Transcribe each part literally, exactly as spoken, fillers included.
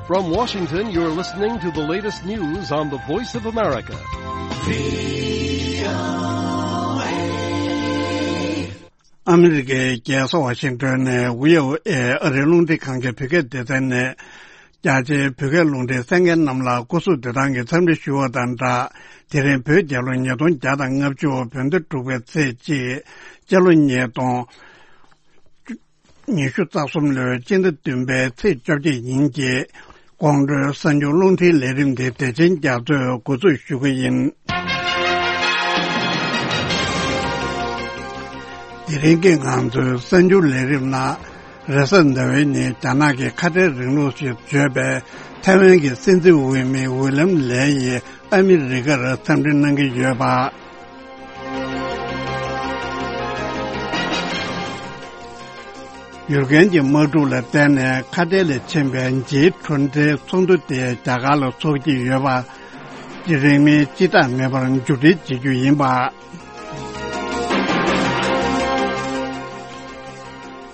From Washington, you're listening to the latest news on the Voice of America. ཨ་མི་རི་ཀའི་རྒྱལ་ས་ཝ་ཤིང་ཏོན་ནས་ཝི་ཨོ་ཨེ་ཨ་རིའི་རླུང་འཕྲིན་ཁང་གི་བོད་སྐད་སྡེ་ཚན་ནས། རྒྱ་ཆེའི་བོད་སྐད་རླུང་འཕྲིན་གསན་མཁན་རྣམས་ལ་སྐུ་གཟུགས་བདེ་ཐང་གི་འཚམས་འདྲི་ཞུ་བ་དང་སྦྲགས། དེ་རིང་བོད་རྒྱལ་ལོ་ཉིས་སྟོང་བརྒྱ་དང་ལྔ་བཅུ་བོད་ཟླ་དྲུག་པའི་ཚེས་གཅིག་སྤྱི་ལོ་ཉིས་སྟོང་ཉི་ཤུ་རྩ་གསུམ་ལོའི་སྤྱི་ཟླ་བདུན་པའི་ཚེས་བཅོ་བརྒྱད་ཡིན་གྱི། དགོང་དྲོའི་གསར་འགྱུར་རླུང་འཕྲིན་ལས་རིམ་འདི་བདེ་ཆེན་རྒྱ་མཚོས་འགོ་འཛུགས་ཞུ་གི་ཡིན། དེ་རིང་གི་ང་ཚོའི་གསར་འགྱུར་ལས་རིམ་ནང་། རེས་གཟའ་ཟླ་བའི་ཉིན་རྒྱ་ནག་གི་ཁ་བྲལ་རིང་ལུགས་ཞེས་བརྗོད་པའི་ཐའེ་ཝན་གྱི་སྲིད་འཛིན་འོས་མི་ཝི་ལམ་ལེ་ཡིས་ཨ་མི་རི་ཀར་འཚམས་འདྲི་གནང་གི་ཡོད་པ། ཡུར་གན་གྱི་དམག་འཁྲུག་ལ་བརྟེན་ནས་ཁ་བྲལ་ལ་ཕྱིན་པའི་ཇིའི་ཁྲོན་ཁྲའི་ཚོགས་འདུ་དེ་རྒྱ་གར་ལ་འཚོགས་ཀྱི་ཡོད་པ། རིང་མིན་སྤྱི་བཏང་མེད་པར་མཇུག་སྒྲིལ་བྱེད་རྒྱུ་ཡིན་པ།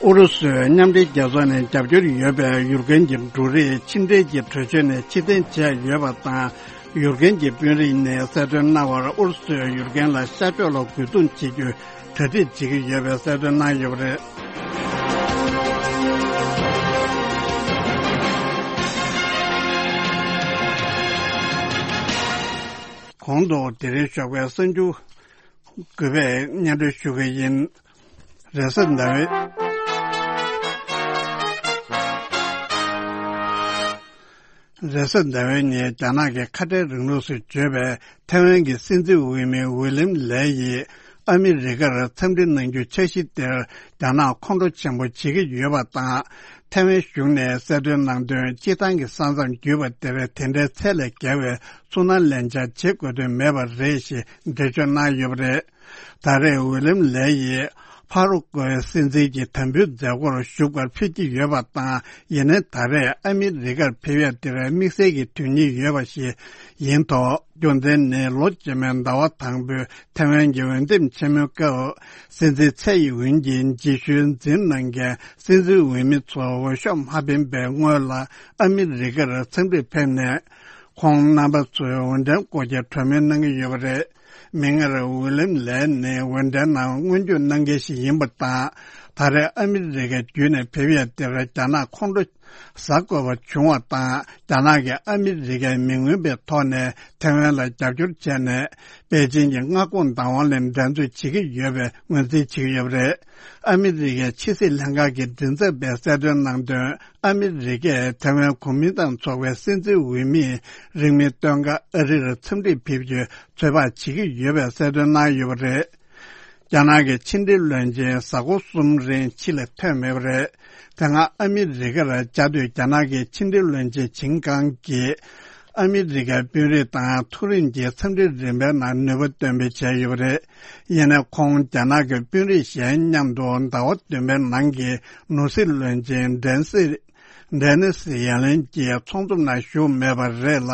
ཨུ་རུ་སུས་མཉམ་འབྲེལ་རྒྱལ་ཚོགས་ནས་རྒྱབ་སྐྱོར་ཡོད་པའི་ཡུར་གན་གྱི་འབྲུ་རིགས་ཕྱི་འབྲེལ་གྱི་གྲོས་ཆོད་ནས་ཕྱིར་འཐེན་བྱས་ཡོད་པ་དང་། ཡུར་གན་གྱི་དཔོན་རིགས་ནས་གསལ་སྟོན་གནང་བར། ཨུ་རུ་སུས་ཡུར་གན་ལ་ཤར་ཕྱོགས་ལ་རྒོལ་རྡུང་བྱེད་རྒྱུའི་གྲ་སྒྲིག་བྱེད་ཀྱི་ཡོད་པའི་གསལ་སྟོན་གནང་ཡོད་པ་རེད། གོང་དུ་དེ་རིང་ཞོགས་པའི་གསར་འགྱུར་དགུ་པས་སྙན་སྒྲོན་ཞུ་གི་ཡིན། རེས་གཟའ་ཟླ་བའི། རེས་གཟའ་ཟླ་བའི་ཉིན་རྒྱ་ནག་གི་ཁ་བྲལ་རིང་ལུགས་སུ་བརྗོད་པའི་ཐའེ་ཝན་གྱི་སྲིད་འཛིན་འོས་མི་ཝི་ལིམ་ལེ་ཡིས་ཨ་མི་རི་ཀར་འཚམས་འདྲི་གནང་རྒྱུ་འཆར་གཞི་དེར་རྒྱ་ནག་ཁོང་ཁྲོ་ཆེན་པོ་བྱེད་ཀྱི་ཡོད་པ་དང་། ཐའེ་ཝན་གཞུང་ནས་གསལ་སྟོན་གནང་དོན། སྤྱིར་བཏང་གི་ས་མཚམས་བརྒྱུད་པ་དེར་དེ་འདྲའི་ཚད་ལས་བརྒལ་བའི་ཚུར་སྣང་ལན་ཆགས་བྱེད་དགོས་དོན་མེད་པ་རེད་ཞེས་འགྲེལ་བརྗོད་གནང་ཡོད་པ་རེད། ད་རེས་ཝི་ལིམ་ལེ་ཡིས་ཕ་རུ་ཀོའི་སྲིད་འཛིན་གྱི་དམ་འབུལ་མཛད་སྒོར་ཞུགས་པར་ཕེབས་ཀྱི་ཡོད་པ་དང་། ཡིན་ནའི་ད་རེས་ཨ་མི་རི་ཀར་ཕེབས་ཡ་དེར་དམིགས་བསལ་གྱི་དོན་སྙིང་ཡོད་པ་ཞིག་ཡིན་ཐོག་རྒྱུ་མཚན་ནི་ལོ་རྗེས་མའི་ཟླ་བ་དང་པོའི་ཐའེ་ཝན་གྱི་འོས་འདེམས་ཆེན་མོའི་སྐབས། སྲིད་འཛིན་ཚའེ་ཡིན་ཝུན་གྱི་རྗེས་ཤུལ་འཛིན་གནང་མཁན་སྲིད་འཛིན་འོས་མི་ཚོ་འོས་ཤོག་མ་འཕེན་པའི་སྔོན་ལ། ཨ་མི་རི་ཀར་འཚམས་འདྲིར་ཕེབས་ནས། ཁོང་རྣམ་པ་ཚོའི་འོས་འགྲན་སྐོར་གྱི་གྲོས་མོལ་གནང་གི་ཡོད་པ་རེད། མིག་སྔར་ཝི་ལིམ་ལེ་ནི་འོས་འགྲན་ནང་སྔོན་འཇུག་གནང་མཁན་ཞིག་ཡིན་པ་དང་། ད་རེས་ཨ་མི་རི་ཀ་བརྒྱུད་ནས་ཕེབས་ཡ་དེར་རྒྱ་ནག་ཁོང་ཁྲོ་ཟ་དགོས་པ་བྱུང་བ་དང་། རྒྱ་ནག་གིས་ཨ་མི་རི་ཀའི་མི་མངོན་པའི་ཐོག་ནས་ཐའེ་ཝན་ལ་རྒྱབ་སྐྱོར་བྱས་ནས། པེ་ཅིང་གི་མངའ་ཁོངས་བདག་དབང་ལ་འགྲན་རྩོད་བྱེད་ཀྱི་ཡོད་པའི་ངོས་འཛིན་བྱེད་ཀྱི་ཡོད་པ་རེད། ཨ་མི་རི་ཀའི་ཕྱི་སྲིད་ལྷན་ཁང་གི་མགྲིན་ཚབ་པས་གསལ་སྟོན་གནང་དོན། ཨ་མི་རི་ཀས་ཐའེ་ཝན་གོ་མིན་ཏང་ཚོགས་པའི་སྲིད་འཛིན་འོས་མིས་རིང་མིན་སྟོན་ཁ་ཨ་རིར་འཚམས་འདྲིར་ཕེབས་རྒྱུའི་ཚོད་དཔག་བྱེད་ཀྱི་ཡོད་པའི་གསལ་སྟོན་གནང་ཡོད་པ་རེད། རྒྱ་ནག་གི་ཕྱི་འབྲེལ་བློན་ཆེན་གཟའ་འཁོར་གསུམ་རིང་ཕྱི་ལ་ཐོན་མེད་པ་རེད། དེ་སྔ་ཨ་མི་རི་ཀར་བཅའ་སྡོད་རྒྱ་ནག་གི་ཕྱི་འབྲེལ་བློན་ཆེན་ཆིན་ཀང་གིས། ཨ་མི་རི་ཀའི་དཔོན་རིགས་དང་མཐོ་རིམ་གྱི་འཚམས་འདྲིའི་རིམ་པའི་ནང་ནུས་པ་འདོན་སྤེལ་བྱས་ཡོད་པ་རེད། ཡིན་ནའི་ཁོང་རྒྱ་ནག་གི་དཔོན་རིགས་གཞན་མཉམ་དུ་ཟླ་བ་བདུན་པའི་ནང་གི་ནོར་སྲིད་བློན་ཆེན་ཌན་སི། ཌེ་ནི་སི་ཡན་ལན་གྱི་ཚོགས་འཛོམས་ནང་ཞུགས་མེད་པ་རེད་ལ།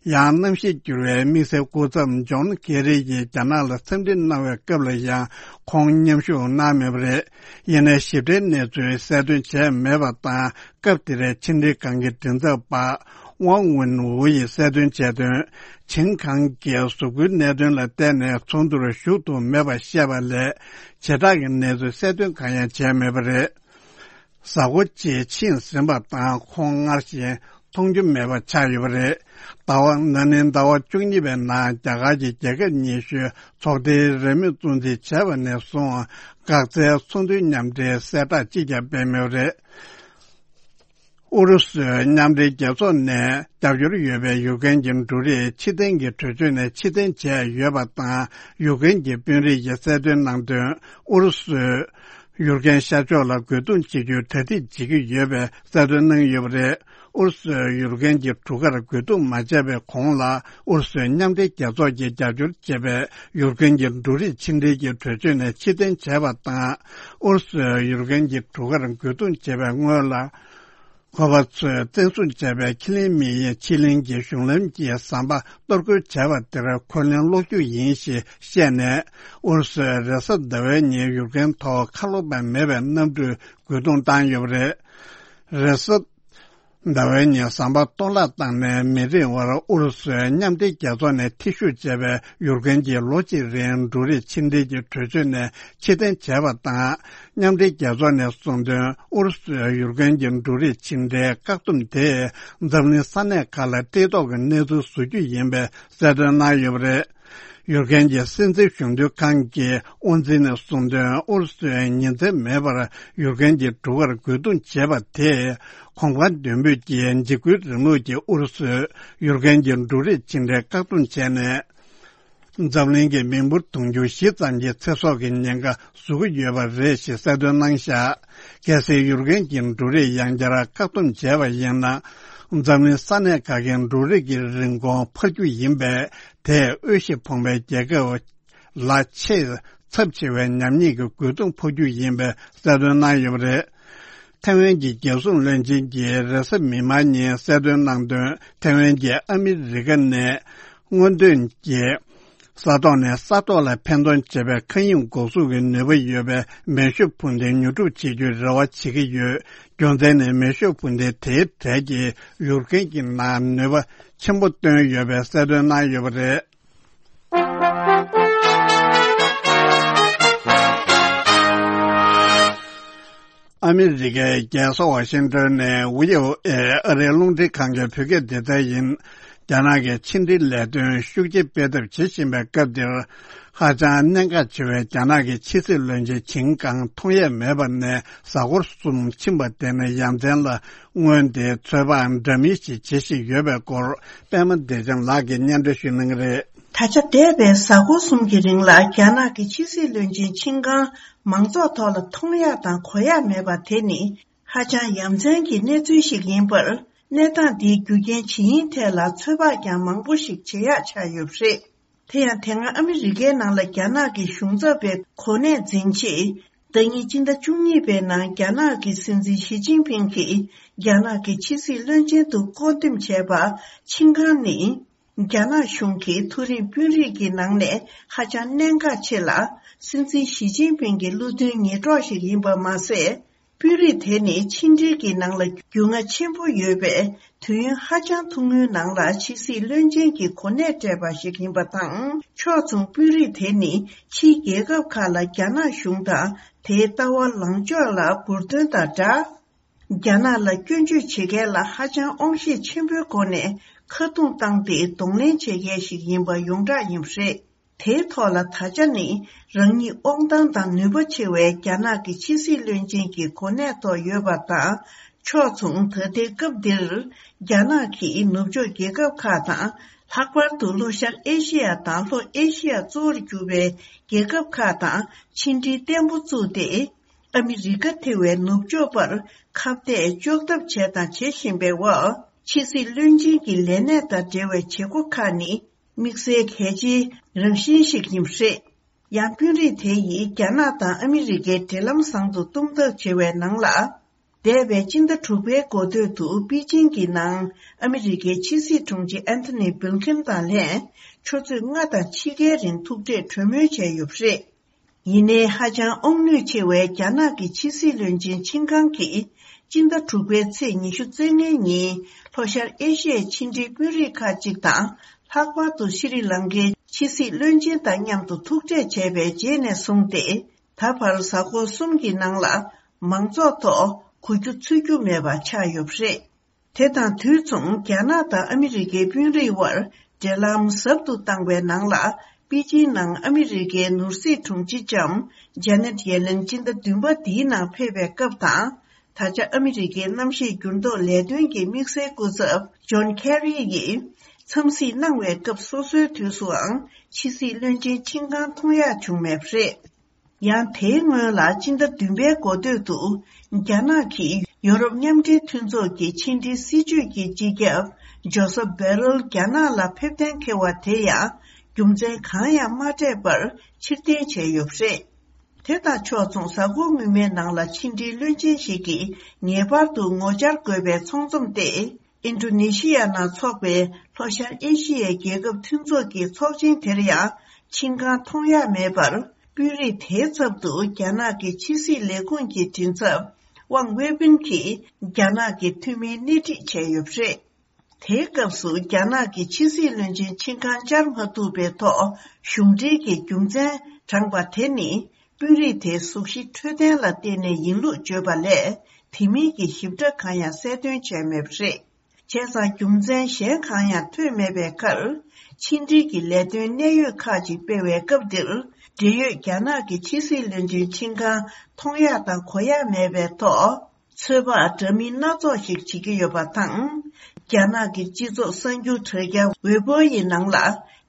ཡང་གནམ་གཤིས་འགྱུར་བའི་དམིགས་བསལ་སྐུ་ཚབ་ཇོན་ཀེ་རི་ཡིས་རྒྱ་ནག་ལ་འཚམས་འདྲི་གནང་བའི་སྐབས་ལ་ཡང་ཁོང་མཉམ་ཞུགས་གནང་མེད་པ་རེད། ཡིན་ནའི་ཞིབ་ཕྲའི་གནས་ཚུལ་གསལ་སྟོན་བྱས་མེད་པ་དང་། སྐབས་དེར་ཕྱི་འབྲེལ་ཁང་གི་མགྲིན་ཚབ་པ་ཝང་ཝུན་ཝུ་ཡིས་གསལ་སྟོན་བྱས་དོན། ཆིན་ཁང་གིས་གཟུགས་པོའི་གནད་དོན་ལ་བརྟེན་ནས་ཚོགས་འདུར་ཞུགས་ཐུབ་མེད་པ་བཤད་པ་ལས། བྱེ་བྲག་གི་གནས་ཚུལ་གསལ་སྟོན་གང་ཡང་བྱས་མེད་པ་རེད། གཟའ་འཁོར་གཅིག་ཕྱིན་ཟིན་པ་དང་། ཁོང་སྔར་བཞིན་མཐོང་རྒྱུ་མེད་པ་ཆགས་ཡོད་པ་རེད། ཟླ་བ། ན་ནིང་ཟླ་བ་བཅུ་གཉིས་པའི་ནང་རྒྱ་གར་གྱི་རྒྱལ་ཁབ་ཉི་ཤུའི་ཚོགས་སྡེའི་རེས་མོས་སྲུང་བརྩི་བྱས་པ་ནས་བཟུང་། འགག་རྩའི་ཚོགས་འདུའི་མཉམ་འབྲེལ་གསལ་བསྒྲགས་གཅིག་ཀྱང་སྤེལ་མེད་པ་རེད། ཨུ་རུ་སུས་མཉམ་འབྲེལ་རྒྱལ་ཚོགས་ནས་རྒྱབ་སྐྱོར་ཡོད་པའི་ཡུཀ་རེན་གྱི་འབྲུ་རིགས་ཕྱིར་འཐེན་གྱི་གྲོས་ཆོད་ནས་ཕྱིར་འཐེན་བྱས་ཡོད་པ་དང་། ཡུཀ་རེན་གྱི་དཔོན་རིགས་ཀྱིས་གསལ་སྟོན་གནང་དོན། ཨུ་རུ་སུས་ཡུཀ་རེན་ཤར་ཕྱོགས་ལ་རྒོལ་རྡུང་བྱེད་རྒྱུའི་གྲ་སྒྲིག་བྱེད་ཀྱི་ཡོད་པའི་གསལ་སྟོན་གནང་ཡོད་པ་རེད། ཨུ་རུ་སུས་ཡུཀ་རེན་གྱི་གྲུ་ཁར་རྒོལ་རྡུང་མ་བྱས་པའི་གོང་ལ། ཨུ་རུ་སུས་མཉམ་འབྲེལ་རྒྱལ་ཚོགས་ཀྱིས་རྒྱབ་སྐྱོར་བྱས་པའི་ཡུཀ་རེན་གྱི་འབྲུ་རིགས་ཕྱིར་འཐེན་གྱི་གྲོས་ཆོད་ནས་ཕྱིར་འཐེན་བྱས་པ་དང་། ཨུ་རུ་སུས་ཡུཀ་རེན་གྱི་གྲུ་ཁར་རྒོལ་རྡུང་བྱས་པའི་སྔོན་ལ། གོ་པ་ཚོས་བཙན་བཟུང་བྱས་པའི་ཁེ་ལིན་མི་ཡི་ཕྱེད་གླིང་གི་གཞུང་ལམ་གྱི་ཟམ་པ་གཏོར་རྒོལ་བྱས་པ་དེར་འཁོན་ལན་སློག་རྒྱུ་ཡིན་ཞེས་བཤད་ནས། ཨུ་རུ་སུས་རེས་གཟའ་ཟླ་བའི་ཉིན་ཡུཀ་རེན་ཐོག་ཁ་ལོ་བ་མེད་པའི་གནམ་གྲུས་རྒོལ་རྡུང་བཏང་ཡོད་པ་རེད། རེས་གཟའ། ཟླ་བའི་ཉིན་ཟམ་པ་གཏོར་བརླག་བཏང་ནས་མི་རིང་བར་ཨུ་རུ་སུས་མཉམ་འབྲེལ་རྒྱལ་ཚོགས་ནས་འཐུས་ཤོར་བྱས་པའི་ཡུཀ་རེན་གྱི་ལོ་གཅིག་རིང་འབྲུ་རིགས་ཕྱི་འབྲེལ་གྱི་གྲོས་ཆོད་ནས་ཕྱིར་འཐེན་བྱས་པ་དང་། མཉམ་འབྲེལ་རྒྱལ་ཚོགས་ནས་གསུངས་དོན། ཨུ་རུ་སུས་ཡུཀ་རེན་གྱི་འབྲུ་རིགས་ཕྱི་འབྲེལ་བཀག་སྡོམ་དེས་འཛམ་གླིང་ས་གནས་ཁག་ལ་བཀྲེས་ལྟོགས་ཀྱི་གནས་ཚུལ་བཟོ་རྒྱུ་ཡིན་པའི་གསལ་སྟོན་གནང་ཡོད་པ་རེད། ཡུཀ་རེན་གྱི་སྲིད་འཛིན་གཞོན་དུས་ཁང་གི་དབུ་འཛིན་ནས་གསུངས་དོན། ཨུ་རུ་སུས་ཉིན་མཚན་མེད་པར་ཡུཀ་རེན་གྱི་འབྲུ་མཁར་རྒོལ་རྡུང་བྱས་པ་དེས་གོང་འཕེལ་ལྡན་འབུད་ཀྱི་འཇིགས་སྐུལ་རིང་ལུགས་ཀྱིས་ཨུ་རུ་སུས་ཡུཀ་རེན་གྱི་འབྲུ་རིགས་ཕྱི་འབྲེལ་བཀག་སྡོམ་བྱས་ནས། འཛམ་གླིང་གི་མི་འབོར་དུང་ཕྱུར་བཞི་ཙམ་གྱི་ཚེ་སྲོག་གི་ཉེན་ཁ་བཟོ་གི་ཡོད་པ་རེད་ཞེས་གསལ་སྟོན་གནང་བཞག་གལ་སྲིད་ཡུཀ་རེན་གྱི་འབྲུ་རིགས་ཡང་བསྐྱར་བཀག་སྡོམ་བྱས་པ་ཡིན་ན། འཛམ་གླིང་ས་གནས་ཁག་གི་འབྲུ་རིགས་ཀྱི་རིན་གོང་འཕར་རྒྱུ་ཡིན་པས། དེས་དབུལ་ཞིང་ཕོངས་པའི་རྒྱལ་ཁབ་ལ་ཆེས་ཚབས་ཆེ་བའི་ཉམས་ཉེས་ཀྱི་རྒོལ་རྡུང་ཕོག་རྒྱུ་ཡིན་པའི་གསལ་སྟོན་གནང་ཡོད་པ་རེད། ཐའེ་ཝན་གྱི་རྒྱལ་སྲུང་བློན་ཆེན་གྱིས་རེས་གཟའ་མིག་དམར་ཉིན་གསལ་སྟོན་གནང་དོན། ཐའེ་ཝན་གྱིས་ཨ་མི་རི་ཀ་ནས་སྔོན་ཐོན་གྱི་ས་ཐོག་ནས་ས་ཐོག་ལ་འཕེན་གཏོང་བྱེད་པའི་མཁའ་དབྱིངས་འགོག་སྲུང་གི་ནུས་པ་ཡོད་པའི་མེ་ཤུགས་འཕུར་མདེལ་ཉོ་སྒྲུབ་བྱེད་རྒྱུའི་རེ་བ་བྱེད་ཀྱི་ཡོད། རྒྱུ་མཚན་ནི་མེ་ཤུགས་འཕུར་མདེལ་དེའི་གྲས་ཀྱིས་ཡུཀ་རེན་གྱི་ནང་ནུས་པ་ཆེན་པོ་བཏོན་ཡོད་པའི་གསལ་སྟོན་གནང་ཡོད་པ་རེད། ཨ་མི་རི་ཀའི་རྒྱལ་ས་ཝ་ཤིང་ཏོན་ནས་ཝི་ཨོ་ཨེ་ཨ་རིའི་རླུང་འཕྲིན་ཁང་གི་བོད་སྐད་སྡེ་ཚན་ཡིན། རྒྱ་ནག་གི་ཕྱི་འབྲེལ་ལས་དོན་ཤུགས་ཆེ་སྤེལ་ཐབས་བྱེད་བཞིན་པའི་སྐབས་འདིར། ཧ་ཅང་གནད་འགག་ཆེ་བའི་རྒྱ་ནག་གི་ཕྱི་སྲིད་བློན་ཆེན་ཆིན་ཀང་མཐོང་ཡས་མེད་པ་ནས་གཟའ་འཁོར་གསུམ་ཕྱིན་པ་དེ་ནི་ཡ་མཚན་ལ་སྔོན་དེ་ཚོད་དཔག་འདྲ་མིན་ཞིག་བྱེད་བཞིན་ཡོད་པའི་སྐོར། པད་མ་བདེ་ཆེན་ལགས་ཀྱིས་སྙན་སྒྲོན་ཞུ་གནང་གི་རེད། ད་ཆ་འདས་པའི་གཟའ་འཁོར་གསུམ་གྱི་རིང་ལ་རྒྱ་ནག་གི་ཕྱི་སྲིད་བློན་ཆེན་ཆིན་ཀང་མང་ཚོགས་ཐོག་ལ་མཐོང་ཡག་དང་གོ་ཡག་མེད་པ་དེ་ནི་ཧ་ཅང་ཡ་མཚན་གྱི་གནས་ཚུལ་ཞིག་ཡིན་པར། གནས་སྟངས་འདིའི་རྒྱུ་རྐྱེན་ཇི་ཡིན་ཐད་ལ་ཚོད་དཔག་ཀྱང་མང་པོ་ཞིག་བྱེད་ཡག་ཆགས་ཡོད་པ་རེད། དེ་ཡང་དེ་སྔ་ཨ་མི་རི་ཀའི་ནང་ལ་རྒྱ་ནག་གི་གཞུང་ཚབ་པའི་གོ་གནས་འཛིན་ཆེད། ཟླ་ཉིན་སྤྱི་ཟླ་བཅུ་གཉིས་པའི་ནང་རྒྱ་ནག་གི་སྲིད་འཛིན་ཞི་ཅིན་ཕིང་གིས་རྒྱ་ནག་གི་ཕྱི་སྲིད་བློན་ཆེན་དུ་བསྐོ་འདེམས་བྱས་པ་ཆིན་ཀང་ནི། རྒྱ་ནག་གཞུང་གིས་མཐོ་རིམ་དཔོན་རིགས་ཀྱི་ནང་ནས་ཧ་ཅང་གནད་འགག་ཆེ་ལ། སྲིད་འཛིན་ཞི་ཅིན་ཕིང་གི་བློ་མཐུན་ཉེ་གྲོགས་ཤིག་ཡིན་པ་མ་ཟད། དཔོན་རིགས་དེ་ནི་ཕྱི་འབྲེལ་གྱི་ནང་ལ་རྒྱུས་མངའ་ཆེན་པོ་ཡོད་པས། དུས་ཡུན་ཧ་ཅང་ཐུང་ངུའི་ནང་ལ་ཕྱི་སྲིད་བློན་ཆེན་གྱི་གོ་གནས་སྤྲད་པ་ཞིག་ཡིན་པ་དང་། ཕྱོགས་མཚུངས་དཔོན་རིགས་དེ་ནི་ཕྱིའི་རྒྱལ་ཁབ་ཁག་ལ་རྒྱ་ནག་གཞུང་དང་དེའི་ལྟ་བ་ལངས་ཕྱོགས་ལ་འབུར་འདོན་དང་སྦྲགས། རྒྱ་ནག་ལ་སྐྱོན་བརྗོད་བྱེད་མཁན་ལ་ཧ་ཅང་དབང་ཤེད་ཆེན་པོའི་སྒོ་ནས་ཁ་རྡུང་བཏང་སྟེ་གདོང་ལེན་བྱེད་མཁན་ཞིག་ཡིན་པ་ཡོངས་གྲགས་ཡིན་པ་རེད། དེའི་ཐོག་ལ་ད་ཆ་ནི་རང་ཉིད་དབང་ཐང་དང་ནུས་པ་ཆེ་བའི་རྒྱ་ནག་གི་ཕྱི་སྲིད་བློན་ཆེན་གྱི་གོ་གནས་ཐོག་ཡོད་པ་དང་། ཕྱོགས་མཚུངས་ད་ལྟའི་སྐབས་འདིར་རྒྱ་ནག་གིས་ནུབ་ཕྱོགས་རྒྱལ་ཁབ་ཁག་དང་། ལྷག་པར་དུ་ལྷོ་ཤར་ཨེ་ཤེ་ཡ་དང་ལྷོ་ཨེ་ཤེ་ཡ་གཙོ་བོར་གྱུར་པའི་རྒྱལ་ཁབ་ཁག་དང་ཕྱི་འབྲེལ་བརྟན་པོ་བཙུགས་ཏེ། ཨ་མི་རི་ཀ་ཐེ་བའི་ནུབ་ཕྱོགས་པར་ཁ་གཏད་གཅོག་ཐབས་བྱས་དང་བྱེད་བཞིན་པའི་འོག་ཕྱི་སྲིད་བློན་ཆེན་གྱི་ལས་གནས་དང་འབྲེལ་བའི་བྱེད་སྒོ་ཁག་ནི་དམིགས་བསལ་གལ་ཆེའི་རང་བཞིན་ཞིག་ཡིན་པ་རེད། ཡང་དཔོན་རིགས་དེ་ཡིས་རྒྱ་ནག་དང་ཨ་མི་རི་ཀའི་འབྲེལ་ལམ་བཟང་དུ་གཏོང་ཐབས་བྱེད་པའི་ནང་ལ། འདས་པའི་སྤྱི་ཟླ་དྲུག་པའི་འགོ་སྟོད་དུ་པེ་ཅིང་གི་ནང་ཨ་མི་རི་ཀའི་ཕྱི་སྲིད་དྲུང་ཆེ་ཨན་ཐོ་ནི་བྷིལ་ཁིན་དང་ལྷན་ཆུ་ཚོད་ལྔ་དང་ཕྱེད་ཀའི་རིང་ཐུག་འཕྲད་གྲོས་མོལ་བྱས་ཡོད་པ་རེད། ཡིན་ནའི་ཧ་ཅང་དབང་ནུས་ཆེ་བའི་རྒྱ་ནག་གི་ཕྱི་སྲིད་བློན་ཆེན་ཆིན་ཀང་གིས་སྤྱི་ཟླ་དྲུག་པའི་ཚེས་ཉི་ཤུ་རྩ་ལྔའི་ཉིན་ལྷོ་ཤར་ཨེ་ཤི་ཡའི་ཕྱི་འབྲེལ་དཔོན་རིགས་ཁག་ཅིག་དང་། ལྷག་པར་དུ་ཤྲི་ལང་ཀའི་ཕྱི་སྲིད་བློན་ཆེན་དང་མཉམ་དུ་ཐུག་འཕྲད་བྱས་པའི་རྗེས་ནས་བཟུང་སྟེ། ད་བར་གཟའ་འཁོར་གསུམ་གྱི་ནང་ལ་མང་ཚོགས་ཐོག་གོ་རྒྱུ་ཚོར་རྒྱུ་མེད་པ་ཆགས་ཡོད་པ་རེད། དེ་དང་དུས་མཚུངས་རྒྱ་ནག་དང་ཨ་མི་རི་ཀའི་དཔོན་རིགས་དབར་འབྲེལ་ལམ་ཟབ་ཏུ་བཏང་བའི་ནང་ལ། པེ་ཅིན་ནང་ཨ་མི་རི་ཀའི་ནོར་སྲིད་དྲུང་ཆེ་ལྕམ་ཇེ་ནེད་ཡེ་ལེན་སྤྱི་ཟླ་བདུན་པ་འདིའི་ནང་ཕེབས་པའི་སྐབས་དང་། ད་ཆ་ཨ་མི་རི་ཀའི་གནམ་གཤིས་འགྱུར་ལྡོག་ལས་དོན་གྱི་དམིགས་བསལ་སྐུ་ཚབ་ཇོན་ཁེ་རི་ཡིས་འཚམས་གཟིགས་གནང་བའི་སྐབས་སོ་སོའི་དུས་སུའང་ཕྱི་སྲིད་བློན་ཆེན་ཆིན་ཀང་མཐོང་ཡག་བྱུང་མེད་པ་རེད། ཡང་དེའི་སྔོན་ལ་སྤྱི་ཟླ་བདུན་པའི་འགོ་སྟོད་དུ། རྒྱ་ནག་གིས་ཡོ་རོབ་མཉམ་འབྲེལ་མཐུན་ཚོགས་ཀྱི་ཕྱི་འབྲེལ་སྲིད་བྱུས་ཀྱི་སྤྱི་ཁྱབ་ཇོ་སབ་བེ་རལ་རྒྱ་ནག་ལ་ཕེབས་གཏན་འཁེལ་བ་དེ་ཡང་རྒྱུ་མཚན་གང་ཡང་མ་སྤྲད་པར་ཕྱིར་འཐེན་བྱས་ཡོད་པ་རེད། དེ་དང་ཕྱོགས་མཚུངས་གཟའ་འཁོར་སྔོན་མའི་ནང་ལ་ཕྱི་འབྲེལ་བློན་ཆེན་ཞིག་གིས་ངེས་པར་དུ་ངོ་བཅར་དགོས་པའི་ཚོགས་འཛོམས་ཏེ། ཨིན་ཌོ་ནེ་ཤི་ཡ་ནང་འཚོགས་པའི་ལྷོ་ཤར་ཨེ་ཤི་ཡའི་རྒྱལ་ཁབ་མཐུན་ཚོགས་ཀྱི་ཚོགས་ཆེན་དེར་ཡང་ཆིན་ཀང་མཐོང་ཡག་མེད་པར། དཔོན་རིགས་དེའི་ཚབ་ཏུ་རྒྱ་ནག་གི་ཕྱི་སྲིད་ལས་ཁུངས་ཀྱི་མགྲིན་ཚབ་ ཝང་ཝེ་པིན་གྱིས་རྒྱ་ནག་གི་འཐུས་མིའི་སྣེ་ཁྲིད་བྱས་ཡོད་པ་རེད། དེའི་སྐབས་སུ་རྒྱ་ནག་གི་ཕྱི་སྲིད་བློན་ཆེན་ཆིན་ཁང་བཅར་མ་ཐུབ་པའི་ཐོག་གཞུང་འབྲེལ་གྱི་རྒྱུ་མཚན་དྲངས་པ་དེ་ནི་དཔོན་རིགས་དེའི་གཟུགས་གཞི་འཕྲོད་བསྟེན་ལ་བརྟེན་ནས་ཡིན་ལུགས་བརྗོད་པ་ལས་དེ་མིན་གྱི་ཞིབ་ཕྲ་གང་ཡང་གསལ་སྟོན་བྱས་མེད་པ་རེད། བྱས་ཙང་རྒྱུ་མཚན་གཞན་གང་ཡང་ཐོན་མེད་པའི་ཁར། ཕྱི་འབྲེལ་གྱི་ལས་དོན་གནད་ཡོད་ཁག་ཅིག་སྤེལ་བའི་སྐབས་འདིར། འབྲེལ་ཡོད་རྒྱ་ནག་གི་ཕྱི་སྲིད་བློན་ཆེན་ཆིན་ཁང་མཐོང་ཡག་དང་གོ་ཡག་མེད་པའི་ཐོག་ཚོད་དཔག་འདྲ་མིན་སྣ་ཚོགས་ཤིག་བྱེད་ཀྱི་ཡོད་པ་དང་། རྒྱ་ནག་གི་སྤྱི་ཚོགས་གསར་འགྱུར་དྲ་རྒྱ་ཝེ་པོ་ཡི་ནང་ལ་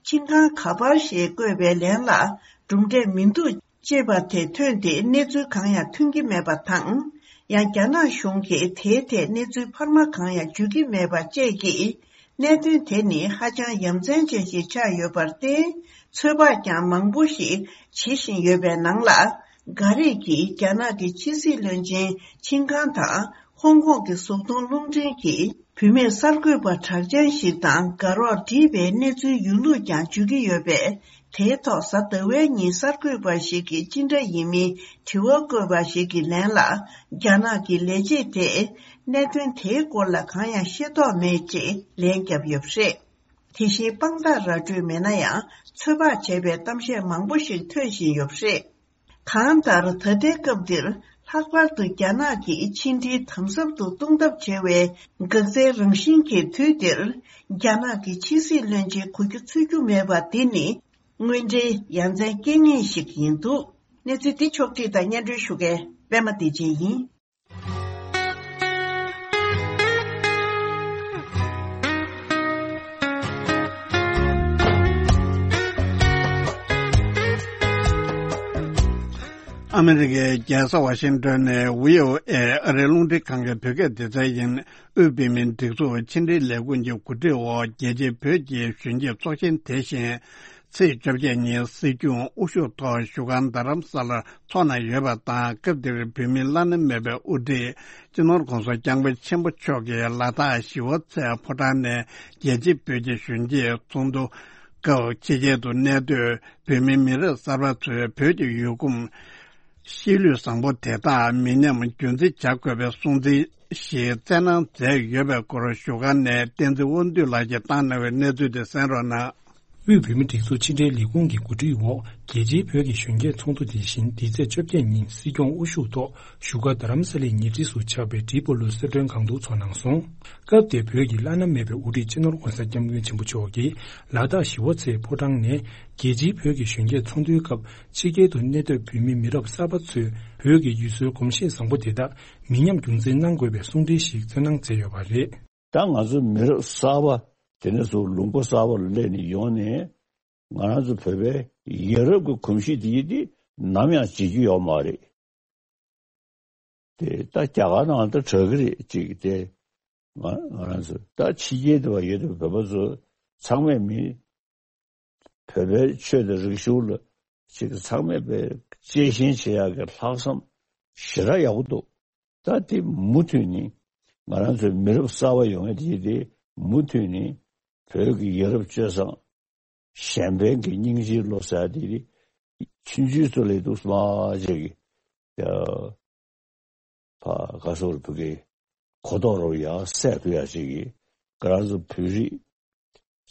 ཆིན་ཁང་ག་པར་ཞེས་བཀོད་པའི་ལན་ལ་གྲུབ་འབྲས་མི་འདུག་ཅེས་པ་དེ་ཐོན་ཏེ་གནས་ཚུལ་གང་ཡང་ཐོན་གྱི་མེད་པ་དང་། ཡང་རྒྱ་ནག་གཞུང་གིས་དེའི་ཐད་གནས་ཚུལ་འཕར་མ་གང་ཡང་བརྗོད་ཀྱི་མེད་པ་བཅས་ཀྱིས། གནད་དོན་དེ་ནི་ཧ་ཅང་ཡ་མཚན་ཅན་ཞིག་ཆགས་ཡོད་པར་བརྟེན། ཚོད་དཔག་ཀྱང་མང་པོ་ཞིག་བྱེད་བཞིན་ཡོད་པའི་ནང་ལ། འགའ་རེས་ཀྱིས་རྒྱ་ནག་གི་ཕྱི་སྲིད་བློན་ཆེན་ཆིན་ཁང་དང་ཧོང་ཀོང་གི་བཟོ་ཚོང་རླུང་འཕྲིན་གྱིས་བུད་མེད་གསར་འགོད་པ་གྲགས་ཅན་ཞིག་དང་དགའ་རོགས་བསྒྲིགས་པའི་གནས་ཚུལ་ཡོད་ལུགས་ཀྱང་བརྗོད་ཀྱི་ཡོད་པས། དེའི་ཐོག་གཟའ་ཟླ་བའི་ཉིན་གསར་འགོད་པ་ཞིག་གིས་ཅི་འདྲ་ཡིན་མིན་དྲི་བ་བཀོད་པ་ཞིག་གི་ལན་ལ། རྒྱ་ནག་གི་ལས་བྱེད་དེས་གནད་དོན་དེའི་སྐོར་ལ་གང་ཡང་ཤེས་རྟོགས་མེད་ཅེས་ལན་བརྒྱབ་ཡོད་པ་རེད། དེ་བཞིན་དཔང་རྟགས་ར་སྤྲོད་མེད་ན་ཡང་ཚོད་དཔག་བྱས་པའི་གཏམ་བཤད་མང་པོ་ཞིག་ཐོན་བཞིན་ཡོད་པ་རེད། གང་ལྟར་ད་ལྟའི་སྐབས་འདིར་ལྷག་པར་དུ་རྒྱ་ནག་གིས་ཕྱི་འབྲེལ་དམ་ཟབ་ཏུ་གཏོང་ཐབས་བྱ་བའི་འགག་རྩའི་རང་བཞིན་གྱི་དུས་འདིར། རྒྱ་ནག་གི་ཕྱི་སྲིད་བློན་ཆེན་གོ་རྒྱུ་ཚོད་རྒྱུ་མེད་པ་འདི་ནི་དངོས་འབྲེལ་ཡ་མཚན་རྐྱེན་ངན་ཞིག་ཡིན་འདུག་གནས་ཚུལ་འདི་ཕྱོགས་བསྒྲིགས་དང་སྙན་སྒྲོན་ཞུ་མཁན་པད་མ་བདེ་ཆེན་ཡིན། ཨ་མི་རི་ཀའི་རྒྱལ་ས་ཝ་ཤིང་ཏོན་ནས་བྷི་ཨོ་ཨེ་ཨ་རིའི་རླུང་འཕྲིན་ཁང་གི་བོད་སྐད་སྡེ་ཚན་ཡིན། དབུས་བོད་མིའི་སྒྲིག་འཛུགས་ཕྱི་འབྲེལ་ལས་ཁུངས་ཀྱི་གོ་སྒྲིག་འོག་རྒྱལ་སྤྱིའི་བོད་ཀྱི་གཞོན་སྐྱེས་ཚོགས་ཆེན་དེ་བཞིན་ཚེས་བཅོ་བརྒྱད་ཉིན་སྲིད་སྐྱོང་དབུ་བཞུགས་ཐོག་བཞུགས་སྒར་རྡ་རམ་ས་ལར་འཚོགས་གནང་ཡོད་པ་དང་། སྐབས་དེར་བོད་མིའི་བླ་ན་མེད་པའི་དབུ་ཁྲིད་སྤྱི་ནོར་༸གོང་ས་༸སྐྱབས་མགོན་ཆེན་པོ་མཆོག་གིས་ལ་དྭགས་ཞི་བ་འཚོའི་ཕོ་བྲང་ནས་རྒྱལ་སྤྱིའི་བོད་ཀྱི་གཞོན་སྐྱེས་ཚོགས་འདུ་སྐབས་ཕྱི་རྒྱལ་དུ་གནས་སྡོད་བོད་མིའི་མི་རབས་གསར་པ་ཚོས་བོད་ཀྱི་ཡུལ་གོམས་གཤིས་ལུས་བཟང་པོ་དེ་དག་མི་ཉམས་རྒྱུན་འཛིན་བྱ་དགོས་པའི་སྲུང་བརྩི་ཞིག་བསྩལ་གནང་མཛད་ཡོད་པའི་སྐོར་བཞུགས་སྒར་ནས་བསྟན་འཛིན་དབང་འདུས་ལགས་ཀྱིས་བཏང་གནང་བའི་གནས་ཚུལ་དེ་གསན་རོགས་གནང་། དབུས་བོད་མིའི་སྒྲིག་འཛུགས་ཕྱི་འབྲེལ་ལས་ཁུངས་ཀྱི་གོ་སྒྲིག་འོག་རྒྱལ་སྤྱིའི་བོད་ཀྱི་གཞོན་སྐྱེས་ཚོགས་འདུ་དེ་བཞིན་འདི་ཚེས་བཅོ་བརྒྱད་ཉིན་སྲིད་སྐྱོང་དབུ་བཞུགས་ཐོག་བཞུགས་སྒར་རྡ་རམ་ས་ལའི་ཉེ་འཁྲིས་སུ་ཆགས་པའི་ཌི་པོ་ལོ་གསོལ་མགྲོན་ཁང་དུ་འཚོགས་གནང་སོང་། སྐབས་དེར་བོད་ཀྱི་བླ་ན་མེད་པའི་དབུ་ཁྲིད་སྤྱི་ནོར་༸གོང་ས་༸སྐྱབས་མགོན་ཆེན་པོ་མཆོག་གིས་ལ་དྭགས་ཞི་བ་འཚོའི་ཕོ་བྲང་ནས་རྒྱལ་སྤྱིའི་བོད་ཀྱི་གཞོན་སྐྱེས་ཚོགས་འདུའི་སྐབས་ཕྱི་རྒྱལ་དུ་གནས་སྡོད་བོད་མི་མི་རབས་གསར་པ་ཚོས་བོད་ཀྱི་ཡུལ་སྲོལ་གོམས་གཤིས་བཟང་པོ་དེ་དག་མི་ཉམས་རྒྱུན་འཛིན་གནང་དགོས་པའི་གསུང་འཕྲིན་ཞིག་བསྩལ་གནང་མཛད་ཡོད་པ་རེད། ད་ང་ཚོ་མི་རབས་གསར་པ་དེ་ནས་བཟུང་ལུང་པ་གསར་པ་ལ་སླེབས་ནས་ཡོང་ནས་ང་རང་ཚོ་བོད་པའི་ཡ་རབས་ཀྱི་གོམས་གཤིས་དེ་ཡིན་དེ་ནམ་ཡང་བརྗེད་རྒྱུ་ཡོད་མ་རེད། དེ་ད་རྒྱ་གར་ནང་ད་གྲགས་ཀྱི་རེད་ཅིག་དེ་ང་ང་རང་ཚོ་ད་ཕྱི་རྒྱལ་དུ་བ་ཡོད་དུ་བོད་པ་ཚོ་ཚང་མས་མི་བོད་པའི་ཆོས་དང་རིག་གཞུང་ལ་ཅིག་ཚང་མས་པའི་གཅེས་ཞེན་བྱེད་ཡག་གི་ལྷག་བསམ་ཞེ་དྲག་ཡག་པོ་འདུག་ད་དེ་མུ་མཐུད་ནས་ང་རང་ཚོའི་མི་རབས་གསར་པ་ཡོང་ཡ་དེ་དེ་མུ་མཐུད་ནས་བོད་ཀྱི་ཡ་རབས་སྤྱོད་བཟང་གཞན་ཕན་གྱི་སྙིང་རྗེའི་བློ་ཟེར་ཡ་དེ་ཆུང་ཆུང་ཚོ་ལས་འདུག་སྨྲ་བྱེད་ཀྱི་ཕ་ག་སོགས་བུ་གའི་གོ་རྟོགས་རོགས་ཡག་སད་ཐུབ་ཡག་ཅིག་གིས་ང་རང་ཚོ་བོད་རིགས་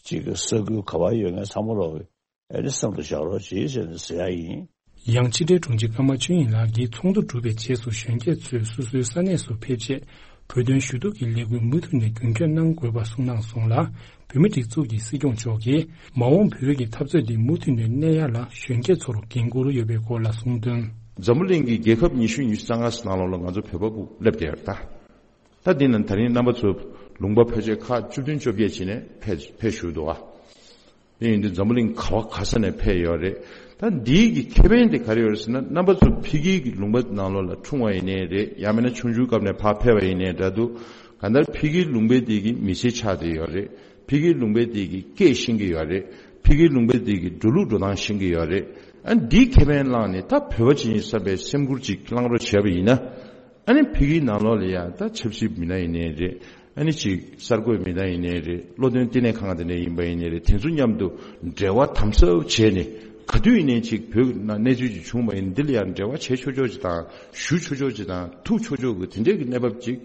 ཅིག་གི་ས་ཁུལ་ག་པར་ཡོད་མཁན་ཚང་མ་རོགས་ཨེ་ནི་སེམས་ལ་བཞག་རོགས་བྱེད་ཟེར་ནས་ཟེར་ཡག་ཡིན། ཡང་ཕྱི་དྲིལ་དྲུང་ཆེ་ཀརྨ་ཆོས་དབྱིངས་ལགས་ཀྱིས་ཚོགས་འདུ་གྲུབ་པའི་རྗེས་སུ་གཞོན་སྐྱེས་ཚོས་སོ་སོའི་ས་གནས་སུ་ཕེབས་རྗེས་བོད་དོན་ཞུ་གཏུག་གི་ལས་འགུལ་མུ་མཐུད་ནས་རྒྱུན་འཁྱོངས་གནང་དགོས་པ་གསུངས་གནང་སོང་ལ། བོད་མི་སྒྲིག་འཛུགས་ཀྱི་སྲིད་སྐྱོང་མཆོག་གིས་མ་འོངས་བོད་ཀྱི་འཐབ་རྩོད་འདི་མུ་མཐུད་ནས་གནས་ཡག་ལ་གཞོན་སྐྱེས་ཚོར་འགན་འཁུར་ཡོད་པའི་སྐོར་ལ་གསུངས་དོན། འཛམ་བུ་གླིང་གི་རྒྱལ་ཁབ་ཉི་ཤུ་ཉི་ཤུ་རྩ་ལྔ་ནང་ལོགས་ལ་ང་ཚོ་བོད་པ་ཕར་སླེབས་བསྡད་ཡོད་རེད་ད། ད་འདི་ན་ད་རིང་རྣམ་པ་ཚོ་ལུང་པ་ཕལ་ཆེར་ཁག་བཅུ་བདུན་བཅོ་བརྒྱད་བྱས་ནས་ཕེབས་ཕེབས་བཞུགས་འདུག་ཨ། དེ་ཡིན་དུས་འཛམ་བུ་གླིང་ག་བ་ག་ས་ནས་ཕེབས་ཡོད་རེད། ད་འདིའི་གི་ཁེ་ཕན་དེ་ག་རེ་ཡོད་རེད་ཟེར་ན། རྣམ་པ་ཚོ་ཕ་གིའི་གི་ལུང་པ་ནང་ལོགས་ལ་འཁྲུངས་པ་ཡིན་ནའི་རེད། ཡང་མིན་ན་ཆུང་ཆུང་སྐབས་ནས་ཕར་ཕེབས་པ་ཡིན་ནའི་འདྲ་འདུག་གང་ལྟར་ཕ་གིའི་ལུང་པའི་དེ་གི་མི་ཚེ་ཆགས་བསྡད་ཡོད་རེད། ཕ་གིའི་ལུང་པའི་དེ་གི་སྐད་ཤེས་ཀྱི་ཡོད་རེད། ཕ་གིའི་ལུང་པའི་དེ་གི་འགྲོ་ལུགས་འགྲོ་སྟངས་ཤེས་ཀྱི་ཡོད་རེད། ཨ་འདིའི་ཁེ་ཕན་བླངས་ནས་ད་བོད་པ་ཅིག་ཡིན་བསམ་པའི་སེམས་ཁུར་ཅིག་བླངས་རོགས་བྱས་པ་ཡིན་ན། ཨ་ནི་ཕ་གིའི་ནང་ལོགས་ལ་ཡང་ད་ཆབ་སྲིད་མི་སྣ་ཡིན་ནའི་རེད། ཨ་ནི་ཅིག་གསར་འགོད་མི་སྣ་ཡིན་ནའི་རེད། བློ་འདོན་བསྟི་གནས་ཁང་དེ་འདྲ་ཡིན་པ་ཡིན་ནའི་རེད། དེ་ཚོ་མཉམ་དུ་འབྲེལ་བ་དམ་ཟབ་བྱས་ནས་ ག་དུས་ཡིན་ནའི་ཅིག་བོད་ནང་གནས་ཚུལ་ཅིག་བྱུང་བ་ཡིན་འདི་ལ་ཡང་འབྲེལ་བ་བྱེད་ཆོག་ཆོག་ཅིག་དང་ཞུ་ཆོག་ཆོག་ཅིག་དང་ཐུག་ཆོག་ཆོག་གི་དེ་འདྲའི་གི་གནས་བབ་ཅིག་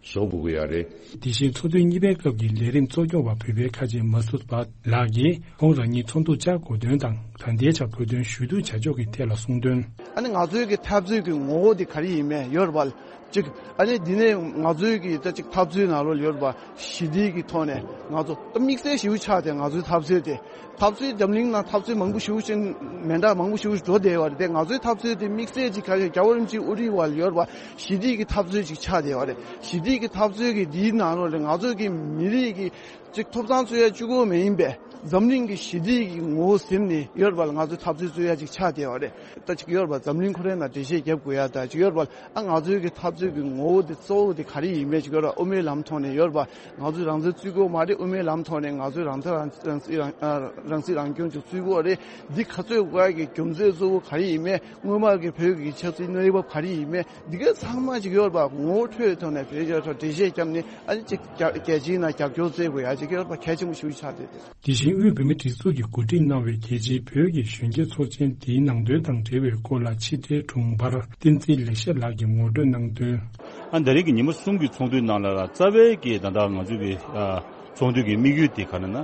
བཟོ་དགོས་ཀྱི་ཡོད་རེད། དེ་བཞིན་ཚོགས་འདུ་གཉིས་པའི་སྐབས་ཀྱི་ལས་རིམ་གཙོ་སྐྱོང་བ་བོད་པའི་ཁ་ཆེ་མ་སུ་བ་ལགས་ཀྱིས་ཁོང་རང་ཉིད་ཚོགས་འདུར་བཅར་དགོས་དོན་དང་ད་ལྟའི་ཆར་བོད་དོན་ཞུ་གཏུག་བྱ་ཕྱོགས་ཀྱི་ཐད་ལ་གསུངས་དོན། ཨ་ནི་ང་ཚོའི་གི་འཐབ་རྩོད་ཀྱི་ངོ་བོ་དེ་ག་རེ་ཡིན་མེད་ཡོད་རེད་པ། གཅིག་ཨ་ནི་འདི་ནས་ང་ཚོའི་གི་ད་གཅིག་འཐབ་རྩོད་ནང་ལོགས་ཡོད་རེད་པ། ཞི་བདེ་གི་ཐོག་ནས་ང་ཚོ་ད་དམིགས་བསལ་ཞེ་པོ་ཆགས་ཏེ་ང་ཚོའི་འཐབ་རྩོད་དེ། འཐབ་རྩོད་འཛམ་གླིང་ནང་འཐབ་རྩོད་མང་པོ་ཞེ་པོ་ཅིག་མེ་མདའ་མང་པོ་ཞེ་པོ་ཞིག་འགྲོ་བསྡད་པ་རེད་དེ། ང་ཚོའི་འཐབ་རྩོད་དེ་དམིགས་བསལ་ཅིག་ག་རེ་རྒྱལ་བ་རིན་པོ་ཆེའི་དབུ་ཁྲིད་འོག་ལ་ཡོད་རེད་པ། ཞི་བདེ་གི་འཐབ་རྩོད་ཅིག་ཆགས་བསྡད་པ་རེད། ཞི་བདེ་གི་འཐབ་རྩོད་ཀྱི་འདིའི་ནང་ལོགས་ལ་ང་ཚོ་གི་མི་རིགས་ཀྱི་ཅིག་ཐོབ་ཐང་རྩོད་ཡ་གཅིག་པོ་མ་ཡིན་པའི་འཛམ་གླིང་གི་ཞི་བདེ་གི་ངོ་བོ་ཟིན་ནས་ཡོད་རེད་པ་ལ་ང་ཚོའི་འཐབ་རྩོད་རྩོད་ཡ་ཅིག་ཆགས་བསྡད་པ་རེད། ད་ཅིག་ཡོད་རེད་པ། འཛམ་གླིང་ཁོ་རའི་ནང་འགྲེལ་བཤད་རྒྱབ་དགོས་ཡ་ད་ཅིག་ཡོད་རེད་པ། ཨ་ང་ཚོའི་གི་འཐབ་རྩོད་ཀྱི་ངོ་བོ་དེ་གཙོ་བོ་དེ་ག་རེ་ཡིན་མེད་ཅིག་ཡོད་རེད་པ། དབུ་མའི་ལམ་ཐོག་ནས་ཡོད་རེད་པ། ང་ཚོས་རང་བཙན་རྩོད་དགོས་མ་རེད། དབུ་མའི་ལམ་ཐོག་ནས་ང་ཚོས་རང་བཙན་རང་རང་སྲིད་རང་ཨ་རང་སྲིད་རང་སྐྱོང་ཅིག་རྩོད་དགོས་རེད། འདི་ག་ཚོད་དགོས་ཡ་གི་རྒྱུ་མཚན་གཙོ་བོ་ག་རེ་ཡིན་མེད། སྔོན་མ་གི་བོད་ཀྱི་ཆབ་སྲིད་གནས་བབ་ག་རེ་ཡིན་མེད། འདི་ག་ཚང་མ་ཅིག་ཡོད་རེད་པ། ངོ་བོ་འཕྲོད་ཐོག་ནས་བོད་རྒྱ་ཐོག་འགྲེལ་བཤད་བརྒྱབ་ནས་ཨ་ནི་ཅིག་རྒྱ་རྒྱལ་སྤྱིའི་ནང་རྒྱབ་སྐྱོར་བཙལ་དགོས་ཡ་ཅིག་ཡོད་རེད་པ། གལ་ཆེན་པོ་ཞིག་ཆགས་བསྡད་དེ། དེ་བཞིན་དབུས་བོད་མིའི་སྒྲིག་འཛུགས་ཀྱིས་གོ་སྒྲིག་གནང་བའི་རྒྱལ་སྤྱིའི་བོད་ཀྱི་གཞོན་སྐྱེས་ཚོགས་ཆེན་འདིའི་ནང་དོན་དང་འབྲེལ་བའི་སྐོར་ལ་ཕྱི་དྲིལ་དྲུང་འཕར་བསྟན་འཛིན་ལེགས་བཤད་ལགས་ཀྱིས་ངོ་སྤྲོད་གནང་དོན། ཨ་ད་རེས་ཀྱི་ཉི་མ་གསུམ་གྱི་ཚོགས་འདུའི་ནང་ལ་རྩ་བའི་གི་ད་ལྟ་ང་ཚོའི་གི་ཨ་ཚོགས་འདུ་གི་དམིགས་ཡུལ་དེ་ག་རེ་ན།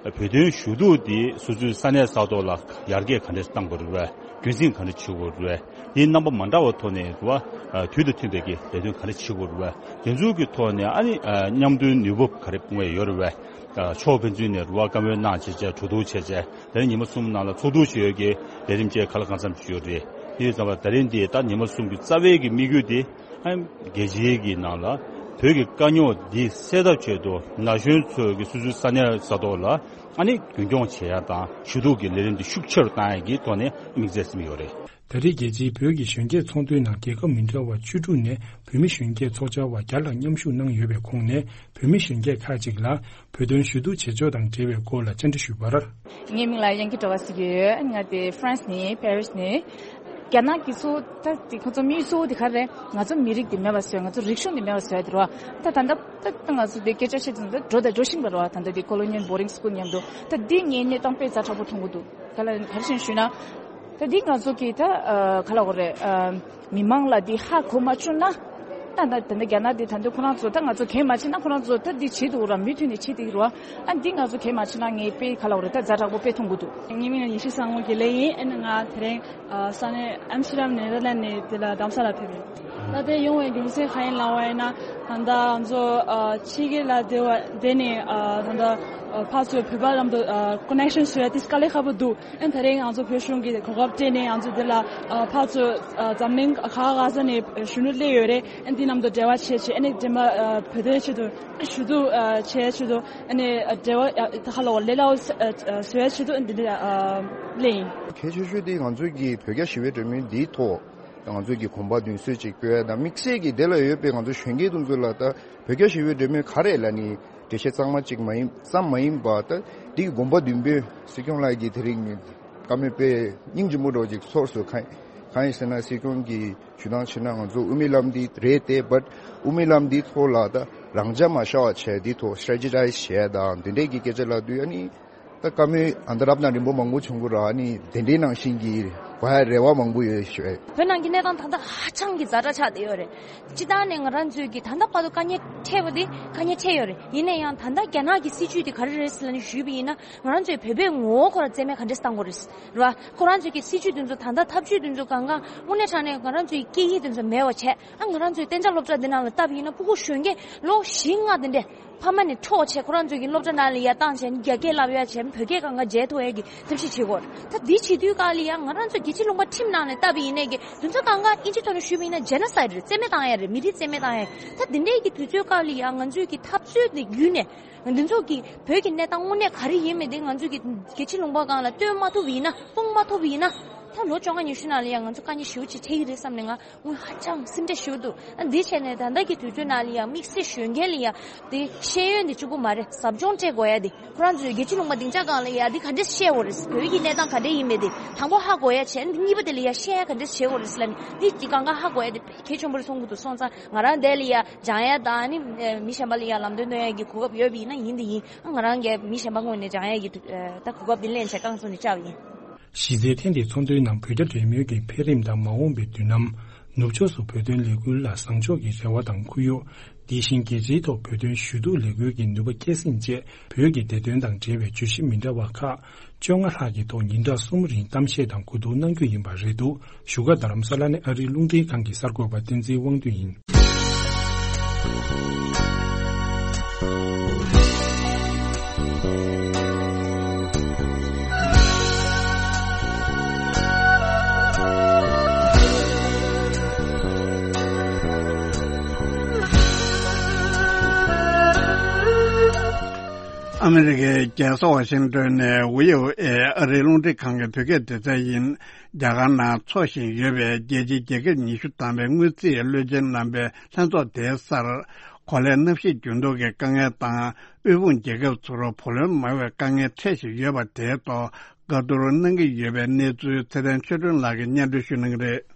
བོད་དོན་ཞུ་གཏུག་དེ་སོ་སོའི་ས་གནས་ས་ཐོག་ལ་ཡར་རྒྱས་ག་འདྲས་བཏང་དགོས་རེད་པས། རྒྱུན་འཛིན་ག་འདྲས་བྱེད་དགོས་རེད་པས། དེའི་རྣམ་པ་མ་འདྲ་བ་ཐོག་ནས་རེད་པ། དུས་དང་མཐུན་པའི་གི་ལས་དོན་ག་འདྲས་བྱེད་དགོས་རེད་པས། དེ་ཚོའི་གི་ཐོག་ནས་ཨ་ནི་མཉམ་དུ་ནུས་སྟོབས་ག་རེ་སྤུངས་པ་ཡོད་རེད་པས། ཕྱོགས་ཕན་ཚུན་ནས་རེད་པ། བཀའ་མོལ་གནང་བྱས་བྱས་གྲོས་བསྡུར་བྱས་བྱས་དེ་རིང་ཉི་མ་གསུམ་ནང་ལ་ཚོགས་འདུ་བྱས་ཡོད་ཀྱི་ལས་རིམ་བཅས་ག་ལ་གང་འཚམ་བྱས་ཡོད་རེད། དེ་ཡིན་ཙང་ད་རིང་འདི་ད་ཉི་མ་གསུམ་གྱི་རྩ་བའི་གི་དམིགས་ཡུལ་དེ། ཨ་རྒྱལ་སྤྱིའི་གི་ནང་ལ་བོད་ཀྱི་དཀའ་རྙོག་འདི་སེལ་ཐབས་ཆེད་དུ་ན་གཞོན་ཚོས་ཀྱི་སོ་སོའི་ས་གནས་ས་ཐོག་ལ་ཨ་ནི་རྒྱུན་འཁྱོངས་བྱེད་ཡ་དང་ཞུ་གཏུག་གི་ལས་རིམ་འདི་ཤུགས་ཆེ་རུ་བཏང་ཡ་གི་ཐོག་ནས་དམིགས་བསལ་ཟིན་ཡོད་རེད། ད་རེས་རྒྱལ་སྤྱིའི་བོད་ཀྱི་གཞོན་སྐྱེས་ཚོགས་འདུའི་ནང་རྒྱལ་ཁབ་མི་འདྲ་བ་བཅུ་དྲུག་ནས་བོད་མི་གཞོན་སྐྱེས་ཚོགས་བཅར་བ་བརྒྱ་ལྷག་མཉམ་ཞུགས་གནང་ཡོད་པའི་ཁོངས་ནས་བོད་མི་གཞོན་སྐྱེས་ཁག་ཅིག་ལ་བོད་དོན་ཞུ་གཏུག་བྱེད་ཕྱོགས་དང་འབྲེལ་བའི་སྐོར་ལ་བཅར་འདྲི་ཞུས་པར། ངའི་མིང་ལ་དབྱངས་སྐྱིད་སྒྲོལ་དཀར་ཟེར་གྱི་ཡོད། ང་དེ་ཧྥ་རན་སི་ནས། པེ་རིས་ནས། རྒྱ་ནག་གི་སོ་ད་དེ་ཁོ་ཚོ་དམིགས་ཡུལ་གཙོ་བོ་དེ་ག་རེ་རེད། ང་ཚོ་མི་རིགས་དེ་མེད་པ་བཟོས། ང་ཚོ་རིག་གཞུང་དེ་མེད་པ་བཟོས་དེ་རེད་པ། ད་ད་ལྟ་ད་ད་ང་ཚོ་དེ་སྐད་ཆ་བཤད་ཙང་ད་འགྲོ་དང་འགྲོ་བཞིན་པ་རེད་པ། ད་ལྟ་དེ་ཀོ་ལོ་ནི་ཡལ་བོར་ཌིང་སི་ཀུལ་མཉམ་དུ། ད་འདི་ངའི་གནས་སྟངས་དཔེ་ཛ་དྲག་པོ་མཐོང་གི་འདུག་ག་ལ་ག་རེ་བྱས་ནས་ཞུས་ན། ད་འདི་ང་ཚོ་གི་ད་ཨ་ག་ལབ་དགོས་རེད། ཨ་མི་མང་ལ་འདི་ཧ་གོ་མ་བཅུག་ན། ད་ད་ད་ལྟ་རྒྱ་ནག་འདི་ད་འདི་ཁོ་རང་ཚོ་ད་ང་ཚོ་གལ་མ་ཆེ་ན་ཁོ་རང་ཚོ་ད་འདི་བྱེད་འདུག་ར། མུ་མཐུད་ནས་བྱེད་འདུག་ར། ཨ་འདི་ང་ཚོ་གལ་མ་ཆེ་ན་ངས་དཔེ་ག་ལབ་དགོས་རེད། ད་ཛ་དྲག་པོ་དཔེ་མཐོང་གི་འདུག་ངའི་མིང་ལ་ཉི་ཤུ་སང་ངོ་དགེ་ལེགས་ཡིན། ཨ་ནི་ང་དེ་རིང་ཨ་ས་གནས་ཨམ་སི་ཊར་ཌམ་ནེ་ཐར་ལེན་ཌི་ནས་འདི་ལ་རྡ་རམ་ས་ལ་ཕེབས་ཡོད། ད་ལྟའི་ཡོང་བའི་རྒྱུ་མཚན་གང་ཡིན་ལབ་པ་ཡིན་ན། ད་ལྟ་ང་ཚོ་ཨ་ཕྱི་རྒྱལ་ལ་བསྡད་པ་བསྡད་ནས་ཨ་ད་ལྟ་ཨ་ཕར་ཚུར་བོད་པ་ལམ་དུ་ཨ་ཀོ་ནེག་ཤན་བཟོ་ཡ་དེ་དཀའ་ལས་ཁག་པོ་འདུག་ཨ་ནི་དེ་རིང་ང་ཚོ་བོད་གཞུང་གིས་གོ་སྐབས་སྤྲད་ནས་ང་ཚོ་འདི་ལ་ཨ་ཕར་ཚུར་ཨ་འཛམ་གླིང་ག་ག་ས་ནས་གཞོན་ནུ་སླེབས་ཡོད་རེད། ཨ་ནི་འདི་ནང་དུ་འབྲེལ་བ་བྱས་བྱས། ཨ་ནི་འདི་མ་ཨ་བོད་དོན་ཆེད་དུ་ཞུ་གཏུག་ཨ་བྱས་ཆེད་དུ། ཨ་ནི་འབྲེལ་བ་ཨ་ད་ག་ལབ་དགོས་རེད། ལས་སླ་པོ་ཨ་ཨ་བཟོ་ཡ་ཆེད་དུ་ཨ་ནི་འདི་འདི་ཨ་སླེབས་ཡིན། གལ་ཆེ་ཤོས་དེ་ང་ཚོའི་གི་བོད་རྒྱ་ཞི་བའི་གྲོས་མོལ་འདིའི་ཐོག་ང་ཚོའི་གི་གོམ་པ་མདུན་སྐྱོད་ཅིག་སྐྱོད་ཡ་དང་། དམིགས་བསལ་གྱི་དེ་ལ་ཡོད་པའི་ང་ཚོ་གཞོན་སྐྱེས་དེ་ཚོ་ལ་ད་བོད་རྒྱ་ཞི་བའི་གྲོས་མོལ་ག་རེ་ལབ་ནི་འགྲེལ་བཤད་གཙང་མ་གཅིག་མ་ཡིན་ཙམ་མ་ཡིན་པ། ད་འདི་གི་དགོངས་པ་བདུན་པོ་སྲིད་སྐྱོང་ལགས་ཀྱིས་དེ་རིང་བཀའ་མོལ་དཔེ་སྙིང་རྗེ་མོ་འདྲ་བོ་ཅིག་ཚོར་སོང་། གང་གང་ཡིན་ཟེར་ན་སྲིད་སྐྱོང་གིས་ཞུ་སྟངས་བྱས་ན་ང་ཚོ་དབུ་མའི་ལམ་འདི་རེད་དེ། བཊ་དབུ་མའི་ལམ་འདིའི་ཐོག་ལ་ད་རང་འཇགས་མ་བཞག་པ་བྱས། འདིའི་ཐོག་སི་ཊེ་རེ་ཊི་ཇའི་ཛི་བྱས་དང་འདི་འདྲས་ཀྱི་སྐད་ཆ་ལབ་དུས། ཨ་ནི་ད་བཀའ་མོལ་ཨ་ད་རབ་དང་རིམ་པ་མང་པོ་བྱུང་གི་རེད། ཨ་ནི་དེ་འདྲའི་ནང་བཞིན་གྱི་གོ་ཡ་རེ་བ་མང་པོ་ཡོད་ཞུ། བོད་ནང་གི་གནས་སྟངས་ད་ལྟ་ཧ་ཅང་གི་ཛ་དྲག་ཆགས་བསྡད་ཡོད་རེད། སྤྱིར་བཏང་ནས་ང་རང་ཚོས་ཀྱི་ད་ལྟ་བར་དུ་དཀའ་ངལ་འཕྲད་པ་དེ་དཀའ་ངལ་འཕྲད་ཡོད་རེད། ཡིན་ན་ཡང་ད་ལྟ་རྒྱ་ནག་གི་སྲིད་ཇུས་དེ་ག་རེ་རེད་ཟེར་ལབ་ནས་ཞུས་པ་ཡིན་ན། ང་རང་ཚོས་བོད་པའི་ངོ་བོ་ཁོ་རང་རྩིས་མེད་ག་འདྲས་བཏང་དགོས་རེད། རེད་བ། ཁོ་རང་ཚོའི་གི་སྲིད་ཇུས་དེ་ཚོ་ད་ལྟ་ཐབས་ཇུས་དེ་ཚོ་གང་གང་དངོས་གནས་དྲང་གནས་ང་རང་ཚོའི་སྐད་ཡིག་དེ་ཚོ་མེད་པ་བྱས། ཨ་ང་རང་ཚོའི་གཏན་འཇགས་སློབ་གྲྭ་འདི་ནང་ལ་བལྟ་བ་ཡིན་ན་ཕྲུ་གུ་གཞོན་སྐྱེས་ལོ་བཞི་ལྔ་དེ་འདྲས་ཕ་མ་ནས་འཕྲོག་བྱས། ཁོ་རང་ཚོའི་གི་སློབ་གྲྭ་ནང་ལ་ཡར་བཏང་བྱས་ནས་རྒྱ་སྐད་བསླབ་ཡ་བྱས། བོད་སྐད་གང་ག་བརྗེད་ཐུབ་ཡ་གི་ཐབས་ཤེས་བྱེད་དགོས་རེད། ད་འདི་བྱེད་དུས་སྐབས་ལ་ཡང་ང་རང་ཚོ་རྒྱལ་སྤྱིའི་ལུང་པ་ཁྲིམས་ནང་ནས་བལྟ་བ་ཡིན་ནའི་གི་དེ་ཚོ་གང་ག་ཨིན་ཇི་ཐོག་ནས་ཞུས་པ་ཡིན་ན་ཇེ་ནོ་སའིཌ་རེད། རྩིས་མེད་བཏང་ཡ་རེད། མི་རིགས་རྩིས་མེད་བཏང་ཡ་རེད། ད་འདི་འདྲའི་གི་དུས་ཚོད་སྐབས་ལ་ཡང་ང་ཚོའི་གི་འཐབ་རྩོད་འདི་བརྒྱུད་ནས། འདི་ཚོ་གི་བོད་ཀྱི་གནས་སྟངས་དངོས་གནས་ག་རེ་ཡིན་མིན་དེ་ང་ཚོས་ཀྱི་རྒྱལ་སྤྱིའི་ལུང་པ་སྒང་ལ་སྟོན་མ་ཐུབ་པ་ཡིན་ན། སྤུངས་མ་ཐུབ་པ་ཡིན་ན། ད་ལོ་བཅོ་ལྔ་ཉི་ཤུ་ནང་ལ་ཡང་ང་ཚོ་དཀའ་ངལ་ཞེ་པོ་ཅིག་འཕྲད་ཀྱི་རེད་བསམ་ནས་ང་དངུལ་ཧ་ཅང་སེམས་ཁྲལ་ཞེ་པོ་འདུག་ཨ་འདི་བྱས་ནས་ད་ལྟ་གི་དུས་ཚོད་ནང་ལ་ཡང་དམིགས་བསལ་གཞོན་སྐྱེས་ལ་ཡང་དེ་ཤེས་ཡོན་དེ་གཅིག་པུ་མ་རེད། ཟབ་སྦྱོང་སྤྲད་དགོས་ཡ་དེ། ཁོ་རང་ཚོའི་རྒྱལ་སྤྱིའི་ལུང་པ་སྡིངས་ཆ་སྒང་ལ་ཡ་འདི་ག་འདྲས་ཤེས་དགོས་རེད། བོད་ཀྱི་གནས་སྟངས་ག་འདྲས་ཡིན་མིན་དེ་དང་པོ་ཧ་གོ་ཡ་བྱས། འདི་གཉིས་པ་དེ་ལ་ཡ་ཤེས་ཡ་ག་འདྲས་བྱེད་དགོས་རེད་ཟེར་ལབ་ནས་འདི་གཅིག་གང་ག་ཧ་གོ་ཡ་དེ་གལ་ཆེན་པོ་རེད་མཐོང་གི་འདུག་སོང་ཙང་ང་རང་འདི་ལ་ཡ་སྦྱང་ཡ་དང་། ཨ་ནི་མི་གཞན་པ་ལ་ཡ་ལམ་སྟོན་སྟོན་ཡ་གི་གོ་སྐབས་ཡོད་པ་ཡིན་ན་ཡིན་དེ་ཡིན། ང་རང་གིས་མི་གཞན་པ་ངོས་ནས་སྦྱང་ཡ་གི་ད་གོ་སྐབས་དེ་ལེན་བྱས་རྐང་བཙུགས་ནས་བཅར་བ་ཡིན། གཞི་རྩའི་ཐེངས་འདིའི་ཚོགས་འདུའི་ནང་བོད་རྒྱ་འབྲེལ་མོལ་གྱི་འཕེལ་རིམ་དང་མ་འོངས་པའི་མདུན་ལམ། ནུབ་ཕྱོགས་སུ་བོད་དོན་ལས་འགུལ་ལ་བཟང་ཕྱོགས་ཀྱི་རེ་བ་དང་ཁུར་ཡོང་། དེ་བཞིན་རྒྱལ་སྤྱིའི་ཐོག་བོད་དོན་ཞུ་གཏུག་ལས་འགུལ་གྱི་ནུས་པ་སྐྱེད་སྲིང་བཅས། བོད་ཀྱི་བདེ་དོན་དང་འབྲེལ་བའི་བརྗོད་གཞི་མི་འདྲ་བ་ཁག་བཅོ་ལྔ་ལྷག་གི་ཐོག་ཉིན་གྲངས་གསུམ་རིང་གཏམ་བཤད་དང་གོ་བསྡུར་གནང་རྒྱུ་ཡིན་པ་རེད་འདུག་བཞུགས་སྒར་རྡ་རམ་ས་ལ་ནས་ཨ་རིའི་རླུང་འཕྲིན་ཁང་གི་གསར་འགོད་པ་བསྟན་འཛིན་དབང་འདུས་ཡིན། ཨ་མི་རི་ཀའི་རྒྱལ་ས་ཝ་ཤིང་ཏོན་ནས་ཝི་ཨོ་ཨེ་ཨ་རིའི་རླུང་འཕྲིན་ཁང་གི་བོད་སྐད་སྡེ་ཚན་ཡིན། རྒྱ་གར་ནང་འཚོགས་བཞིན་ཡོད་པའི་རྒྱལ་སྤྱིའི་རྒྱལ་ཁབ་ཉི་ཤུ་ཐམ་པའི་དངུལ་རྩིས་བློན་ཆེན་རྣམ་པའི་ལྷན་ཚོགས་དེའི་སར། གོ་ལའི་གནམ་གཤིས་འགྱུར་ལྡོག་གི་དཀའ་ངལ་དང་། དབུལ་ཕོངས་རྒྱལ་ཁབ་ཚོར་བུ་ལོན་མང་བའི་དཀའ་ངལ་འཕྲད་བཞིན་ཡོད་པ་དེའི་ཐོག་བཀའ་བསྡུར་གནང་གི་ཡོད་པའི་གནས་ཚུལ་ཚེ་བརྟན་ཆོས་སྒྲོན་ལགས་ཀྱིས་སྙན་སྒྲོན་ཞུ་གནང་གི་རེད།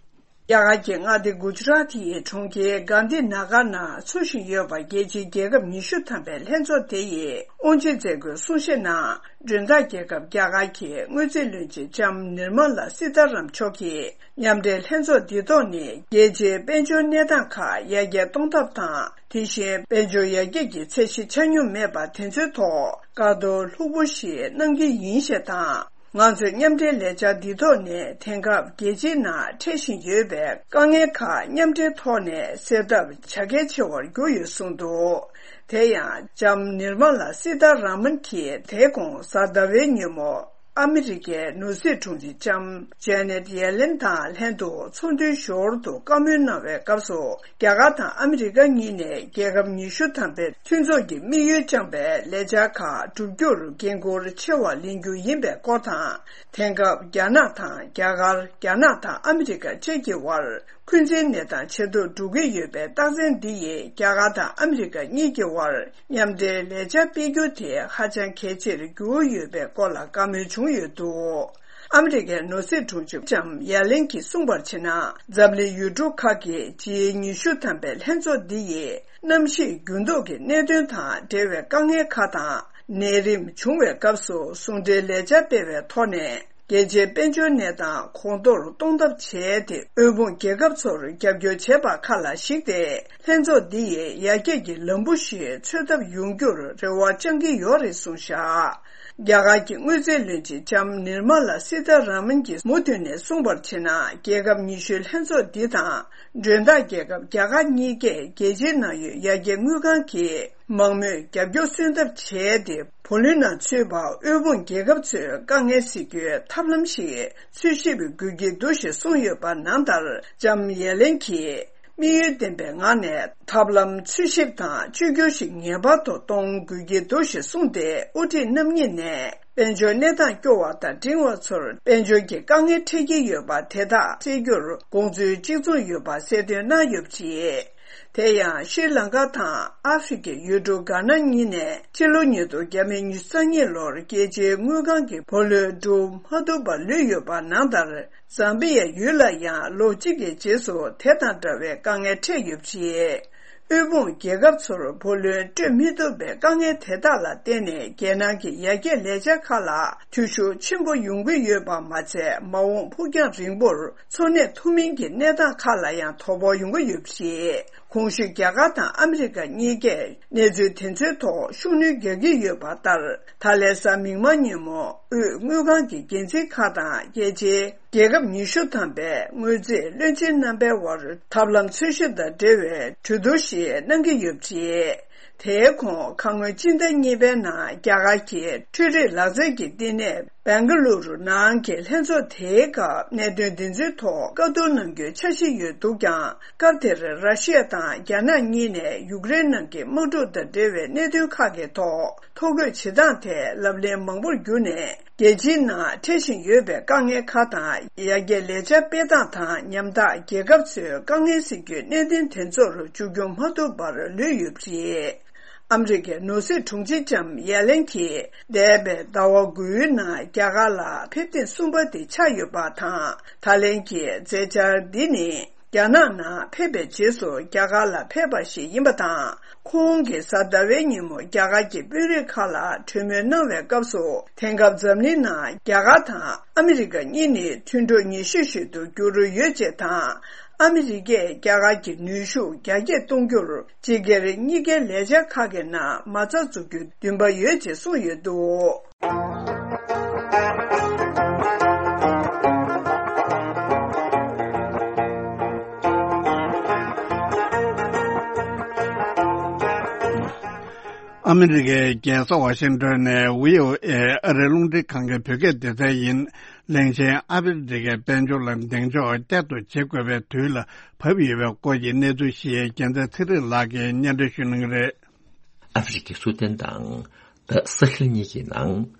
རྒྱ་གར་གྱི་མངའ་སྡེ་གུ་ཇ་རཱ་ཏིའི་གྲོང་ཁྱེར་གྷན་དྷི་ན་གར་ནང་འཚོགས་བཞིན་ཡོད་པ། རྒྱལ་སྤྱིའི་རྒྱལ་ཁབ་ཉི་ཤུ་ཐམ་པའི་ལྷན་ཚོགས་དེ་ཡི་དབུ་འབྱེད་མཛད་སྒོའི་གསུང་བཤད་ནང་། མགྲོན་བདག་རྒྱལ་ཁབ་རྒྱ་གར་གྱི་དངུལ་རྩིས་བློན་ཆེན་ལྕམ་ནིར་མ་ལ་སི་ཐ་རམ་མཆོག་གིས། མཉམ་འབྲེལ་ལྷན་ཚོགས་འདི་ཐོག་ནི་རྒྱལ་སྤྱིའི་དཔལ་འབྱོར་གནས་སྟངས་ཁག་ཡར་རྒྱས་གཏོང་ཐབས་དང་། དེ་བཞིན་དཔལ་འབྱོར་ཡར་རྒྱས་ཀྱི་ཚད་གཞི་ཆ་སྙོམས་མེད་པ་དེ་ཚོའི་ཐོག་བཀའ་བསྡུར་ལྷུག་པོ་ཞིག་གནང་གི་ཡིན་ཞེས་དང་། ང་ཚོས་མཉམ་འབྲེལ་ལས་འཆར་འདི་ཐོག་ནས་དེང་སྐབས་རྒྱལ་སྤྱིའི་ནང་འཕྲད་བཞིན་ཡོད་པའི་དཀའ་ངལ་ཁག་མཉམ་འབྲེལ་ཐོག་ནས་སེལ་ཐབས་བྱ་གལ་ཆེ་བར་གྱུར་ཡོད་གསུངས་འདུག་དེ་ཡང་ལྕམ་ནིར་མ་ལ་སི་ཐ་ར་མན་གྱིས་དེ་དགོང་གཟའ་ཟླ་བའི་ཉིན་མོ། ཨ་མི་རི་ཀའི་ནོར་སྲིད་དྲུང་ཆེ་ལྕམ་ཇེ་ནེད་ཡེ་ལེན་དང་ལྷན་དུ་ཚོགས་འདུའི་ཞོར་དུ་བཀའ་མོལ་གནང་བའི་སྐབས་སུ། རྒྱ་གར་དང་ཨ་མི་རི་ཀ་གཉིས་ནས་རྒྱལ་ཁབ་ཉི་ཤུ་ཐམ་པའི་མཐུན་ཚོགས་ཀྱི་དམིགས་ཡུལ་བཅངས་པའི་ལས་འཆར་ཁག་བསྒྲུབ་རྒྱུར་འགན་འཁུར་ཆེ་བ་ལེན་རྒྱུ་ཡིན་པའི་སྐོར་དང་། དེང་སྐབས་རྒྱ་ནག་དང་རྒྱ་གར། རྒྱ་ནག་དང་ཨ་མི་རི་ཀ་བཅས་ཀྱི་དབར། འཁོན་འཛིན་གནས་སྟངས་ཇེ་སྡུག་འགྲོ་གི་ཡོད་པའི་རྟགས་མཚན་འདི་ཡིས་རྒྱ་གར་དང་ཨ་མི་རི་ཀ་གཉིས་ཀྱི་དབར་མཉམ་འབྲེལ་ལས་འཆར་སྤེལ་རྒྱུ་དེ་ཧ་ཅང་གལ་ཆེར་གྱུར་ཡོད་པའི་སྐོར་ལ་བཀའ་མོལ་བྱུང་ཡོད་འདུག་ཨ་མི་རི་ཀའི་ནོར་སྲིད་དྲུང་ཆེ་ལྕམ་ཡ་ལེན་གྱིས་གསུངས་པར་བྱས་ན། འཛམ་གླིང་ཡུལ་གྲུ་ཁག་གི་ཇི་ཉི་ཤུ་ཐམ་པའི་ལྷན་ཚོགས་འདི་ཡིས་གནམ་གཤིས་འགྱུར་ལྡོག་གི་གནད་དོན་དང་འབྲེལ་བའི་དཀའ་ངལ་ཁག་དང་། ནད་རིམས་བྱུང་བའི་སྐབས་སུ་ཟུང་འབྲེལ་ལས་འཆར་སྤེལ་བའི་ཐོག་ནས། རྒྱལ་སྤྱིའི་དཔལ་འབྱོར་གནས་སྟངས་གོང་མཐོར་གཏོང་ཐབས་བྱས་ཏེ། དབུལ་ཕོངས་རྒྱལ་ཁབ་ཚོར་རྒྱབ་སྐྱོར་བྱས་པ་ཁག་ལ་གཞིགས་ཏེ། ལྷན་ཚོགས་འདི་ཡིས་ཡར་རྒྱས་ཀྱི་ལམ་བུ་ཞིག་འཚོལ་ཐབས་ཡོང་རྒྱུར་རེ་བ་བཅང་གི་ཡོད་རེད་གསུངས་བཞག་རྒྱ་གར་གྱི་དངུལ་རྩིས་བློན་ཆེན་ལྕམ་ནིར་མ་ལ་སི་ཐ་ར་མན་གྱིས་མུ་མཐུད་ནས་གསུངས་པར་བྱས་ན། རྒྱལ་ཁབ་ཉི་ཤུའི་ལྷན་ཚོགས་འདི་དང་། མགྲོན་བདག་རྒྱལ་ཁབ་རྒྱ་གར་གཉིས་ཀས་རྒྱལ་སྤྱིའི་ནང་ཡོད་ཡར་རྒྱས་དངུལ་ཁང་གི་མང་མོས་རྒྱབ་སྐྱོར་སོན་ཐབས་བྱས་ཏེ། བུ་ལོན་ནང་ཚུད་པ་དབུལ་ཕོངས་རྒྱལ་ཁབ་ཚོའི་དཀའ་ངལ་སེལ་རྒྱུའི་ཐབས་ལམ་ཞིག་འཚོལ་ཞིབ་དགོས་ཀྱི་འདུག་ཞེས་གསུངས་ཡོད་པ་ནང་ལྟར། ལྕམ་ཡེ་ལེན་གྱིས་དམིགས་ཡུལ་ལྡན་པའི་ངང་ནས་ཐབས་ལམ་འཚོལ་ཞིབ་དང་བཅོས་བསྒྱུར་ཞིག་ངེས་པར་དུ་གཏོང་དགོས་ཀྱི་འདུག་ཞེས་གསུངས་ཏེ། དབུ་ཁྲིད་རྣམ་གཉིས་ནས་དཔལ་འབྱོར་གནས་སྟངས་སྐྱོ་བ་དང་འབྲིང་བ་ཚོར་དཔལ་འབྱོར་གྱི་དཀའ་ངལ་འཕྲད་ཀྱི་ཡོད་པ་དེ་དག་སེལ་རྒྱུར་དགོངས་ཚུལ་གཅིག་མཚུངས་ཡོད་པ་གསལ་སྟོན་གནང་ཡོད་པ་རེད། དེ་ཡང་ཤྲི་ལང་ཀ་དང་ཨ་ཧྥེ་རི་ཁའི་ཡུལ་གྲུ་གྷ་ན་གཉིས་ནས་ཕྱི་ལོ་ཉིས་སྟོང་ཉི་ཤུ་རྩ་གཉིས་ལོར་རྒྱལ་སྤྱིའི་དངུལ་ཁང་གི་བུ་ལོན་སྒྲུབ་མ་ཐུབ་པར་ལུས་ཡོད་པ་ནང་ལྟར། ཛམ་བི་ཡ་ཡུལ་ལ་ཡང་ལོ་གཅིག་གི་རྗེས་སུ་དེ་དང་འདྲ་བའི་དཀའ་ངལ་འཕྲད་ཡོད་པ་རེད། དབུལ་ཕོངས་རྒྱལ་ཁབ་ཚོར་བུ་ལོན་སྤྲོད་མི་ཐུབ་པའི་དཀའ་ངལ་དེ་དག་ལ་བརྟེན་ནས་རྒྱལ་ནང་གི་ཡར་རྒྱས་ལས་འཆར་ཁག་ལ་འཐུས་ཤོར་ཆེན་པོ་ཡོང་གི་ཡོད་པ་མ་ཚད། མ་འོངས་ཕུགས་རྒྱང་རིང་པོར་འཚོ་གནས་ཐུབ་མིན་གྱི་གནས་སྟངས་ཁག་ལ་ཡང་དོ་ཕོག་ཡོང་གི་ཡོད་པ་རེད། གོང་ཞུས་རྒྱ་གར་དང་ཨ་མི་རི་ཀ་གཉིས་ཀས་གནས་ཚུལ་དེ་ཚོའི་ཐོག་ཤུགས་སྣོན་རྒྱག་གི་ཡོད་པ་ལྟར། ད་ལན་གཟའ་མིག་དམར་ཉིན་མོ་དབུས་དངུལ་ཁང་གི་འགན་འཛིན་ཁག་དང་རྒྱལ་སྤྱིའི་རྒྱལ་ཁབ་ཉི་ཤུ་ཐམ་པའི་དངུལ་རྩིས་བློན་ཆེན་རྣམ་པའི་དབར་ཐབས་ལམ་འཚོལ་ཞིབ་དང་འབྲེལ་བའི་གྲོས་བསྡུར་ཞིག་གནང་གི་ཡོད་པ་རེད། དེའི་གོང་ཁ་སྔོན་སྤྱི་ཟླ་གཉིས་པའི་ནང་རྒྱ་གར་གྱི་འཕྲུལ་རིག་ལག་རྩལ་གྱི་བསྟི་གནས་སྦེང་ག་ལུ་རུ་ནང་གི་ལྷན་ཚོགས་དེའི་སྐབས་གནད་དོན་འདི་ཚོའི་ཐོག་བཀའ་བསྡུར་གནང་རྒྱུའི་འཆར་གཞི་ཡོད་འདུག་ཀྱང་། སྐབས་དེར་ར་ཤི་ཡ་དང་རྒྱ་ནག་གཉིས་ནས་ཡུཀ་རེན་ནང་གི་དམག་འཁྲུག་དང་འབྲེལ་བའི་གནད་དོན་ཁག་གི་ཐོག་ཐོ་འགོད་བྱེད་སྟངས་དེ་ལབ་གླེང་མང་པོར་གྱུར་ནས། རྒྱལ་སྤྱིའི་ནང་འཕྲད་བཞིན་ཡོད་པའི་དཀའ་ངལ་ཁག་དང་། ཡར་རྒྱས་ལས་འཆར་སྤེལ་སྟངས་དང་། ཉམ་ཐག་རྒྱལ་ཁབ་ཚོའི་དཀའ་ངལ་སེལ་རྒྱུའི་གནད་དོན་དེ་ཚོར་མཇུག་སྐྱོང་མ་ཐུབ་པར་ལུས་ཡོད་པ་རེད། ཨ་མི་རི་ཀའི་ནོར་སྲིད་དྲུང་ཆེ་ལྕམ་ཡ་ལེན་གྱིས་འདས་པའི་ཟླ་བ་དགུའི་ནང་རྒྱ་གར་ལ་ཕེབས་ཐེངས་གསུམ་པ་དེ་ཆགས་ཡོད་པ་དང་། ད་ལན་གྱི་མཛད་འཆར་འདི་ནི། རྒྱ་ནག་ནང་ཕེབས་པའི་རྗེས་སུ་རྒྱ་གར་ལ་ཕེབས་པ་ཞིག་ཡིན་པ་དང་། ཁོང་གིས་གཟའ་ཟླ་བའི་ཉིན་མོ་རྒྱ་གར་གྱི་དཔོན་རིགས་ཁག་ལ་གྲོས་མོལ་གནང་བའི་སྐབས་སུ། དེང་སྐབས་འཛམ་གླིང་ནང་རྒྱ་གར་དང་ཨ་མི་རི་ཀ་གཉིས་ནི་མཐུན་གྲོགས་ཉེ་ཤོས་ཤིག་ཏུ་གྱུར་ཡོད་ཅེས་དང་། ཨ་མི་རི་ཀས་རྒྱ་གར་གྱི་ནུས་ཤུགས་རྒྱ་སྐྱེད་གཏོང་རྒྱུར་སྤྱི་སྒེར་གཉིས་ཀའི་ལས་འཆར་ཁག་གི་ནང་མ་རྩ་འཛུགས་རྒྱུའི་འདུན་པ་ཡོད་ཅེས་གསུངས་ཡོད་འདུག། ཨ་མི་རི་ཀའི་རྒྱལ་ས་ཝ་ཤིང་ཏོན་ནས་བྷི་ཨོ་ཨེ་ཨ་རིའི་རླུང་འཕྲིན་ཁང་གི་བོད་སྐད་སྡེ་ཚན་ཡིན། གླིང་ཆེན་ཨ་ཧྥེ་རི་ཁའི་དཔལ་འབྱོར་ལ་གདེང་འཇོག་བསྐྱར་དུ་བྱེད་དགོས་པའི་དུས་ལ་བབས་ཡོད་པའི་སྐོར་གྱི་གནས་ཚུལ་ཞིག་རྒྱལ་མཚན་ཚེ་རིང་ལགས་ཀྱིས་སྙན་སྒྲོན་ཞུ་གནང་གི་རེད། ཨ་ཧྥེ་རི་ཁའི་སུ་དན་དང་ད་ས་ཧེལ་གཉིས་ཀྱི་ནང་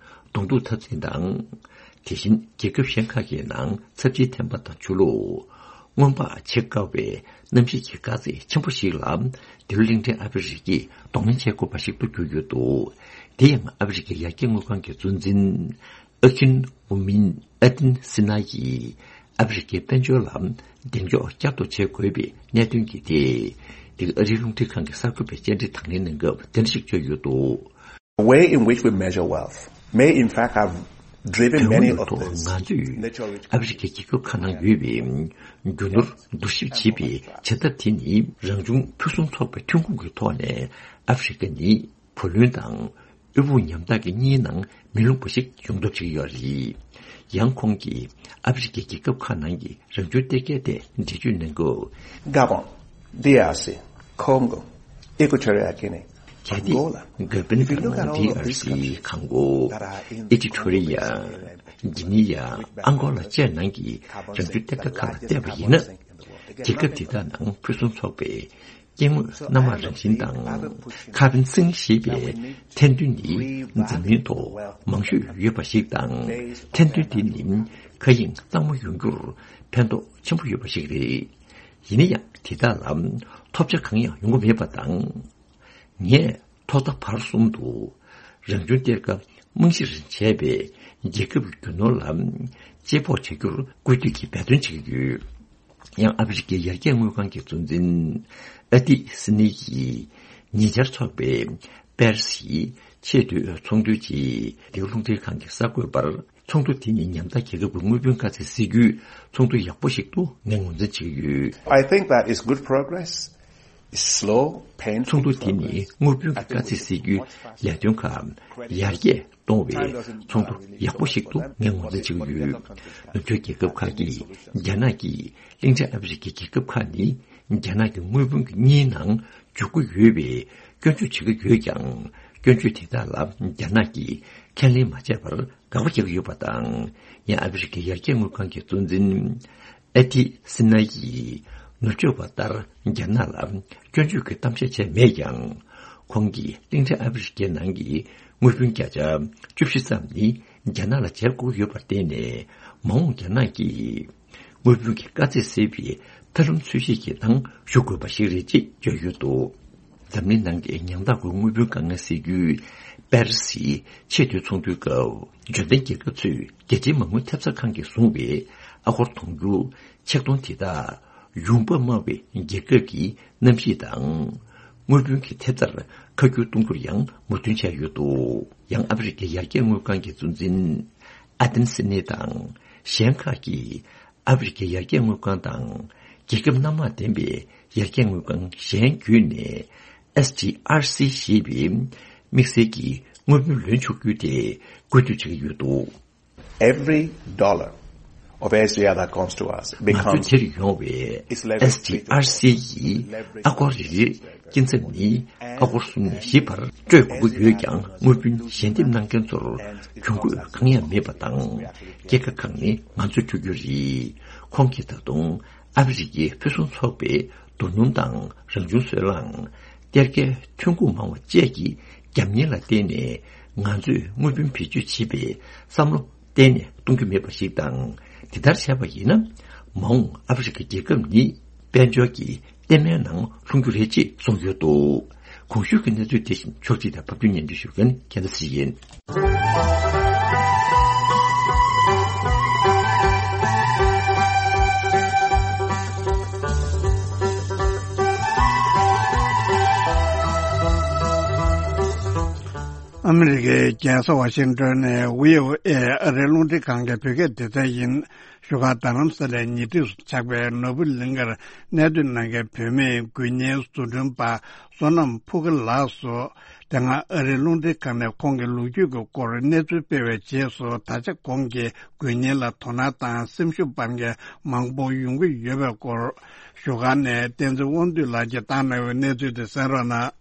གདོང་ཐུག་འཐབ་འཛིང་དང་། དེ་བཞིན་རྒྱལ་ཁབ་གཞན་ཁག་གི་ནང་ཚབས་ཆེའི་ཐན་པ་དང་ཆུ་ལོག་སྔོན་དཔག་བྱེད་དཀའ་བའི་གནམ་གཤིས་ཀྱི་དཀའ་ཚེགས་ཆེན་པོ་ཞིག་ལ་འདི་ལོ་གླིང་ཕྲན་ཨ་ཧྥེ་རི་ཁས་གདོང་ལེན་བྱེད་དགོས་པ་ཞིག་ཏུ་གྱུར་ཡོད་འདུག། དེ་ཡང་ཨ་ཧྥེ་རི་ཁའི་ཡར་རྒྱས་དངུལ་ཁང་གི་གཙོ་འཛིན་ཨ་ཁིན་ཝུ་མིན་ཨ་ཏིན་སི་ན་ཡིས་ཨ་ཧྥེ་རི་ཁའི་དཔལ་འབྱོར་ལ་གདེང་འཇོག་བསྐྱར་དུ་བྱེད་དགོས་པའི་གནད་དོན་གྱི་ཐད། འདི་ག་ཨ་རིའི་རླུང་འཕྲིན་ཁང་གི་གསར་འགོད་པས་བཅར་འདྲི་དང་ལེན་གནང་སྐབས་དེ་འདྲ་ཞིག་བརྗོད་ཡོད་འདུག། The way in which we measure wealth may in fact have driven many of these natural resources. ང་ཚོས་ཨ་ཧྥེ་རི་ཁའི་རྒྱལ་ཁབ་ཁག་ནང་ཡོད་པའི་རྒྱུ་ནོར་བསྡུར་ཞིབ་བྱེད་པའི་བྱ་ཐབས་དེ་ནི་རང་བྱུང་ཕུན་སུམ་ཚོགས་པའི་ཐོན་ཁུངས་ཀྱི་ཐོག་ནས་ཨ་ཧྥེ་རི་ཁ་ནི་བུ་ལོན་དང་དབུལ་ཕོངས་ཉམ་ཐག་གི་གཉིས་ནང་མི་ལྷུང་པ་ཞིག་ཡོང་ཐབས་བྱེད་ཀྱི་ཡོད་རེད། ཡང་ཁོང་གིས་ཨ་ཧྥེ་རི་ཁའི་རྒྱལ་ཁབ་ཁག་ནང་གི་རང་བྱུང་གཏེར་ཁའི་ཐད་འགྲེལ་བརྗོད་གནང་སྐབས། Gabon, D R C, Congo, Equatorial Guinea, Angola. གལ་ཏེ་གྷ་བན་དང་ཌི་ཨར་སི། ཁོང་གོ། ཨི་ཀི་ཐོ་རི་ཡ། གྷི་ནི་ཡ། ཨང་གོ་ལ་བཅས་ནང་གི་རང་བྱུང་གཏེར་ཁ་ཁག་ལ་བལྟས་པ་ཡིན་ན། རྒྱལ་ཁབ་འདི་དག་ནང་ཕུན་སུམ་ཚོགས་པའི་སྐྱེ་དངོས་སྣ་མང་རང་བཞིན་དང་། ཁ་བན་སིང་ཞེས་པའི་ཐན་ཐུན་ནི་འཛམ་གླིང་ཐོག་མང་ཤོས་ཡོད་པ་ཞིག་དང་། ཐན་ཐུན་དེ་ནི་མཁའ་དབྱིངས་གཙང་མ་ཡོང་རྒྱུར་ཕན་ཐོགས་ཆེན་པོ་ཡོད་པ་ཞིག་རེད། ཡིན་ན་ཡང་དེ་དག་ལ་ཐོབ་ཆ་གང་ཡང་ཡོང་གི་མེད་པ་དང་། ངས་ཐོག་མཐའ་བར་གསུམ་དུ་རང་བྱུང་གཏེར་ཁ་རྨང་གཞིར་བྱས་པའི་རྒྱལ་ཁབ་ཀྱི་རྒྱུ་ནོར་ལ་དཔྱད་དཔོག་བྱ་རྒྱུར་སྐུལ་འདེད་ཀྱིས་འབད་བརྩོན་བྱེད་ཀྱི་ཡོད། ཡང་ཨ་ཧྥེ་རི་ཁའི་ཡར་རྒྱས་དངུལ་ཁང་གི་གཙོ་འཛིན་ཨ་ཏི་སི་ནི་ཡིས་ཉེ་ཆར་འཚོགས་པའི་པེ་རི་སིའི་ཆེས་མཐོའི་ཚོགས་འདུའི་རྗེས། འདི་ག་རླུང་འཕྲིན་ཁང་གི་གསར་འགོད་པར་ཚོགས་འདུ་དེ་ནི་ཉམ་ཐག་རྒྱལ་ཁབ་ཀྱི་དངུལ་བུན་དཀའ་ཚེགས་སེལ་རྒྱུའི་ཚོགས་འདུ་ཡག་པོ་ཞིག་ཏུ་ངས་ངོས་འཛིན་བྱེད་ཀྱི་ཡོད། I think that is good progress. It's slow, painful progress. ཚོགས་འདུ་དེ་ནི་དངུལ་བུན་གྱི་དཀའ་ཚེགས་སེལ་རྒྱུའི་ལས་དོན་ཁག་ཡར་རྒྱས་གཏོང་བའི་ཚོགས་འདུ་ཡག་པོ་ཞིག་ཏུ་ངས་ངོས་འཛིན་བྱེད་ཀྱི་ཡོད། ནུབ་ཕྱོགས་རྒྱལ་ཁབ་ཁག་གིས་རྒྱ་ནག་གིས་གླིང་ཕྲན་ཨ་ཧྥེ་རི་ཁའི་རྒྱལ་ཁབ་ཁག་ནི་རྒྱ་ནག་གི་དངུལ་བུན་གྱི་གཉིས་ནང་འཇུག་གི་ཡོད་པའི་སྐྱོན་བརྗོད་བྱེད་ཀྱི་ཡོད་ཀྱང་། སྐྱོན་བརྗོད་དེ་དག་ལ་རྒྱ་ནག་གིས་ཁས་ལེན་མ་བྱས་པར་དགག་པ་རྒྱག་གི་ཡོད་པ་དང་། ཡང་ཨ་ཧྥེ་རི་ཁའི་ཡར་རྒྱས་དངུལ་ཁང་གི་གཙོ་འཛིན་ཨ་ཏི་སི་ན་ཡིས་ནུབ་ཕྱོགས་པ་ལྟར་རྒྱ་ནག་ལ་སྐྱོན་བརྗོད་ཀྱི་གཏམ་བཤད་བྱས་མེད་ཀྱང་། ཁོང་གིས་གླིང་ཕྲན་ཨ་ཧྥེ་རི་ཁའི་ནང་གི་དངུལ་བུན་བརྒྱ་ཆ་བཅུ་བཞི་ཙམ་ནི་རྒྱ་ནག་ལ་འཇལ་དགོས་ཡོད་པར་བརྟེན་ནས། མ་འོངས་རྒྱ་ནག་གིས་དངུལ་བུན་གྱི་དཀའ་ཚེགས་སེལ་བའི་ཐབས་ལམ་འཚོལ་ཞིབ་ཀྱི་ནང་ཞུགས་དགོས་པ་ཞིག་རེད་ཅེས་བརྗོད་ཡོད་འདུག། འཛམ་གླིང་ནང་གི་ཉམ་ཐག་སྒོས་དངུལ་བུན་དཀའ་ངལ་སེལ་རྒྱུའི་པེ་རི་སིའི་ཆེས་མཐོའི་ཚོགས་འདུའི་སྐབས། འབྱོར་ལྡན་རྒྱལ་ཁབ་ཚོས་རྒྱལ་སྤྱིའི་མ་དངུལ་ཐེབས་རྩ་ཁང་གིས་བཟུང་བའི་ཨ་སྒོར་དུང་ཕྱུར་ཆིག་སྟོང་དེ་དག་ཡོང་འབབ་དམའ་བའི་རྒྱལ་ཁབ་ཀྱི་གནམ་གཤིས་དང་། དངུལ་བུན་གྱི་ཐེབས་རྩར་ཁ་བསྒྱུར་གཏོང་རྒྱུར་ཡང་མོས་མཐུན་བྱས་ཡོད་འདུག། ཡང་ཨ་ཧྥེ་རི་ཁའི་ཡར་རྒྱས་དངུལ་ཁང་གི་གཙོ་འཛིན་ཨ་ཏན་སི་ནི་དང་གཞན་ཁག་གིས། ཨ་ཧྥེ་རི་ཁའི་ཡར་རྒྱས་དངུལ་ཁང་དང་རྒྱལ་ཁབ་སྣ་མང་ལྡན་པའི་ཡར་རྒྱས་དངུལ་ཁང་གཞན་བརྒྱུད་ནས། ཨེས་ཌི་ཨར་སི་ཞེས་པའི་དམིགས་བསལ་གྱི་དངུལ་བུན་ལེན་ཆོག་རྒྱུ་དེ་སྐུལ་འདེད་བྱེད་ཀྱི་ཡོད་འདུག། Every dollar of S D R that comes to us ང་ཚོ་becomes དེར་ཡོང་བའི་ཨེས་ཌི་ཨར་སི་ཡི་ཨ་སྒོར་རེ་རེའི་སྐྱིན་ཚབ་ནི་ཨ་སྒོར་གསུམ་ནས་བཞི་བར་སྤྲོད་དགོས་ཀྱི་ཡོད་ཀྱང་། དངུལ་བུན་ཞལ་འདེབས་གནང་མཁན་ཚོར་གྱོང་གུད་གང་ཡང་མེད་པ་དང་། སྐྱེད་ཀ་ཁག་ནི་ང་ཚོས་སྤྲོད་རྒྱུ་རེད། ཁོང་གིས་ད་དུང་ཨ་ཧྥེ་རི་ཁའི་ཕུན་སུམ་ཚོགས་པའི་རྡོ་སྣུམ་དང་རང་བྱུང་སོལ་རླངས། གཏེར་ཁའི་ཐོན་ཁུངས་མང་བ་བཅས་ཀྱི་རྒྱབ་གཉེར་ལ་བརྟེན་ནས། ང་ཚོས་དངུལ་བུན་བེད་སྤྱོད་བྱེད་པའི་བསམ་བློ་གཏན་ནས་གཏོང་རྒྱུ་མེད་པ་ཞིག་དང་། དེ་ལྟར་བྱས་པ་ཡིན་ན། མ་འོངས་ཨ་ཧྥེ་རི་ཁ་རྒྱལ་ཁབ་ནི་དཔལ་འབྱོར་གྱི་ལྟད་མོའི་ནང་ལྷུང་རྒྱུ་རེད་ཅེས་གསུངས་ཡོད་འདུག། གོང་ཞུས་ཀྱི་གནས་ཚུལ་དེ་བཞིན་ཕྱོགས་སྒྲིག་དང་ཕབ་སྒྱུར་སྙན་སྒྲོན་ཞུ་མཁན་རྒྱལ་མཚན་ཚེ་རིང་ཡིན། ཨ་མི་རི་ཀའི་རྒྱལ་ས་ཝ་ཤིང་ཏོན་ནས་བྷི་ཨོ་ཨེ་ཨ་རིའི་རླུང་འཕྲིན་ཁང་གི་བོད་སྐད་སྡེ་ཚན་ཡིན། བཞུགས་སྒར་རྡ་རམ་ས་ལའི་ཉེ་འཁྲིས་སུ་ཆགས་པའི་ནོར་བུ་གླིང་ཁར་གནས་སྡོད་གནང་མཁན་བུད་མེད་འགུལ་བརྙན་བཟོ་སྐྲུན་པ་བསོད་ནམས་ཕུག་གི་ལགས་སུ། དེ་སྔ་ཨ་རིའི་རླུང་འཕྲིན་ཁང་ནས་ཁོང་གི་ལོ་རྒྱུས་ཀྱི་སྐོར་གནས་ཚུལ་སྤེལ་བའི་རྗེས་སུ། ད་ཆ་ཁོང་གིས་འགུལ་བརྙན་ལ་དོ་སྣང་དང་སེམས་ཤུགས་སྤར་མཁན་མང་པོ་ཡོང་གི་ཡོད་པའི་སྐོར། བཞུགས་སྒར་ནས་བསྟན་འཛིན་དབང་འདུས་ལགས་ཀྱིས་བཏང་གནང་བའི་གནས་ཚུལ་དེ་གསན་རོགས་གནང་།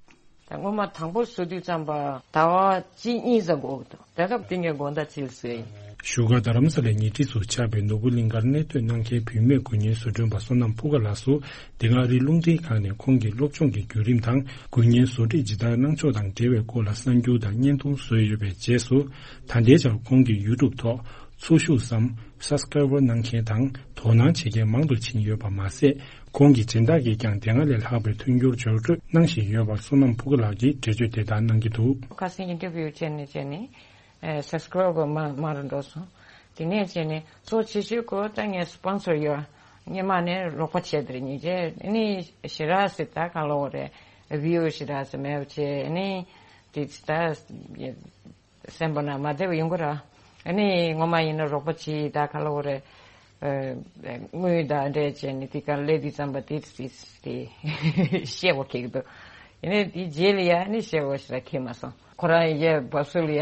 ད་སྔོན་མ་དང་པོ་བཟོ་དུས་ཙམ་པ་ཟླ་བ་གཅིག་གཉིས་ཙམ་འགོར་གྱི་འདུག་དེ་སྐབས་དེ་ངས་དགོང་དག་ཅིག་བཟོས་ཡིན། བཞུགས་སྒར་རྡ་རམ་ས་ལའི་ཉེ་འཁྲིས་སུ་ཆགས་པའི་ནོར་བུ་གླིང་ཁར་གནས་སྡོད་གནང་མཁན་བུད་མེད་འགུལ་བརྙན་བཟོ་སྐྲུན་པ་བསོད་ནམས་ཕུག་ག་ལགས་སུ། དེ་སྔ་ཨ་རིའི་རླུང་འཕྲིན་ཁང་ནས་ཁོང་གི་སློབ་སྦྱོང་གི་བརྒྱུད་རིམ་དང་། འགུལ་བརྙན་བཟོ་སྒྲིག་ཇི་ལྟར་གནང་ཕྱོགས་དང་འབྲེལ་བའི་སྐོར་ལ་གསར་འགྱུར་དང་བརྙན་ཐུང་བཟོས་ཡོད་པའི་རྗེས་སུ། ད་ལྟའི་ཆར་ཁོང་གི་ཡུ་ཊུབ་ཐོག་འཚོ་བཞུགས་སམ། སབ་སི་ཀ་རའེ་བར་གནང་མཁན་དང་དོ་སྣང་བྱེད་མཁན་མང་དུ་ཕྱིན་ཡོད་པ་མ་ཟད། ཁོང་གི་སྦྱིན་བདག་གིས་ཀྱང་དེ་སྔ་ལས་ལྷག་པའི་མཐུན་འགྱུར་འབྱོར་སྤྲོད་གནང་བཞིན་ཡོད་པར་བསོད་ནམས་ཕུག་ག་ལགས་ཀྱིས་འགྲེལ་བརྗོད་དེ་ལྟར་གནང་གི་འདུག་ཁ་སང་ཨིན་ཊར་བིའུ་བྱས་ནས་བྱས་ནས་ཨེ་སབ་སི་ཀ་རའེ་བར་མང་མང་རུ་འགྲོ་སོང་། དེ་ནས་བྱས་ནས་གཙོ་ཆེ་ཤོས་ཁོ་ད་ངས་སི་པོན་སར་ཡོད། སྔོན་མ་ནས་རོགས་པ་བྱས་དེར་ཉིན་བྱས་ཨ་ནི་ཞེ་དྲག་སེ་ད་ག་ལོ་རེད། བྷི་ཨོ་ཞེ་དྲག་སེ་མེད་པ་བྱས་ཨ་ནི་དེ་ད། སེམས་པ་ན་མ་བདེ་བ་ཡོང་གི་ར། ཨ་ནི་ངོ་མ་ཡིན་ན་རོགས་པ་བྱེད་ད་ག་ལ་འོ་རེད། ཨ་དངུལ་དང་འབྲེལ་བྱས་ནས་དེ་ག་ལས་དེ་བརྩམས་པ་དེ་དེ་དེ་ཤེས་བ་ཁེགས་འདུག་ཨ་ནི་དེ་རྗེས་ལ་ཡ་ཨ་ནི་ཤེས་བ་ཞིག་ལ་ཁེགས་མ་སོང་། ཁོ་རང་ཡ་བབས་སུ་ལ་ཡ་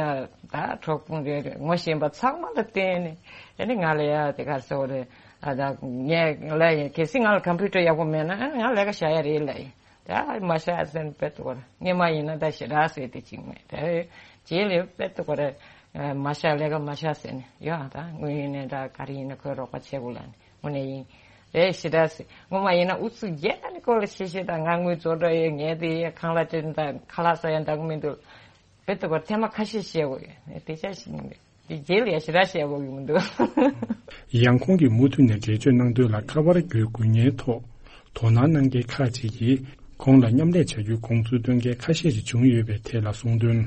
ད་གྲོགས་པོ་རེད་ངོ་ཤེས་པ་ཚང་མ་ལ་བརྟེན་ནས་ཨ་ནི་ང་ལ་ཡ་དེ་ག་ཟེར་བ་རེད། ཨ་ད་ངས་ལ་ཡ་གལ་སྲིད་ང་ལ་ཀམ་པུ་ཊར་ཡག་པོ་མེད་ན་ཨ་ནི་ང་ལས་ཀ་བྱ་ཡ་རེད་ལ་ཡ། ད་མ་ཤ་ཟེར་ནས་དཔེ་ཏོ་གོ་ར། སྔོན་མ་ཡིན་ན་ད་ཞེ་དྲག་ཟེར་དེ་གཅིག་མེད། ད་རྗེས་ལ་དཔེ་ཏོ་གོ་ར། མ་ཤ་ལས་ཀ་མ་ཤ་ཟེར་ནས་ཡོད་ཨ། ད་དངུལ་ཡིན་ནའི་ད་ག་རེ་ཡིན་ན་ཁོས་རོགས་པ་བྱེད་དགོས་ལ་ནི་དངོས་གནས་ཡིན། རེད་ཞེ་དྲག་ཟེར། སྔོན་མ་ཡིན་ན་ཨུ་ཚུགས་རྒྱག་ནི་ཁོ་ལ་ཤེས་ཤེས་ད་ང་དངུལ་རྫོགས་འགྲོ་ཡོད་ངས་དེ་ཡས་ཁང་གླ་སྤྲད་ད་ཁ་ལག་ཟ་ཡ་འདང་མི་འདུག་དཔེ་ཏོ་གོ་ར་ཐེངས་མ་ཁ་ཤས་བཤད་དགོས་ཡོད་དེ་ཅག་ཞིག་མི་འདུག་དེ་རྗེས་ལ་ཡ་ཞེ་དྲག་བཤད་དགོས་ཀྱི་མི་འདུག་ཡང་ཁོང་གིས་མུ་མཐུད་ནས་འགྲེལ་བརྗོད་གནང་དོན་ལ་ཁ་པར་བརྒྱུད་འགུལ་བརྙན་ཐོག་དོ་སྣང་གནང་མཁན་ཁག་ཅིག་གིས་ཁོང་ལ་མཉམ་ལས་བྱ་རྒྱུའི་དགོངས་ཚུལ་སྟོན་མཁན་ཁ་ཤས་ཤིག་བྱུང་ཡོད་པའི་ཐད་ལ་གསུངས་དོན།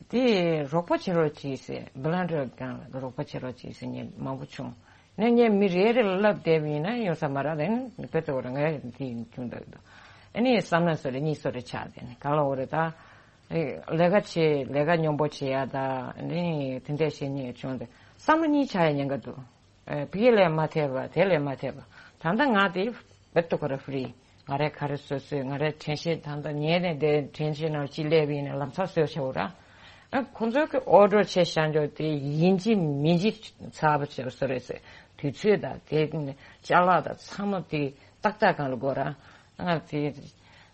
དེ་རོགས་པ་བྱེད་རོགས་གྱིས་ཟེར་བྷོ་ལན་ཊི་ཡར་སྒང་ལ་རོགས་པ་བྱེད་རོགས་གྱིས་ཟེར་མཁན་མང་པོ་བྱུང་། ནས་ངས་མི་རེ་རེ་ལ་ལབ་བསྡད་པ་ཡིན་ན་ཡོང་ས་མ་རེད་ལབ་ནས་དཔེ་ཏོ་གོ་ར་ང་དེ་ཡིན་བྱུང་འདུག་ཨ་ནི་བསམ་ན་སོ་རེ་གཉིས་སོ་རེ་ཆགས་བསྡད་ནས་ག་ལ་འོ་རེད་ད། ལས་ཀ་བྱེད་ལས་ཀ་སྙོམས་པོ་བྱེད་ཡ་ད་ནི་དེ་འདྲས་བྱེད་ཉེས་བྱུང་སྟེ་བསམ་བློ་གཉིས་ཆགས་ཡ་ཉེན་ཁ་འདུག་ཨེ་ཕ་གི་ལས་མ་ཐེབས་པ་དེ་ལས་མ་ཐེབས་པ་ད་ལྟ་ང་དེ་བེད་དུ་ཁོ་ར་ཧྥི་རི་ང་རའི་ག་རེ་བཟོ་བཟོས་ང་རའི་དྲན་ཤེས་ད་ལྟ་ཉལ་ནས་བསྡད་དྲན་ཤེས་ནང་ཅི་སླེབས་ཡིན་ནས་ལམ་སང་བཟོས་བྱའོ་ར། ཨ་ཁོ་ཚོ་གི་ཨོ་ཌར་བྱས་བཞག་འཇོག་དེ་ཡིན་གཅིག་མིན་གཅིག་ཚར་བ་བྱས་བཟོ་རེད་ཟེར་དུས་ཚོད་དང་དེ་ཅ་ལག་དང་ཚང་མ་དེ་ཏག་ཏག་སྒང་ལ་དགོས་ར། ང་དེ་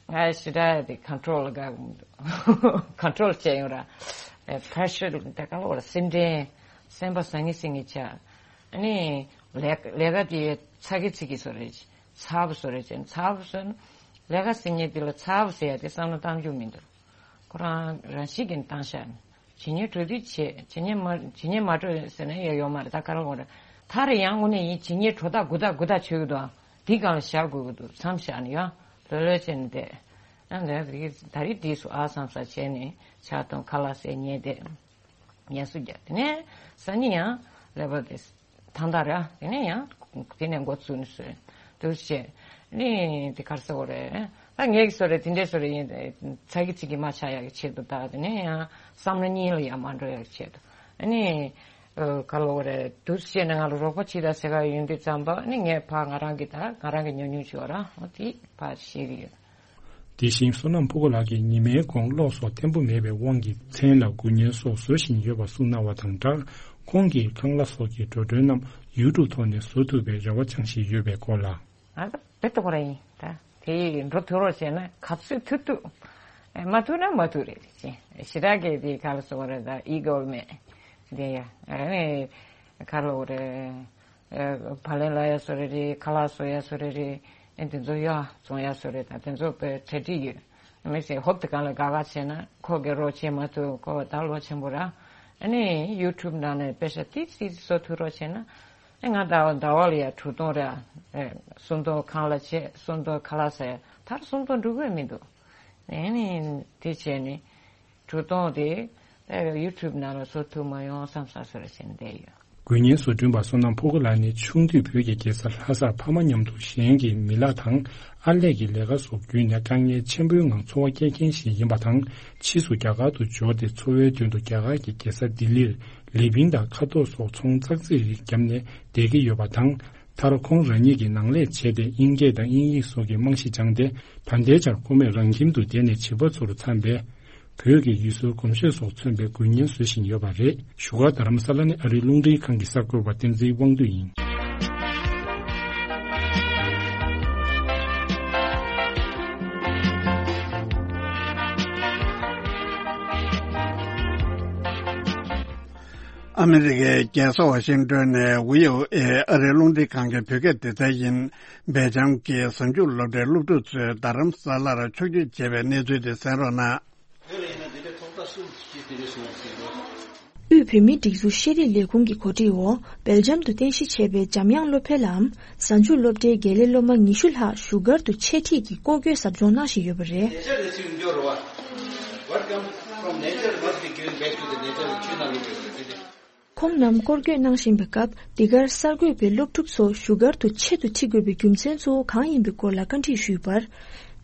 ང་ཞེ་དྲག་དེ་ཁོན་ཊོལ་ལ་དགའ་གི་མི་འདུག་ཁོན་ཊོལ་བྱས་ཡོང་ར། ཨེ་པེ་རེ་ཤར་དེ་ག་ལ་བར་སེམས་ཁྲལ་སེམས་པ་ཟང་ངེ་ཟིང་ངེ་བྱ། ཨ་ནི་ལས་ལས་ཀ་དེ་ཚ་གི་ཚི་གི་བཟོ་རེད། ཚ་བོ་བཟོ་རེད་ཅེ་ཚ་བོ་བཟོ་ན་ལས་ཀ་ཟེར་མཁན་དེ་ལ་ཚ་བོ་ཟེར་ཡ་དེ་བསམ་བློ་བཏང་རྒྱུ་མི་འདུག་ཁོ་རང་རང་བཞིན་གྱིས་བཏང་བཞག་ནས་བྱེད་ཉེས་འགྲོ་དུས་བྱེད་བྱེད་ཉེས་མ་བྱེད་ཉེས་མ་འགྲོ་ཟེར་ན་ཡ་ཡོད་མ་རེད་ད་ག་རེ་འོང་རེད། ད་རེས་ཡང་དངོས་གནས་ཡིན་བྱེད་ཉེས་འགྲོ་ཐག་འགུ་ཐག་འགུ་ཐག་ཆོད་ཀྱི་འདུག་ཨ། འདི་སྒང་ལ་བཞག་དགོས་ཀྱི་འདུག་མཚམས་བཞག་ནས་ཡང་ལོས་ལོས་བྱས་ནས་བསྡད། ཨ་ནི་ད་རེས་འདི་སུ་ཨ་བསམ་ས་བྱས་ནས་ཕྱག་སྟོང་ཁ་ལག་ཟས་ཉལ་བསྡད། ངལ་གསོ་རྒྱག་དེ་ནས་སང་ཉིན་ཡང་ཀླད་པ་དེ་ཐང་ཐག་རེད། དེ་ནས་ཡང་དེ་ནས་འགོ་བཙུགས་ནས་བཟོས་འདུག་བྱས་ནི་དེ་ག་རེ་ཟེར་དགོས་རེད། ད་ངས་ཀྱི་བཟོ་རེད་དེ་འདྲས་བཟོ་རེད་ཡིན་ཚ་གི་ཚིག་གི་མ་ཆགས་ཡག་གི་ཆེད་དུ་ད་དེ་ནས་ཡང་བསམ་བློ་གཉིས་ལ་ཡང་མ་འགྲོ་ཡག་གི་ཆེད་དུ་ཨ་ནི་ག་ལ་འོ་རེད་འདུག་བྱས་ནས་ང་ལ་རོགས་པ་བྱེད་དང་ཟེར་ག་ཡོང་དུས་ཙམ་པ་ཨ་ནི་ངས་ཕར་ང་རང་གི་ད་ང་རང་གི་ཉུང་ཉུང་བྱོས་ར་འོ་དེ་ཕར་ཤེས་ཀྱི་ཡོད། དེ་བཞིན་བསོད་ནམས་ཕུ་གུ་ལགས་ཀྱིས་ཉི་མའི་གོང་གློག་སོགས་བརྟན་པོ་མེད་པའི་དབང་གིས་མཚན་ལ་དགུན་ཉལ་སོགས་བཟོ་བཞིན་ཡོད་པ་གསུངས་གནང་བ་དང་སྦྲགས། ཁོང་གིས་ཁང་གླ་སོགས་ཀྱི་འགྲོ་གྲོན་རྣམས་ཡུ་ཊུབ་ཐོག་ནས་བཟོ་ཐུབ་པའི་རེ་བ་བཅངས་བཞིན་ཡོད་པའི་སྐོར་ལ། ང་ད་དཔེ་ཏོ་གོ་ར་ཡིན་ད། དེ་ཡིས་འགྲོ་ཐུབ་རོགས་བྱས་ན་ག་ཚོད་ཐུབ་ཐུབ། ཨེ་མ་ཐུབ་ན་མ་ཐུབ་རེད་ཅེས་ཞེ་དྲག་གི་དེ་ག་ལ་སོང་རེད་ད་ཨི་གོ་མེད། དེ་ཡ་ཨེ་ག་ལ་འོ་རེད། བག་ལེབ་ལ་ཡ་བཟོ་རེ་རེད། ཁ་ལག་བཟོ་ཡ་བཟོ་རེ་རེད། ཨེ་དེ་ཚོ་ཡ་བཙོང་ཡ་བཟོ་རེད་ད། དེ་ཚོ་དཔེ་གྲ་སྒྲིག་ཡོད། མི་ཚེ་ཧོབ་ཏེ་གང་ལ་དགའ་དགའ་བྱས་ན་ཁོ་གི་རོགས་བྱེད་མ་ཐུབ་ཁོ་ད་ལོ་ཆེན་པོ་ར། ཨ་ནི་ཡུ་ཊུབ་ནང་ནས་དཔེ་ཆ་ཏིག་ཏིག་བཟོ་ཐུབ་རོགས་བྱས་ན། ཨེ་ང་ཟླ་བ་ཟླ་བ་ལ་ཡ་དྲུག་སྟོང་ར། ཨེ་སུམ་སྟོང་ཁང་གླ་བྱས་སུམ་སྟོང་ཁ་ལག་ཟ་ཡ་ད་སུམ་སྟོང་འགྲོ་གི་མི་འདུག་ཨེ་ནི་དེ་བྱས་ནི། གྲུ་སྟོང་དེ་ཡུ་ཊུབ་ནང་ལ་བཟོ་ཐུབ་མ་ཡོང་བསམ་ས་བཟོ་ར་བྱས་ནས་བསྡད་ཡོད། དགུན་གཉེན་བཟོ་སྐྲུན་པ་བསོད་ནམས་ཕུ་གུ་ལགས་ནི་ཆུང་དུས་བོད་ཀྱི་རྒྱལ་ས་ལྷ་སར་ཕ་མ་མཉམ་དུ་གཞན་གྱི་མི་ལག་དང་ཨར་ལས་ཀྱི་ལས་ཀ་སོགས་བརྒྱུད་ནས་དཀའ་ངལ་ཆེན་པོའི་ངང་འཚོ་བ་སྐྱེལ་མཁན་ཞིག་ཡིན་པ་དང་། ཕྱིས་སུ་རྒྱ་གར་དུ་འབྱོར་ཏེ་འཚོ་བའི་དོན་དུ་རྒྱ་གར་གྱི་རྒྱལ་ས་ལྡི་ལིར་ལི་པིང་དང་ཁ་དོག་སོགས་ཚོང་ཙག་ཙིག་རིགས་བརྒྱབ་ནས་བསྡད་ཀྱི་ཡོད་པ་དང་། མཐར་ཁོང་རང་ཉིད་ཀྱི་ནང་ལས་བྱས་ཏེ་དབྱིན་སྐད་དང་དབྱིན་ཡིག་སོགས་ཀྱི་རྨང་གཞི་བཅངས་ཏེ། ད་ལྟའི་ཆར་ཁོ་མོས་རང་ཁྱིམ་དུ་བསྡད་ནས་བྱིས་པ་ཚོར་འཚམ་པའི་བོད་ཀྱི་ཡུལ་སྲོལ་གོམས་གཤིས་སོགས་མཚོན་པའི་དགུན་གཉེན་བཟོ་བཞིན་ཡོད་པ་རེད། བཞུགས་སྒར་རྡ་རམ་ས་ལ་ནས་ཨ་རིའི་རླུང་འཕྲིན་ཁང་གི་གསར་འགོད་པ་བསྟན་འཛིན་དབང་འདུས་ཡིན། ཨ་མི་རི་ཀའི་རྒྱལ་ས་ཝ་ཤིང་ཏོན་ནས་ཝི་ཨོ་ཨེ་ཨ་རིའི་རླུང་འཕྲིན་ཁང་གི་བོད་སྐད་སྡེ་ཚན་ཡིན། སྦེལ་ཇམ་གྱི་གཟའ་མཇུག་སློབ་གྲྭའི་སློབ་ཕྲུག་ཚོས་རྡ་རམ་ས་ལར་ཕྱོགས་བསྐྱོད་བྱས་པའི་གནས་ཚུལ་དེ་གསན་རོགས་གནང་། དབུས་བོད་མིའི་སྒྲིག་འཛུགས་ཤེས་རིག་ལས་ཁུངས་ཀྱི་གོ་སྒྲིག་འོག་སྦེལ་ཇམ་དུ་རྟེན་གཞི་བྱས་པའི་འཇམ་དབྱངས་སློབ་འཕེལ་ལམ་གཟའ་མཇུག་སློབ་གྲྭའི་དགེ་ལས་སློབ་མ་ཉི་ཤུ་ལྷག་བཞུགས་སྒར་དུ་འཆད་ཁྲིད་ཀྱི་སྐོར་སྐྱོད་ཟབ་སྦྱོང་གནང་བཞིན་ཡོད་པ་རེད། What comes from nature must be given back to the nature. ཁོང་རྣམས་སྐོར་སྐྱོད་གནང་བཞིན་པའི་སྐབས། འདི་གར་གསར་འགོད་པས་སློབ་ཕྲུག་ཚོ་བཞུགས་སྒར་དུ་ཆེད་དུ་ཁྲིད་དགོས་པའི་རྒྱུ་མཚན་གཙོ་བོ་གང་ཡིན་པའི་སྐོར་ལ་བཀའ་འདྲི་ཞུས་པར།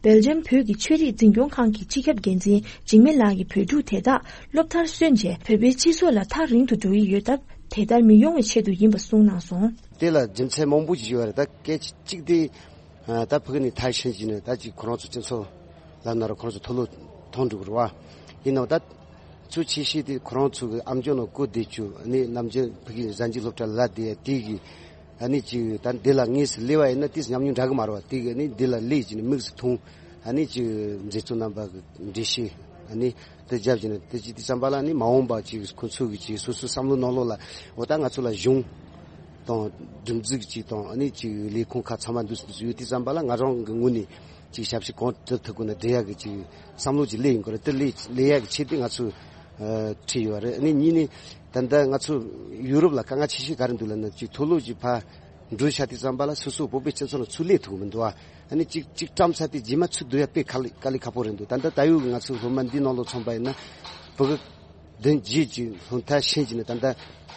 སྦེལ་ཇམ་བོད་ཀྱི་ཆོས་རིག་འཛིན་སྐྱོང་ཁང་གི་སྤྱི་ཁྱབ་འགན་འཛིན་འཇིགས་མེད་ལགས་ཀྱིས་བོད་ཕྲུག་དེ་དག་སློབ་མཐར་སོན་རྗེས་བོད་པའི་སྤྱི་ཚོགས་ལ་ཐག་རིང་དུ་འགྲོ་ཡི་ཡོད་སྟབས། དེ་ལྟར་མི་ཡོང་བའི་ཆེད་དུ་ཡིན་པ་གསུངས་གནང་སོང་། དེ་ལ་རྒྱུ་མཚན་མང་པོ་ཞིག་ཡོད་རེད། ད་སྐད་ཆ་གཅིག་དེ། ད་ཕ་གི་ནས་ཐར་ཕྱིན་གྱི་ནས་ད་ཅིག་ཁོ་རང་ཚོ་སྤྱི་ཚོགས་ལ་ན་ར་ཁོ་རང་ཚོ་མཐོ་སློབ་མཐོང་འགྲོ་གི་རེད་བ། ཡིན་ནའང་ད་ཚུལ་ཆེ་ཤོས་དེ་ཁོ་རང་ཚོ་གི་ཨམ་ཅོག་ནང་བཀོད་བསྡད་རྒྱུ་ཨ་ནི་ནམ་རྒྱུན་ཕ་གི་གཟའ་མཇུག་སློབ་གྲྭ་ལ་བསྡད་དེ་གི་ཨ་ནི་ཅིག་ད་འདི་ལ་དངོས་སུ་སླེབས་པ་ཡིན་ན་དེ་ཉམས་མྱོང་འདྲ་གི་མ་རེད་བ། དེ་གི་ཨ་ནི་འདི་ལ་སླེབས་ཀྱི་ནས་མིག་སུ་མཐོང་ཨ་ནི་ཅིག་མཛེས་བཙོག་རྣམ་པ་གི་འགྲེལ་བཤད་ཨ་ནི། དེ་རྒྱབ་ཀྱི་ནི་དེ་ཅི་དེ་ཙམ་པ་ལ་ནི་མ་འོངས་པ་ཅིག་ཁོ་ཚོ་གི་ཅིག་སོ་སོའི་བསམ་བློ་ནང་ལོགས་ལ་འོ་ད་ང་ཚོ་ལ་གཞུང་དང་སྒྲིག་འཛུགས་ཅིག་དང་ཨ་ནི་ཅིག་ལས་ཁུངས་ཁག་ཚང་མ་འདུག་སེ་འདུག་སེ་ཡོད་དེ་ཙམ་པ་ལ་ང་རང་གི་ངོས་ནས་ཅིག་ཞབས་ཕྱི་གང་ཐུབ་ཐུབ་ཀྱི་ནི་སྤྲད་ཡག་གི་ཅིག་བསམ་བློ་ཅིག་སླེབས་ཡིན་གི་རེད། དེ་སླེབས་སླེབས་ཡག་གི་ཆེད་དུ་ང་ཚོ་ཁྲིད་ཡོད་རེད། ཨ་ནི་གཉིས་ནི་ད་ལྟ་ང་ཚོ་ཡུ་རོབ་ལ་དཀའ་ངལ་ཆེ་ཤོས་ག་རེ་འདུག་ལབ་ན་ཅིག་མཐོ་སློབ་ཅིག་ཕར་འགྲོ་ཤག་དེ་ཙམ་པ་ལ་སོ་སོ་བོད་པའི་སྤྱི་ཚོགས་ནང་ཚུར་སླེབས་ཐུབ་ཀྱི་མི་འདུག་ཨ་ནི་གཅིག་གཅིག་བཀྲམ་ཚར་ཏེ་རྗེས་མ་ཚུར་བསྡུ་ཡ་དཔེ་དཀའ་ལས་དཀའ་ལས་ཁག་པོ་རེད་འདུག་ད་ལྟ་ད་ཡོད་ཀྱི་ང་ཚོ་སློབ་མ་འདི་ནང་ལོགས་ཚང་པ་ཡིན་ན་བོད་ཀྱི་བདུན་རྗེས་ཀྱི་སློབ་མཐར་ཕྱིན་གྱི་ནི་ད་ལྟ་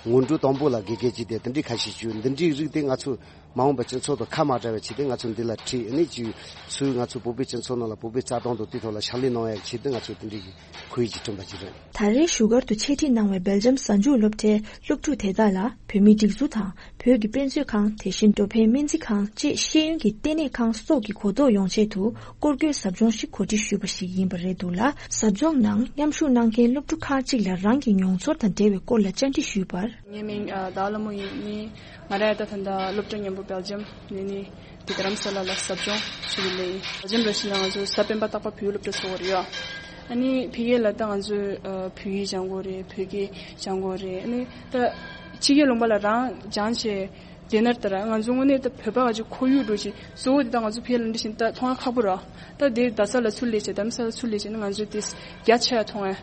སྔོན་འགྲོ་དང་པོ་ལ་དགེ་རྒན་གྱི་དེ་འདི་འདྲའི་ཁ་ཤས་བྱོས། འདི་འདྲའི་རིགས་དེ་ང་ཚོ་མ་འོངས་པ་སྤྱི་ཚོགས་དང་ཁ་མ་བྲལ་བའི་ཆེད་དུ་ང་ཚོ་འདི་ལ་ཁྲིད་ཨ་ནི་ཅིག་ཚུར་ང་ཚོ་བོད་པའི་སྤྱི་ཚོགས་ནང་ལ་བོད་པའི་རྩ་དོན་དང་དེ་ཐོག་ལ་ཕྱག་ལས་གནང་ཡ་ཆེད་དུ་ང་ཚོ་འདི་འདྲའི་གི་ཁོར་ཡུག་ཅིག་བསྐྲུན་པ་ཅིག་རེད། ད་རེས་བཞུགས་སྒར་དུ་འཆད་ཁྲིད་གནང་བའི་སྦེལ་ཇམ་གཟའ་མཇུག་སློབ་གྲྭའི་སློབ་ཕྲུག་དེ་དག་ལ་བོད་མིའི་སྒྲིག་འཛུགས་དང་། བོད་ཀྱི་དཔེ་མཛོད་ཁང་། དེ་བཞིན་འགྲོ་ཕན་སྨན་རྩིས་ཁང་བཅས་ཤེས་ཡོན་གྱི་ལྟེ་གནས་ཁང་སོགས་ཀྱི་གོ་རྟོགས་ཡོང་ཆེད་དུ་སྐོར་སྐྱོད་ཟབ་སྦྱོང་ཞིག་གོ་སྒྲིག་ཞུས་པ་ཞིག་ཡིན་པ་རེད་འདུག་ལ། ཟབ་སྦྱོང་ནང་མཉམ་ཞུགས་གནང་མཁན་སློབ་ཕྲུག་ཁག་ཅིག་ལ་རང་གི་མྱོང་ཚོར་དང་འབྲེལ་བའི་སྐོར་ལ་བཅར་འདྲི་ཞུས་པར། ངའི་མིང་ཨ་ཟླ་བ་ལྷ་མོ་ཡིན། ནི་ང་རང་ད་ད་ལྟ་སློབ་གྲྭ་མཉམ་པོ་སྦེལ་ཇམ་ནས་ནི་དེ་རྡ་རམ་ས་ལ་ལ་ཟབ་སྦྱོང་ཞུ་གི་ལས་ཡིན། སྦེལ་ཇམ་ར་ཤི་ན་ང་ཚོ་གཟའ་སྤེན་པ་རྟག་པར་བོད་ཡིག་སློབ་གྲྭ་ཚོགས་ཀྱི་རེད་ཡ། ཨ་ནི་ཕ་གི་ལ་ད་ང་ཚོས་ཨ་བོད་ཡིག་སྦྱང་དགོས་རེད། བོད་སྐད་སྦྱང་དགོས་རེད། ཨ་ནི་ད་ཕྱི་རྒྱལ་ལུང་པ་ལ་རང་སྦྱངས་བྱས་བསྡད་ན་ད་ར་ང་ཚོ་དངོས་གནས་ད་བོད་པ་ག་ཅིག་ཁོར་ཡུག་འགྲོ་ཅིག་གཙོ་བོ་དེ་ད་ང་ཚོ་ཕ་གི་ལ་འདི་བཞིན་ད་མཐོང་ཡ་ཁག་པོ་ར། ད་དེ་རྡ་ས་ལ་ཚུར་སླེབས་བྱས་རྡ་རམ་ས་ལ་ཚུར་སླེབས་བྱས་ན་ང་ཚོས་དེ་རྒྱ་ཆེ་ཡ་མཐོང་ཡ་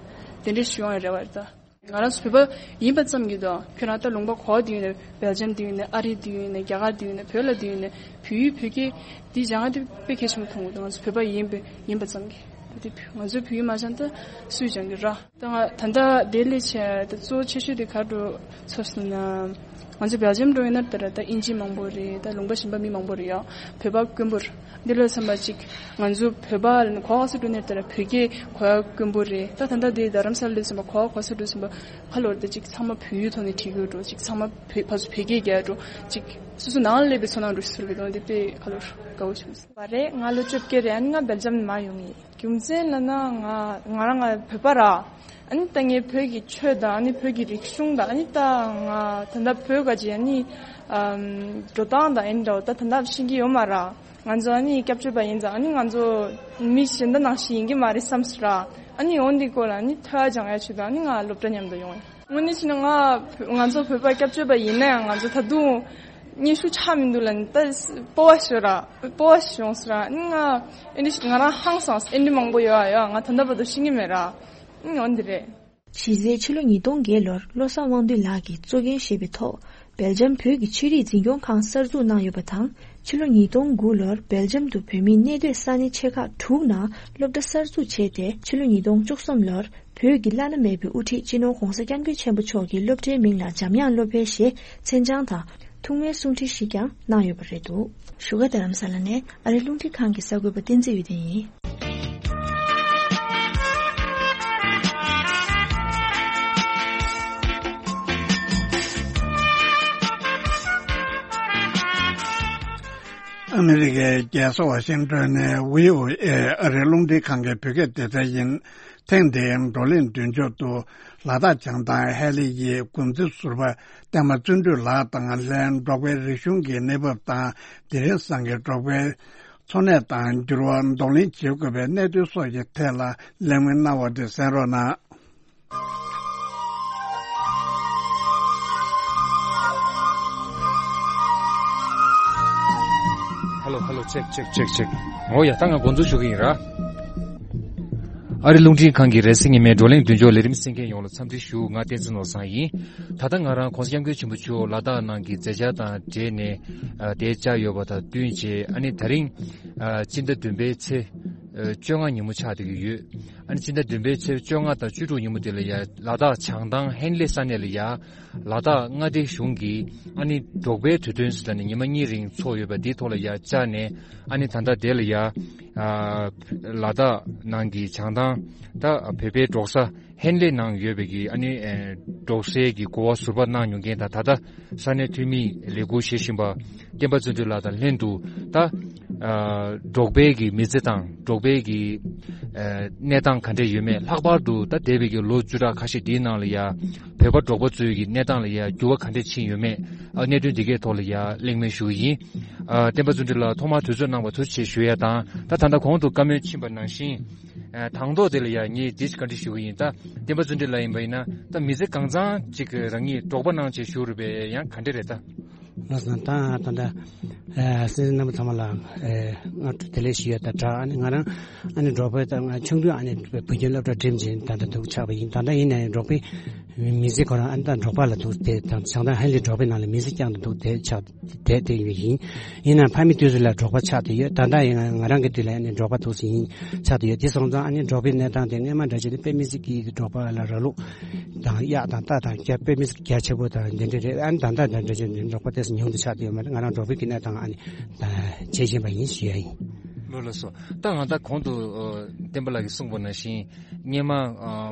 དེ་འདྲས་ཞུ་ཡོང་ཡ་རེད་བ་རེད་ད། ང་རང་ཚོ་བོད་པ་ཡིན་པ་ཙམ་གྱིས་དང་ཁྱོད་རང་ད་ལུང་པ་ག་པར་བསྡད་ཡོད་ན། སྦེལ་ཇམ་བསྡད་ཡོད་ན། ཨ་རི་བསྡད་ཡོད་ན། རྒྱ་གར་བསྡད་ཡོད་ན། བོད་ལ་བསྡད་ཡོད་ན། བོད་ཡིག་བོད་སྐད་འདི་སྦྱང་ཡ་དེ་དཔེ་གལ་ཆེན་པོ་མཐོང་གི་འདུག་ང་ཚོ་བོད་པ་ཡིན་པ་ཡིན་པ་ཙམ་གྱིས། ད་དེ་ང་ཚོ་བོད་ཡིག་མ་སྦྱང་ད་སུས་སྦྱང་གི་ར། ད་ང་ད་ལྟ་དེ་ལས་བྱས་ད་གཙོ་བོ་ཆེ་ཤོས་དེ་ག་རེ་འདྲ་ཚོར་སོང་ན། ང་ཚོ་སྦེལ་ཇམ་འགྲོ་ཡོད་ན་ད་ར་ད་དབྱིན་ཇི་མང་པོ་རེད། ད་ལུང་པ་གཞན་པ་མི་མང་པོ་རེད་ཡ། བོད་པ་དཀོན་པོ་རེད། འདི་ལོ་ཙམ་པ་ཅིག་ང་ཚོ་བོད་པ་ལ་གོ་བ་སུ་འགྲོ་ནས་ལྟར་བོད་སྐད་གོ་ཡ་དཀོན་པོ་རེད། ད་ད་ལྟ་འདི་རྡ་རམ་ས་ལ་ཙམ་པ་གོ་བ་གོ་ས་འགྲོ་ཙམ་པ་ཁ་ལོར་ད་ཅིག་ཚང་མ་བོད་ཡིག་ཐོག་ནས་བྲིས་དགོས་འགྲོ། ཅིག་ཚང་མ་བོད་ཕར་ཚུར་བོད་སྐད་རྒྱག་འགྲོ། ཅིག་སོ་སོ་ནང་ལ་སླེབས་པའི་ཚོར་སྣང་འགྲོ་ཞིག་ཚོར་གི་འདུག་འདི་དཔེ་ཁ་ལོར་དགའ་བོ་བྱུང་སོང་། བ་རེད། ང་ལོ་བཅོ་བརྒྱད་རེད། ཨ་ནི་ང་སྦེལ་ཇམ་ནས་མར་ཡོང་གི་ཡིན། རྒྱུ་མཚན་ལབ་ན་ང་ང་རང་ང་བོད་པ་ར། ཨ་ནི་ད་ངས་བོད་ཀྱི་ཆོས་དང་ཨ་ནི་བོད་ཀྱི་རིག་གཞུང་དང་ཨ་ནི་ད་ང་ད་ལྟ་བོད་ག་ཅིག་ཨ་ནི་ཨམ་འགྲོ་སྟངས་དང་ཨ་ནི་འདྲ་བོ་ད་ད་ལྟ་ཤེས་ཀྱི་ཡོད་མ་ར། ང་ཚོ་ཨ་ནི་སྐྱབས་བཅོལ་བ་ཡིན་ཙང་ཨ་ནི་ང་ཚོ་མི་གཞན་དག་ནང་བཞིན་ཡིན་གྱི་མ་རེད་བསམ་སོང་ར། ཨ་ནི་འོ་འདི་སྐོར་ལ་ཨ་ནི་ཐོས་ཡ་སྦྱང་ཡ་ཆེད་དུ་ཨ་ནི་ང་སློབ་གྲྭ་མཉམ་དུ་ཡོང་ཡིན། དངོས་གནས་བྱས་ན་ང་ང་ཚོ་བོད་པ་སྐྱབས་བཅོལ་བ་ཡིན་ན་ཡང་ང་ཚོ་ད་དུང་སྙན་ཞུ་ཆགས་མི་འདུག་ལབ་ནས་ད་སྤོབས་པ་ཤོར་ར། སྤོབས་པ་ཤོར་སོང་ར། ཨ་ནི་ང་ཨེ་འདྲ་ཞིག་ང་རང་ཧང་སངས། ཨེ་འདྲ་མང་པོ་ཡོད་ཨ་ཡོད། ང་ད་ལྟ་བར་དུ་ཤེས་ཀྱི་མེད་ར། ཨ་ནི་འོ་འདི་རེད། གཞི་རྩའི་ཕྱི་ལོ་ཉིས་སྟོང་བརྒྱད་ལོར་བློ་བཟང་དབང་འདུས་ལགས་ཀྱིས་གཙོ་འགན་བཞེས་པའི་ཐོག་སྦེལ་ཇམ་བོད་ཀྱི་ཆོས་རིག་འཛིན་སྐྱོང་ཁང་གསར་འཛུགས་གནང་ཡོད་པ་དང་། ཕྱི་ལོ་ཉིས་སྟོང་དགུ་ལོར་སྦེལ་ཇམ་དུ་བོད་མིའི་གནས་སྡོད་ས་གནས་ཆེ་ཁག་དྲུག་ནང་སློབ་གྲྭ་གསར་འཛུགས་བྱས་ཏེ། ཕྱི་ལོ་ཉིས་སྟོང་བཅུ་གསུམ་ལོར་བོད་ཀྱི་བླ་ན་མེད་པའི་དབུ་ཁྲིད་སྤྱི་ནོར་༧གོང་ས་༧སྐྱབས་མགོན་ཆེན་པོ་མཆོག་གི་སློབ་གྲྭའི་མིང་ལ་འཇམ་དབྱངས་སློབ་གྲྭའི་ཞེས་མཚན་བྱང་དང་ཐུགས་སྨོན་གསུང་འཕྲིན་ཞིག་ཀྱང་གནང་ཡོད་པ་རེད་འདུག་བཞུགས་སྒར་རྡ་རམ་ས་ལ་ནས་ཨ་རིའི་རླུང་འཕྲིན་ཁང་གི་གསར་འགོད་པ་བསྟན་འཛིན་འོད་ལྡན་ཡིན། ཨ་མི་རི་ཀའི་རྒྱལ་ས་ཝ་ཤིང་ཏོན་ནས་བྷི་ཨོ་ཨེ་ཨ་རིའི་རླུང་འཕྲིན་ཁང་གི་བོད་སྐད་སྡེ་ཚན་ཡིན། ཐེངས་འདིའི་བགྲོ་གླེང་མདུན་ལྕོག་ཏུ་ལ་དྭགས་བྱང་ཐང་ཧེ་ལི་ཡི་འགོ་འཛིན་ཟུར་པ་བསྟན་པ་བརྩོན་འགྲུས་ལགས་དང་ལྷན་འབྲོག་པའི་རིག་གཞུང་གི་གནས་བབ་དང་དེང་རབས་སང་གི་འབྲོག་པའི་འཚོ་གནས་དང་འགྱུར་བ་གདོང་ལེན་བྱེད་དགོས་པའི་གནད་དོན་སོགས་ཀྱི་ཐད་ལ་གླེང་མོལ་གནང་བ་དེ་གསན་རོགས་གནང་། ཧེ་ལོ་ཧེ་ལོ། ཅེག་ཅེག་ཅེག་ཅེག་འོ་ཡ། ད་ང་འགོ་འཛུགས་ཞུ་གི་ཡིན་ར། ཨ་རི་རླུང་འཕྲིན་ཁང་གི་རེས་གཟའ་ཉི་མའི་བགྲོ་གླེང་མདུན་ལྕོག་ལས་རིམ་གསན་མཁན་ཡོངས་ལ་འཚམས་འདྲི་ཞུ། ང་བསྟན་འཛིན་ནོར་བཟང་ཡིན། ད་ལྟ་ང་རང་༧གོང་ས་༧སྐྱབས་མགོན་ཆེན་པོ་མཆོག་ལ་དྭགས་ནང་གི་མཛད་འཆར་དང་འབྲེལ་ནས་ཨ་དེ་བཅར་ཡོད་པ་དང་བསྟུན་བྱས། ཨ་ནི་ད་རིང་ཨ་སྤྱི་ཟླ་བདུན་པའི་ཚེས་ཨ་བཅོ་ལྔ་ཉིན་མོ་ཆགས་བསྡད་ཀྱི་ཡོད། ཨ་ནི་སྤྱི་ཟླ་བདུན་པའི་ཚེས་བཅོ་ལྔ་དང་བཅུ་དྲུག་ཉིན་མོ་དེ་ལ་ཡ་ལ་དྭགས་བྱང་ཐང་ཧན་ལེ་ས་གནས་ལ་ཡ་ལ་དྭགས་མངའ་སྡེ་གཞུང་གིས་ཨ་ནི་འབྲོག་པའི་དུས་སྟོན་ཟེར་ནས་ཉི་མ་གཉིས་རིང་ཚོགས་ཡོད་པ་དེའི་ཐོག་ལ་ཡ་བཅར་ནས། ཨ་ནི་ད་ལྟ་དེ་ལ་ཡ་ཨ་ལ་དྭགས་ནང་གི་བྱང་ཐང་ད་བོད་པའི་འབྲོག་ས་ཧན་ལེ་ནང་ཡོད་པའི་གི་ཨ་ནི་ཨེ་འབྲོག་སའི་གི་གོ་བ་ཟུར་པ་གནང་མྱོང་མཁན་དང་། ད་ལྟ་ས་གནས་འཐུས་མིའི་ལས་ཁུར་བཞེས་བཞིན་པ་བསྟན་པ་བརྩོན་འགྲུས་ལགས་དང་ལྷན་དུ་ད་ཨ་འབྲོག་པའི་གི་མི་ཚེ་དང་འབྲོག་པའི་གི་ཨ་གནས་སྟངས་ག་འདྲ་ཡོད་མེད། ལྷག་པར་དུ་ད་འདས་པའི་གི་ལོ་བཅུ་ཕྲག་ཁ་ཤས་འདིའི་ནང་ལ་ཡ་བོད་པ་འབྲོག་པ་ཚོའི་གི་གནས་སྟངས་ལ་ཡ་འགྱུར་བ་ག་འདྲ་ཕྱིན་ཡོད་མེད། ཨ་གནད་དོན་འདི་གའི་ཐོག་ལ་ཡ་གླེང་མོལ་ཞུ་གི་ཡིན། ཨ་བསྟན་པ་བརྩོན་འགྲུས་ལགས་ཐོག་མར་དུས་ཚོད་གནང་བར་ཐུགས་རྗེ་ཆེ་ཞུ་ཡ་དང་། ད་ད་ལྟ་གོང་དུ་བཀའ་མོལ་ཕྱིན་པ་ནང་བཞིན། ཨ་དང་ཐོག་དེ་ལ་ཡ་ངས་འདི་བཀའ་འདྲི་ཞུ་གི་ཡིན། ད་བསྟན་པ་བརྩོན་འགྲུས་ལགས་ཡིན་པ་ཡིན་ན་ད་མི་ཚེ་གང་ཚང་ཅིག་རང་ཉིད་འབྲོག་པ་ནང་བྱས་བཞུགས་རེད་པས། ཡང་ག་འདྲ་རེད་ད། ལགས་སོ། ད་ད་ད་ཨ་སེམས་ཅན་རྣམ་པ་ཚང་མ་ལ་ཨ་སྔ་དྲོ་བདེ་ལེགས་ཞུ་ཡ་ད་དྲག་ཨ་ནི་ང་རང་ཨ་ནི་འབྲོག་པའི་ད་ང་ཆུང་དུས་ཨ་ནི་བོད་ཁྱིམ་སློབ་གྲྭ་འགྲིམས་བྱས་ད་ལྟ་འདུག་ཆགས་པ་ཡིན། ད་ལྟ་ཡིན་ནའི་འབྲོག་པའི་མི་ཚེ་ཁོ་རང་ཨ་ནི་ད་འབྲོག་པ་ལ་འདུག་དེ་དང་བྱང་ཐང་ཧན་ལེ་འབྲོག་པའི་ནང་ལ་མི་ཚེ་བསྐྱངས་ཏེ་འདུག་དེ་ཆགས་བསྡད་བསྡད་ཡོད་ཡིན། ཡིན་ནའང་ཕ་མའི་དུས་སུ་ལ་འབྲོག་པ་ཆགས་བསྡད་ཡོད། ད་ལྟ་ཡིན་ང་རང་གི་དུས་ལ་ཨ་ནི་འབྲོག་པ་འདུག་སེ་ཡིན་ཆགས་བསྡད་ཡོད། དེ་སོང་ཙང་ཨ་ནི་འབྲོག་པའི་གནས་སྟངས་དེ་སྔོན་མ་འདྲ་བྱས་ནས་དཔེ་མི་སྲིད་ཀྱི་འབྲོག་པ་ལ་ར་ལུག་དང་གཡག་དང་རྟ་དང་རྒྱ་དཔེ་མི་སྲིད་རྒྱ་ཆེ་པོ་དང་དེ་འདྲ་རེད། ཨ་ནི་ད་ལྟ་འདྲ་བྱས་ནས་འབྲོག་པ་དེ་ཚོ་ཉུང་དུ་ཆགས་བསྡད་ཡོད་མ་རེད། ང་རང་འབྲོག་པའི་གི་གནས་སྟངས་ཨ་ནི་ད་བྱེད་བཞིན་པ་ཡིན་ཞུ་ཡ་ཡིན། ལགས་ལགས་སོ། ད་ང་ད་གོང་དུ་ཨ་བསྟན་པ་ལགས་ཀྱིས་གསུངས་པ་ནང་བཞིན་སྔོན་མ་ཨ་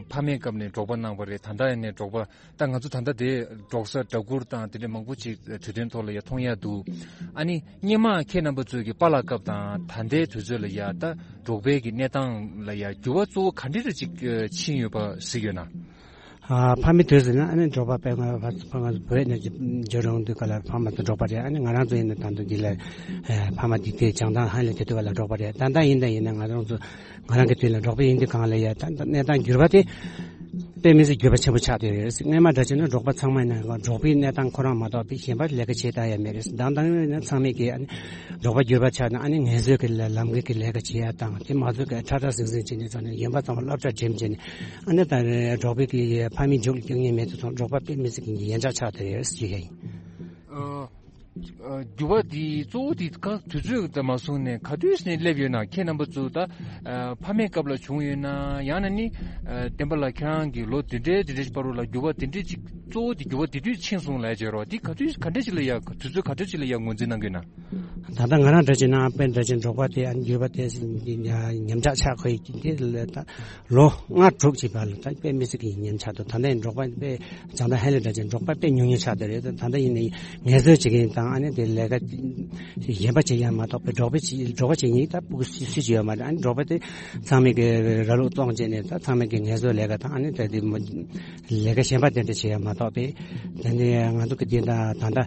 ཕ་མའི་སྐབས་ནས་འབྲོག་པ་གནང་བ་རེད། ད་ལྟ་ཡང་ནས་འབྲོག་པ། ད་ང་ཚོ་ད་ལྟ་དེ་འབྲོག་ས་སྦྲ་གུར་དང་དེ་འདྲ་མང་པོ་ཅིག་དུས་སྟོན་ཐོག་ལ་ཡ་མཐོང་ཡ་འདུག་ཨ་ནི་སྔོན་མ་ཁྱེད་རྣམ་པ་ཚོའི་གི་པཱ་ལགས་སྐབས་དང་ད་ལྟའི་དུས་ཚོད་ལ་ཡ་ད་འབྲོག་པའི་གི་གནས་སྟངས་ལ་ཡ་འགྱུར་བ་གཙོ་བོ་ག་འདྲ་རེ་ཅིག་ཕྱིན་ཡོད་པ་གཟིགས་ཡོད་ན། ཨ་ཕ་མའི་དུས་སུ་ན་ཨ་ནི་འབྲོག་པ་དཔེ་ང་ཕ་ཕ་ང་ཚོ་བོད་ནས་འབྱོར་ཡོང་དུས་ག་ལ་ཕ་མ་ཚོ་འབྲོག་པ་རེད། ཨ་ནི་ང་རང་ཚོ་ཡིན་ན་ད་དུང་འདི་ལ་ཨ་ཕ་མ་འདི་དེ་བྱང་ཐང་ཧན་ལེ་དེ་དུས་ག་ལ་འབྲོག་པ་རེད། ད་ལྟ་ཡིན་ད་ཡིན་ན་ང་རང་ཚོ་ང་རང་གི་དུས་ལ་འབྲོག་པ་ཡིན་དུས་གང་ལ་ཡ་ད་ད་གནས་སྟངས་འགྱུར་བ་དེ་དཔེ་མི་སྲིད་འགྱུར་བ་ཆེན་པོ་ཆགས་བསྡད་ཡོད་རེད། སྔོན་མ་འདྲ་བྱས་ན་འབྲོག་པ་ཚང་མ་ཡིན་ན་འབྲོག་པའི་གནས་སྟངས་ཁོ་རང་མ་གཏོགས་པའི་གཞན་པ་ལས་ཀ་བྱེད་ད་ཡ་མེད་རེད། ད་ལྟ་ཡིན་ན་ཚང་མས་ཀྱི་ཨ་ནི་འབྲོག་པ་འགྱུར་བ་ཆགས་ན་ཨ་ནི་ངལ་རྩོལ་གྱི་ལ་ལམ་ཁའི་གི་ལས་ཀ་བྱེད་ཡ་དང་དེ་མ་ཚོད་ཀྱི་ཁྲ་ཁྲ་ཟིང་ཟིང་བྱས་ནས་ཚོ་ནས་གཞན་པ་ཚང་མ་སློབ་གྲྭ་འགྲིམས་བྱས་ནས་ཨ་ནི་ད་འབྲོག་པའི་གི་ཕ་མའི་མཇུག་ལ་སྐྱོན་ངེས་མེད་དུ་སོང་། འབྲོག་པ་དཔེ་མི་སྲིད་ཀྱི་ཡན་ཆད་ཆགས་བསྡད་ཡོད་ཟེར་གྱི་ཡ་ཡིན། ཨ། ཨ། འགྱུར་བ་འདི་གཙོ་བོ་འདི་ག་དུས་ཚོད་དང་མ་སོང་ནས་ག་དུས་ནས་སླེབས་ཡོད་ན། ཁྱེད་རྣམ་པ་ཚོ་ད་ཨ་ཕ་མའི་སྐབས་ལ་བྱུང་ཡོད་ན། ཡང་ན་ནི་ཨ་བསྟན་པ་ལགས་ཁྱེད་རང་གི་ལོ་འདི་འདྲའི་འདི་འདྲའི་བར་དུ་ལ་འགྱུར་བ་འདི་འདྲའི་ཅིག་གཙོ་བོ་འདི་འགྱུར་བ་འདི་དུས་ཕྱིན་སོང་ལབ་བྱས་རོགས། འདི་ག་དུས་ག་འདྲ་ཅིག་ལ་ཡ་དུས་ཚོད་ག་འདྲ་ཅིག་ལ་ཡ་ངོས་འཛིན་གནང་གི་ཡོད་ན། ད་ལྟ་ང་རང་འདྲ་བྱས་ན་དཔེ་འདྲ་བྱས་འབྲོག་པ་དེ་ཨ་འགྱུར་བ་དེ་ཉམས་ཆག་ཆགས་ཁོ་ཡི་འདི་ལ་ད། ལོ་ལྔ་དྲུག་ཅིག་བར་ལ་ད་དཔེ་མི་སྲིད་ཀྱི་ཉམས་ཆག་འདུག་ད་ལྟའི་འབྲོག་པ་དཔེ་བྱང་ཐང་ཧན་ལེ་འདྲ་ཅིག་འབྲོག་པ་དཔེ་ཉུང་ཉུང་ཆགས་བསྡད་རེད། ད་ལྟ་ཡིན་ནའི་ངལ་རྩོལ་བྱེད་མཁན་དང་ཨ་ནི་དེ་ལས་ཀ་གཞན་པ་བྱེད་ཡ་མ་གཏོགས་པའི་འབྲོག་པ་བྱེད་འབྲོག་པ་བྱེད་མཁན་ད་སྤུ་གུ་སུ་སུ་ཅིག་ཡོད་མ་རེད། ཨ་ནི་འབྲོག་པ་དེ་ཚང་མས་ཀྱི་ར་ལུག་བཙོང་བྱས་ནས་ད་ཚང་མས་ཀྱི་ངལ་རྩོལ་ལས་ཀ་དང་ཨ་ནི་ད་དེ་མ་ལས་ཀ་གཞན་པ་དེ་འདྲ་བྱེད་ཡ་མ་གཏོགས་པའི་དེ་ནས་ང་ཚོ་གི་དེ་ད་ད་ལྟ་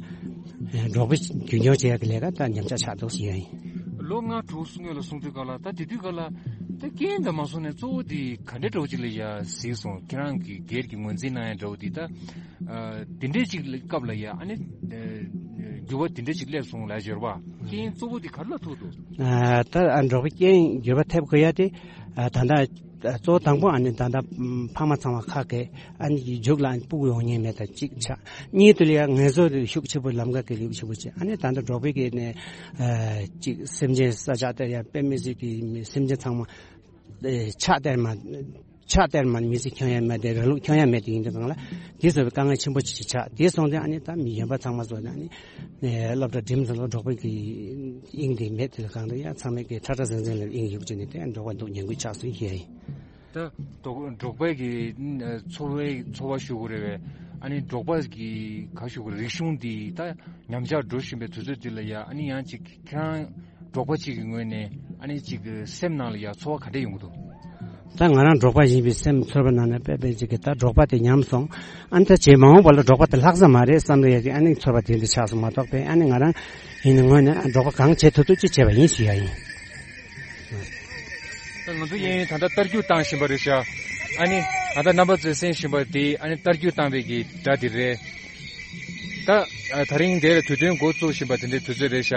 འབྲོག་པ་རྒྱུན་འཁྱོངས་བྱེད་ཡ་གི་ལས་ཀ་ད་ཉམས་ཆག་ཆགས་འདུག་ཟེར་ཡ་ཡིན། ལོ་ལྔ་དྲུག་སྔོན་ལ་སོང་དུས་ག་ལ་ད་དེ་དུས་ག་ལ། ད་རྐྱེན་དང་མ་སོང་ནས་གཙོ་བོ་དེ་ག་འདྲ་འདྲ་བོ་ཅིག་ལ་ཡ་གཟིགས་སོང་། ཁྱེད་རང་གི་སྒེར་གྱི་ངོས་འཛིན་གནང་ཡ་འདྲ་བོ་དེ་ད། ཨ་དེ་འདྲའི་ཅིག་སྐབས་ལ་ཡ་ཨ་ནི་ཨ་ འགྱུར་བ་དེ་འདྲ་ཞིག་སླེབས་སོང་ལབ་ཡོད་རེད་པ། རྐྱེན་གཙོ་བོ་དེ་ག་རེ་ལ་ཐུག་འདུག་ཨ། ད་ཨ་འབྲོག་པའི་རྐྱེན་འགྱུར་བ་ཐེབས་དགོས་ཡ་དེ། ཨ། ད་ལྟ་གཙོ་བོ་དང་པོ་ཨ་ནི་ད་ལྟ་ཕ་མ་ཚང་མ་ཁ་སྐད་ཨ་ནི་མཇུག་ལ་ཨ་ནི་སྤུ་གུ་ཡོང་མཁན་མེད། ད་གཅིག་ཆགས། གཉིས་དེ་ལ་ཡ་ངལ་གསོ་ཤུགས་ཆེ་པོ་ལམ་ཁ་གི་ལེགས་ཆེ་པོ་བྱས། ཨ་ནི་ད་ལྟ་འབྲོག་པའི་གི་ནས་ཨ་གཅིག་སེམས་ཅན་ས་ཆ་དེ་ཡ་དཔེ་མི་སྲིད་ཀྱི་སེམས་ཅན་ཚང་མ་ཨེ་ཕྱག་སྟེར་མ། ཕྱག་སྟེར་མ་མི་ཚེ་འཁྱོལ་ཡ་མེད་དེ། རང་ལུགས་འཁྱོལ་ཡ་མེད་དེ་ཡིན་དུས་སྒང་ལ་དེ་ཚོ་དཀའ་ངལ་ཆེན་པོ་ཅིག་ཆགས། དེ་སོང་ཙང་ཨ་ནི་ད་མི་གཞན་པ་ཚང་མ་ཚོ་ཨ་ནི་ཨེ་སློབ་གྲྭ་འགྲིམས་ཚར་ལ་འབྲོག་པའི་གི་དབྱིངས་དེ་མེད་དེ་སྒང་ལ་ཡ་ཚང་མས་གི་ཁྲ་ཁྲ་ཟིང་ཟིང་ལ་དབྱིངས་ཡོད་ཅེས་ནས་དེ་འབྲོག་པ་འདུག་ཉན་དགོས་ཆགས་སོང་ཞེས་ཡིན། ད་འབྲོག་འབྲོག་པའི་གི་འཚོ་བའི་འཚོ་བ་ཞུ་དགོས་རེད་པས། ཨ་ནི་འབྲོག་པ་གི་ག་ཞུ་དགོས་རེད། རིག་གཞུང་འདི་ད་ཉམས་ཆག་འགྲོ་བཞིན་པའི་དུས་ཚོད་འདི་ལ་ཡ་ཨ་ནི་ཡང་ཅིག་ཁྱེད་རང་འབྲོག་པ་གཅིག་གི་ངོས་ནས་ཨ་ནི་གཅིག་གི་སེམས་ནང་ལ་ཡ་ཚོར་བ་ག་འདྲ་ཡོང་གི་འདུག་ད་ང་རང་འབྲོག་པ་ཡིན་པའི་སེམས་ཚོར་བ་ནང་ནས་དཔེ་དཔེ་གཅིག་གི་ད་འབྲོག་པ་དེ་ཉམས་སོང་། ཨ་ནི་ད་རྗེས་མ་འོངས་པ་ལ་འབྲོག་པ་དེ་ལྷག་ས་མ་རེད་བསམ་རེ་ཡ་གི་ཨ་ནི་ཚོར་བ་དེ་འདྲ་ཆགས་སོང་མ་གཏོགས་པས། ཨ་ནི་ང་རང་ཡིན་ནི་ངོས་ནས་ཨ་འབྲོག་པ་གང་བྱེད་ཐུབ་ཐུབ་ཅིག་བྱས་པ་ཡིན་ཞུ་ཡ་ཡིན། ད་ང་ཚོ་གཡས་གཡོན་ད་ལྟ་རྟ་རྒྱུག་བཏང་བཞིན་པ་རེད་ཤག་ཨ་ནི་ད་ལྟ་རྣམ་པ་ཚོས་གསན་བཞིན་པ་དེ་ཨ་ནི་རྟ་རྒྱུག་བཏང་བའི་གི་སྒྲ་དེ་རེད། ད་ཨ་དེ་རིང་དེ་ལ་དུས་སྟོན་འགོ་བཙུགས་བཞིན་པ་དེ་འདྲའི་དུས་ཚོད་རེད་ཤག་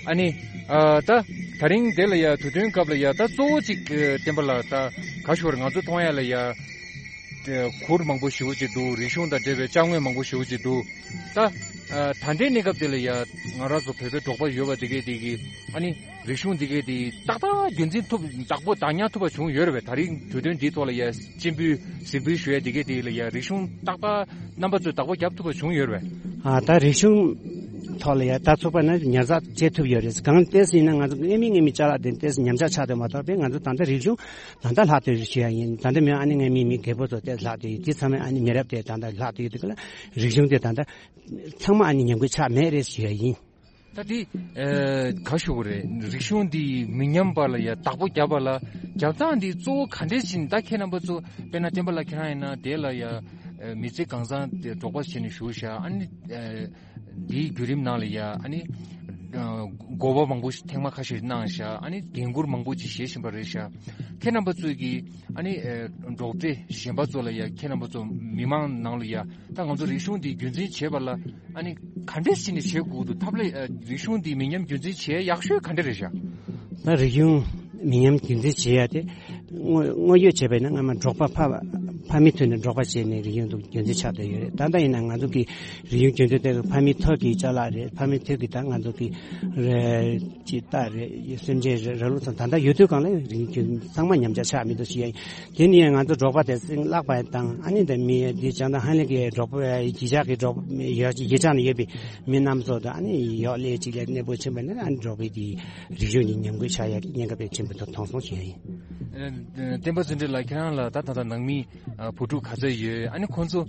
ཨ་ནི་ཨ་ད་དེ་རིང་དེ་ལ་ཡ་དུས་སྟོན་སྐབས་ལ་ཡ་ད་གཙོ་བོ་གཅིག་བསྟན་པ་ལ་ད་ག་ཞོར་ང་ཚོ་མཐོང་ཡ་ལ་ཡ་གུར་མང་པོ་ཞེ་པོ་ཅིག་འདུག་རིག་གཞུང་དང་འབྲེལ་བའི་ཅ་དངོས་མང་པོ་ཞེ་པོ་ཅིག་འདུག་ད་ཨ་ད་ལྟའི་གནས་སྐབས་དེ་ལ་ཡ་ང་རང་ཚོ་བོད་པའི་འབྲོག་པ་ཡོད་པ་དེ་གས་དེ་གི་ཨ་ནི་རིག་གཞུང་འདི་གས་དེ་ཏག་ཏག་རྒྱུན་འཛིན་ཐུབ་བདག་པོ་བདག་ཉར་ཐུབ་པ་བྱུང་ཡོད་རེད་པས། ད་རིང་དུས་སྟོན་འདིའི་ཐོག་ལ་ཡ་སྤྱན་འབུལ་གཟིགས་འབུལ་ཞུ་ཡ་འདི་གས་དེ་ལ་ཡ་རིག་གཞུང་ཏག་ཏག་རྣམ་པ་ཚོས་བདག་པོ་རྒྱབ་ཐུབ་པ་བྱུང་ཡོད་རེད་པས། ཨ་ད་རིག་གཞུང་ཐོག་ལ་ཡ་ད་ཚོགས་པ་ནས་ཉར་ཚགས་བྱེད་ཐུབ་ཡོད་རེད། གང་ལྟས་སུ་ཡིན་ན་ང་ཚོ་སྔ་མའི་སྔ་མའི་ཅ་ལག་དེ་ལྟས་སུ་ཉམས་ཆག་ཆགས་དེ་མ་གཏོགས་པས། ང་ཚོ་ད་ལྟ་རིག་གཞུང་ད་ལྟ་ལྷག་བསྡད་ཡོད་ཞུ་ཡ་ཡིན། ད་ལྟ་མི་ཨ་ནི་སྔ་མའི་མི་རྒད་པོ་ཚོ་ལྟས་ལྷག་བསྡད་ཡོད། དེ་ཚང་མས་ཨ་ནི་མི་རབས་དེ་ད་ལྟ་ལྷག་བསྡད་ཡོད་དེ་ག་ལ་རིག་གཞུང་དེ་ད་ལྟ་ཚང་མ་ཨ་ནི་ཉམས་རྒུད་ཆགས་མེད་རེད་ཞུ་ཡ་ཡིན། ད་དེ་ཨེ་ག་ཞུ་དགོས་རེད། རིག་གཞུང་འདི་མི་ཉམས་པ་ལ་ཡ་བདག་པོ་རྒྱབ་པ་ལ་རྒྱབ་སྟངས་འདི་གཙོ་བོ་ག་འདྲས་ཕྱིན། ད་ཁྱེད་རྣམ་པ་ཚོ་དཔེར་ན་བསྟན་པ་ལགས་ཁྱེད་རང་ཡིན་ན་དེ་ལ་ཡ་ཨེ་མི་ཚེ་གང་བཟང་དེ་འབྲོག་པ་བྱས་ནས་བཞུགས་ཤག་ཨ་ནི་ཨེ་འདིའི་བརྒྱུད་རིམ་ནང་ལ་ཡ་ཨ་ནི་ཨེ་དགོངས་པ་མང་པོ་ཞིག་ཐེངས་མ་ཁ་ཤས་གནང་ཤག་ཨ་ནི་འགན་ཁུར་མང་པོ་ཅིག་བཞེས་བཞིན་པ་རེད་ཤག་ཁྱེད་རྣམ་པ་ཚོས་ཀྱིས་ཨ་ནི་ཨེ་འབྲོག་སྡེ་གཞན་པ་ཚོ་ལ་ཡ་ཁྱེད་རྣམ་པ་ཚོ་མི་མང་ནང་ལ་ཡ་ད་ང་ཚོ་རིག་གཞུང་འདི་རྒྱུན་འཛིན་བྱེད་པ་ལ་ཨ་ནི་ག་འདྲས་བྱས་ནས་བྱེད་དགོས་འདུག་ཐབས་ལ་ཨ་རིག་གཞུང་འདི་མི་ཉམས་རྒྱུན་འཛིན་བྱེད་ཡག་ཤོས་ག་འདྲ་རེད་ཤག་ད་རིག་གཞུང་མི་ཉམས་རྒྱུན་འཛིན་བྱེད་ཡ་དེ་དངོས་དངོས་ཡོད་བྱས་པས་ན་སྔ་མ་འབྲོག་པ་ཕ་ཕ་མའི་ཐོག་ནས་འབྲོག་པ་བྱས་ནས་རིག་གཞུང་འདུག་རྒྱུན་འཛིན་ཆགས་བསྡད་ཡོད་རེད། ད་ལྟ་ཡིན་ན་ང་ཚོ་གི་རིག་གཞུང་རྒྱུན་འཛིན་དེ་ཕ་མའི་ཐོག་གི་ཅ་ལག་རེད། ཕ་མའི་ཐོག་གི་ད་ང་ཚོ་གི་རེད་ཅི་ལྟ་རེད། སེམས་ཅན་རེད། ར་ལུག་ཚང་ད་ལྟ་ཡོད་དུས་གང་ལ་རིག་གཞུང་ཚང་མ་ཉམས་ཆག་ཆགས་མི་འདུག་ཞུ་ཡ་ཡིན། དེ་ནི་ང་ཚོ་འབྲོག་པ་དེ་སྲིང་བརླག་པ་དང་ཨ་ནི་དེ་མི་དེ་བྱང་དང་ཧ་ལས་ཀྱི་འབྲོག་པ་གཞིས་ཆགས་ཀྱི་འབྲོག་ཡོད་གཞིས་ཆགས་ནས་ཡོད་པའི་མི་རྣམས་ཚོ་དང་ཨ་ནི་ཡོག་ལས་གཅིག་ལས་གནས་སྤོ་ཕྱིན་པ་ནི་ཨ་ནི་འབྲོག་པའི་དེ་རིག་གཞུང་གི་ཉམས་རྒུད་ཆགས་ཡ་གི་ཉེན་ཁ་དཔེ་ཆེན་པོ་དང་མཐོང་སོང་ཞུ་ཡ་ཡིན། ཨ་བསྟན་པ་ཚེ་འཕེལ་ལགས་ཁྱེད་རང་ལ་ད་ད་ལྟ་ནང་མི་ཨ་བུ་ཕྲུག་ག་ཚོད་ཡོད། ཨ་ནི་ཁོང་ཚོ་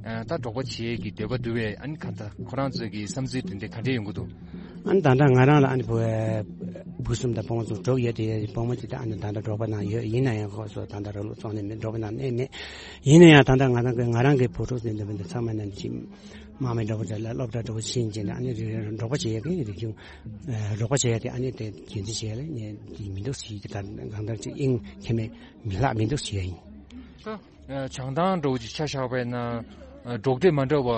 ཨ་ད་འབྲོག་པ་བྱེད་ཀྱི་འདོད་པ་འདུག་པས། ཨ་ནི་ག་ད་ཁོ་རང་ཚོའི་གི་བསམ་ཚུལ་དེ་འདྲ་ག་འདྲས་ཡོང་གི་འདུག་ཨ་ནི་ད་ལྟ་ང་རང་ལ་ཨ་ནི་བུ་བུ་གསུམ་དང་བུ་མོ་ཚོ་དྲུག་ཡོད་དེ། བུ་མོ་གཅིག་ད་ཨ་ནི་ད་ལྟ་འབྲོག་པ་ནང་ཡོད། ཡིན་ན་ཡང་ཁོ་ཚོ་ད་ལྟ་ར་ལུག་བཙོང་ནས་མེད། འབྲོག་པ་ནང་གནས་མེད། ཡིན་ན་ཡང་ད་ལྟ་ང་རང་གི་ང་རང་གི་བུ་ཕྲུག་ཚོ་འདི་འདྲ་ཚང་མ་ནང་གི་དམག་མི་འདྲ་བོ་འདྲ་ལ་སློབ་གྲྭ་འདྲ་བོ་ཕྱིན་བྱས་ནས་ཨ་ནི་རི་རི་འབྲོག་པ་བྱེད་ཡ་གི་རིག་གཞུང་འབྲོག་པ་བྱེད་ཡ་དེ་ཨ་ནི་དེ་རྒྱུན་འཛིན་བྱེད་ཡ་ལ་ངས་དེ་མི་འདུག་ཟེར་གྱི། ད་གང་ལྟར་ཅིག་དབྱིངས་ཁྱེད་མེད་མི་ལྷག་མི་འདུག་ཟེར་ཡ་ཡིན། ད་བྱང་ཐང་འདྲ་བོ་ཅིག་ཆ་བཞག་པ་ཡིན་ན་འབྲོག་སྡེ་མ་འདྲ་བ་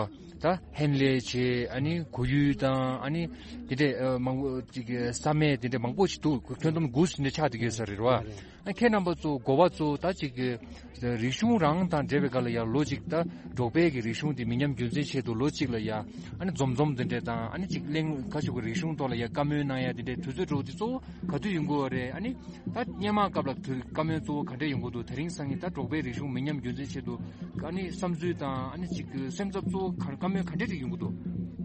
ད་ཧན་ལེ་བྱས། ཨ་ནི་གོ་ཡུལ་དང་ཨ་ནི་དེ་འདྲས་མང་པོ་ཅིག་ས་སྨད་དེ་འདྲས་མང་པོ་ཞིག་འདུག་ཁྱོན་བསྡོམས་དགུ་ཟིན་ནས་ཆགས་བསྡད་ཡོད་ས་རེད་བ། ཨ་ཁྱེད་རྣམ་པ་ཚོ་འགོ་པ་ཚོ་ད་ཅིག་རིག་གཞུང་རང་དང་འབྲེལ་བའི་སྒང་ལ་ཡང་ལོ་གཅིག་ད་འབྲོག་པའི་གི་རིག་གཞུང་དེ་མི་ཉམས་རྒྱུན་འཛིན་ཆེད་དུ་ལོ་གཅིག་ལ་ཡང་ཨ་ནི་འཛོམས་འཛོམས་དེ་འདྲས་དང་ཨ་ནི་ཅིག་གླེང་ག་ཞུ་གི་རིག་གཞུང་ཐོག་ལ་ཡང་བཀའ་མོལ་གནང་ཡ་དེ་འདྲས་དུས་ཚོད་འདྲ་བོ་དེ་གཙོ་བོ་ག་དུས་ཡོང་གི་ཡོད་རེད། ཨ་ནི་ད་སྔོན་མ་སྐབས་ལ་དུས་བཀའ་མོལ་གཙོ་བོ་ག་འདྲས་ཡོང་གི་འདུག་དེ་རིང་སང་ཉིན་ད་འབྲོག་པའི་རིག་གཞུང་མི་ཉམས་རྒྱུན་འཛིན་ཆེད་དུ་ཨ་ནི་བསམ་ཚུལ་དང་ཨ་ནི་ཅིག་གི་སེམས་འཚབ་གཙོ་བོ་ག་བཀའ་མོལ་ག་འདྲས་རིགས་ཡོང་གི་འདུག་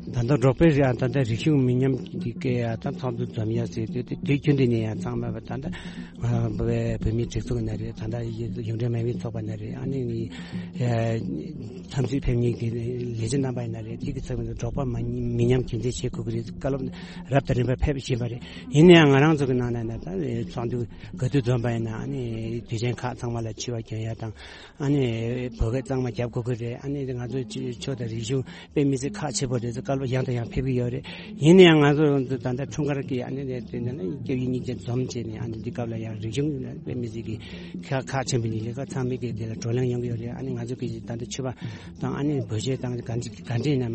ད་ལྟ་འབྲོག་པའི་རིགས་ཨ་ད་ལྟ་རིག་གཞུང་མི་ཉམས་ཀྱི་སྐད་ཡ་ད་ཚོགས་འདུ་འཛོམས་ཡ་ཟེར་དུས་དེ་དུས་རྒྱུན་དུ་ནས་ཡང་ཚང་མ་ད་ལྟ་བོད་མིའི་སྒྲིག་འཛུགས་ན་རེད། ད་ལྟ་གཞུང་འབྲེལ་མ་ཡིན་པའི་ཚོགས་པ་ན་རེད། ཨ་ནི་འཚམས་གཟིགས་ཕེབས་མཁན་གྱི་ལས་བྱེད་རྣམ་པ་ཡིན་ན་རེད། དེ་གི་ཚབ་ཀྱིས་འབྲོག་པ་མ་མི་ཉམས་རྒྱུན་འཛིན་བྱེད་དགོས་ཀྱི་རེད། བཀའ་སློབ་རབ་དང་རིམ་པ་ཕེབས་བཞིན་པ་རེད། ཡིན་ན་ཡང་ང་རང་ཚོ་གི་ནང་ན་ན་ད་ཚོགས་འདུ་ག་དུས་འཛོམས་པ་ཡིན་ན་ཨ་ནི་དུས་ཆེན་ཁག་ཚང་མ་ལ་འཁྱི་བ་གྱོན་ཡ་དང་། ཨ་ནི་བོད་སྐད་གཙང་མ་རྒྱབ་དགོས་ཀྱི་རེད། ཨ་ནི་ང་ཚོའི་ཆོས་དང་རིག་གཞུང་དཔེ་མི་སྲིད་ཁག་ཆེ་པོ་རེད་ཟེར། ཡང་དང་ཡང་ཕེབས་ཀྱི་ཡོད་རེད། ཡིན་ན་ཡང་ང་ཚོ་ད་ལྟ་འཁྲུངས་སྐར་གྱི་ཨ་ནི་དེ་ནི་སྐྱབས་ཡུལ་གཉིས་ཀྱི་འཛོམས་བྱས་ནས་ཨ་ནི་འདི་སྐབས་ལ་ཡང་རིག་གཞུང་དཔེ་མི་སྲིད་ཀྱི་ཁག་ཁག་ཆེན་པོ་ཡིན་ལས་ཀ། ཚང་མས་ཀྱི་དེ་ལ་བགྲོ་གླེང་ཡོང་གི་ཡོད་རེད། ཨ་ནི་ང་ཚོ་གི་ད་ལྟ་ཕྱུ་པ་དང་ཨ་ནི་བོད་ཆས་དང་ག་འདྲ་ག་འདྲ་ཡིན་ན་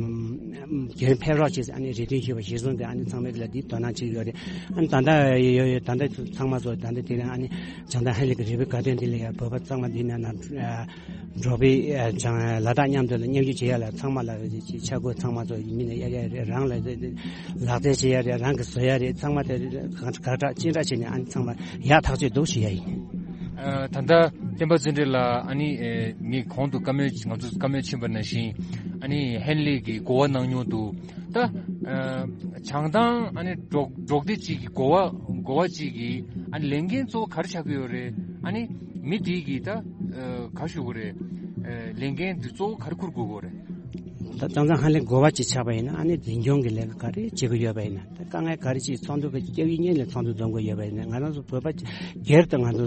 རྒྱུན་ཕེབས་རོགས་བྱས་ཨ་ནི་རེ་འདུན་ཞུས་པ་གཞིར་བཟུང་གི་ཨ་ནི་ཚང་མས་ཀྱི་ལ་འདི་དོ་སྣང་བྱེད་ཀྱི་ཡོད་རེད། ཨ་ནི་ད་ལྟ་ཡོད་ཡོད་ད་ལྟ་ཚང་མ་ཚོ་ད་ལྟ་དེ་རིང་ཨ་ནི་བྱང་ཐང་ཧན་ལི་གི་རི་བོའི་དགའ་སྟོན་འདི་ལ་ཡང་བོད་པ་ཚང་མ་འདི་ན་ན། འབྲོག་པའི་ལ་དྭགས་མཉམ་དུ་ལ་མཉམ་ཞུགས་བྱེད་ཡ་ལ་ཚང་མ་ལ་ཆ་བགོས་ཚང་མ་ཚོ་མི་ནས་གཡར་ཡ་རེད། རང་ལ་ལག་རྩལ་བྱེད་ཡ་རེད། རང་གི་བཟོ་ཡ་རེད། ཚང་མ་དེ་ག་གྲགས་ཅི་འདྲ་བྱས་ནས་ཨ་ནི་ཚང་མ་ཡག་ཐག་ཆོད་འདུག་ཞུ་ཡ་ཡིན། ད་ལྟ་བསྟན་པ་འཛིན་གྲྭ་ལ་ཨ་ནི་ངས་གོང་དུ་བཀའ་མོལ་ང་ཚོ་བཀའ་མོལ་ཕྱིན་པ་ནང་བཞིན་ཨ་ནི་ཧན་ལེ་གི་གོ་བ་གནང་མྱོང་འདུག་ད་བྱང་ཐང་ཨ་ནི་འབྲོག་འབྲོག་སྡེ་གཅིག་གི་གོ་བ་གོ་བ་གཅིག་གི་ཨ་ནི་ལས་འགན་གཙོ་བོ་ག་རེ་ཆགས་ཀྱི་ཡོད་རེད། ཨ་ནི་མི་དེ་གིས་ད་ག་ཞུ་དགོས་རེད། ལས་འགན་དེ་གཙོ་བོ་ག་རེ་འཁུར་དགོས་ཀྱི་རེད། ད་ད་ཚང་ཧན་ལེ་གོ་བ་གཅིག་ཆགས་པ་ཡིན་ན་ཨ་ནི་འཛིན་སྐྱོང་གི་ལས་ཀ་ག་རེ་བྱེད་ཀྱི་ཡོད་པ་ཡིན་ན། ད་དཀའ་ངལ་ག་རེ་ཅིག་ཚོགས་འདུ་གི་སྐྱབས་ཡིག་གཉིས་ལས་ཚོགས་འདུ་འཛོམས་ཀྱི་ཡོད་པ་ཡིན་ན། ང་རང་ཚོ་བོད་པ་སྒེར་དུ་ང་ཚོ་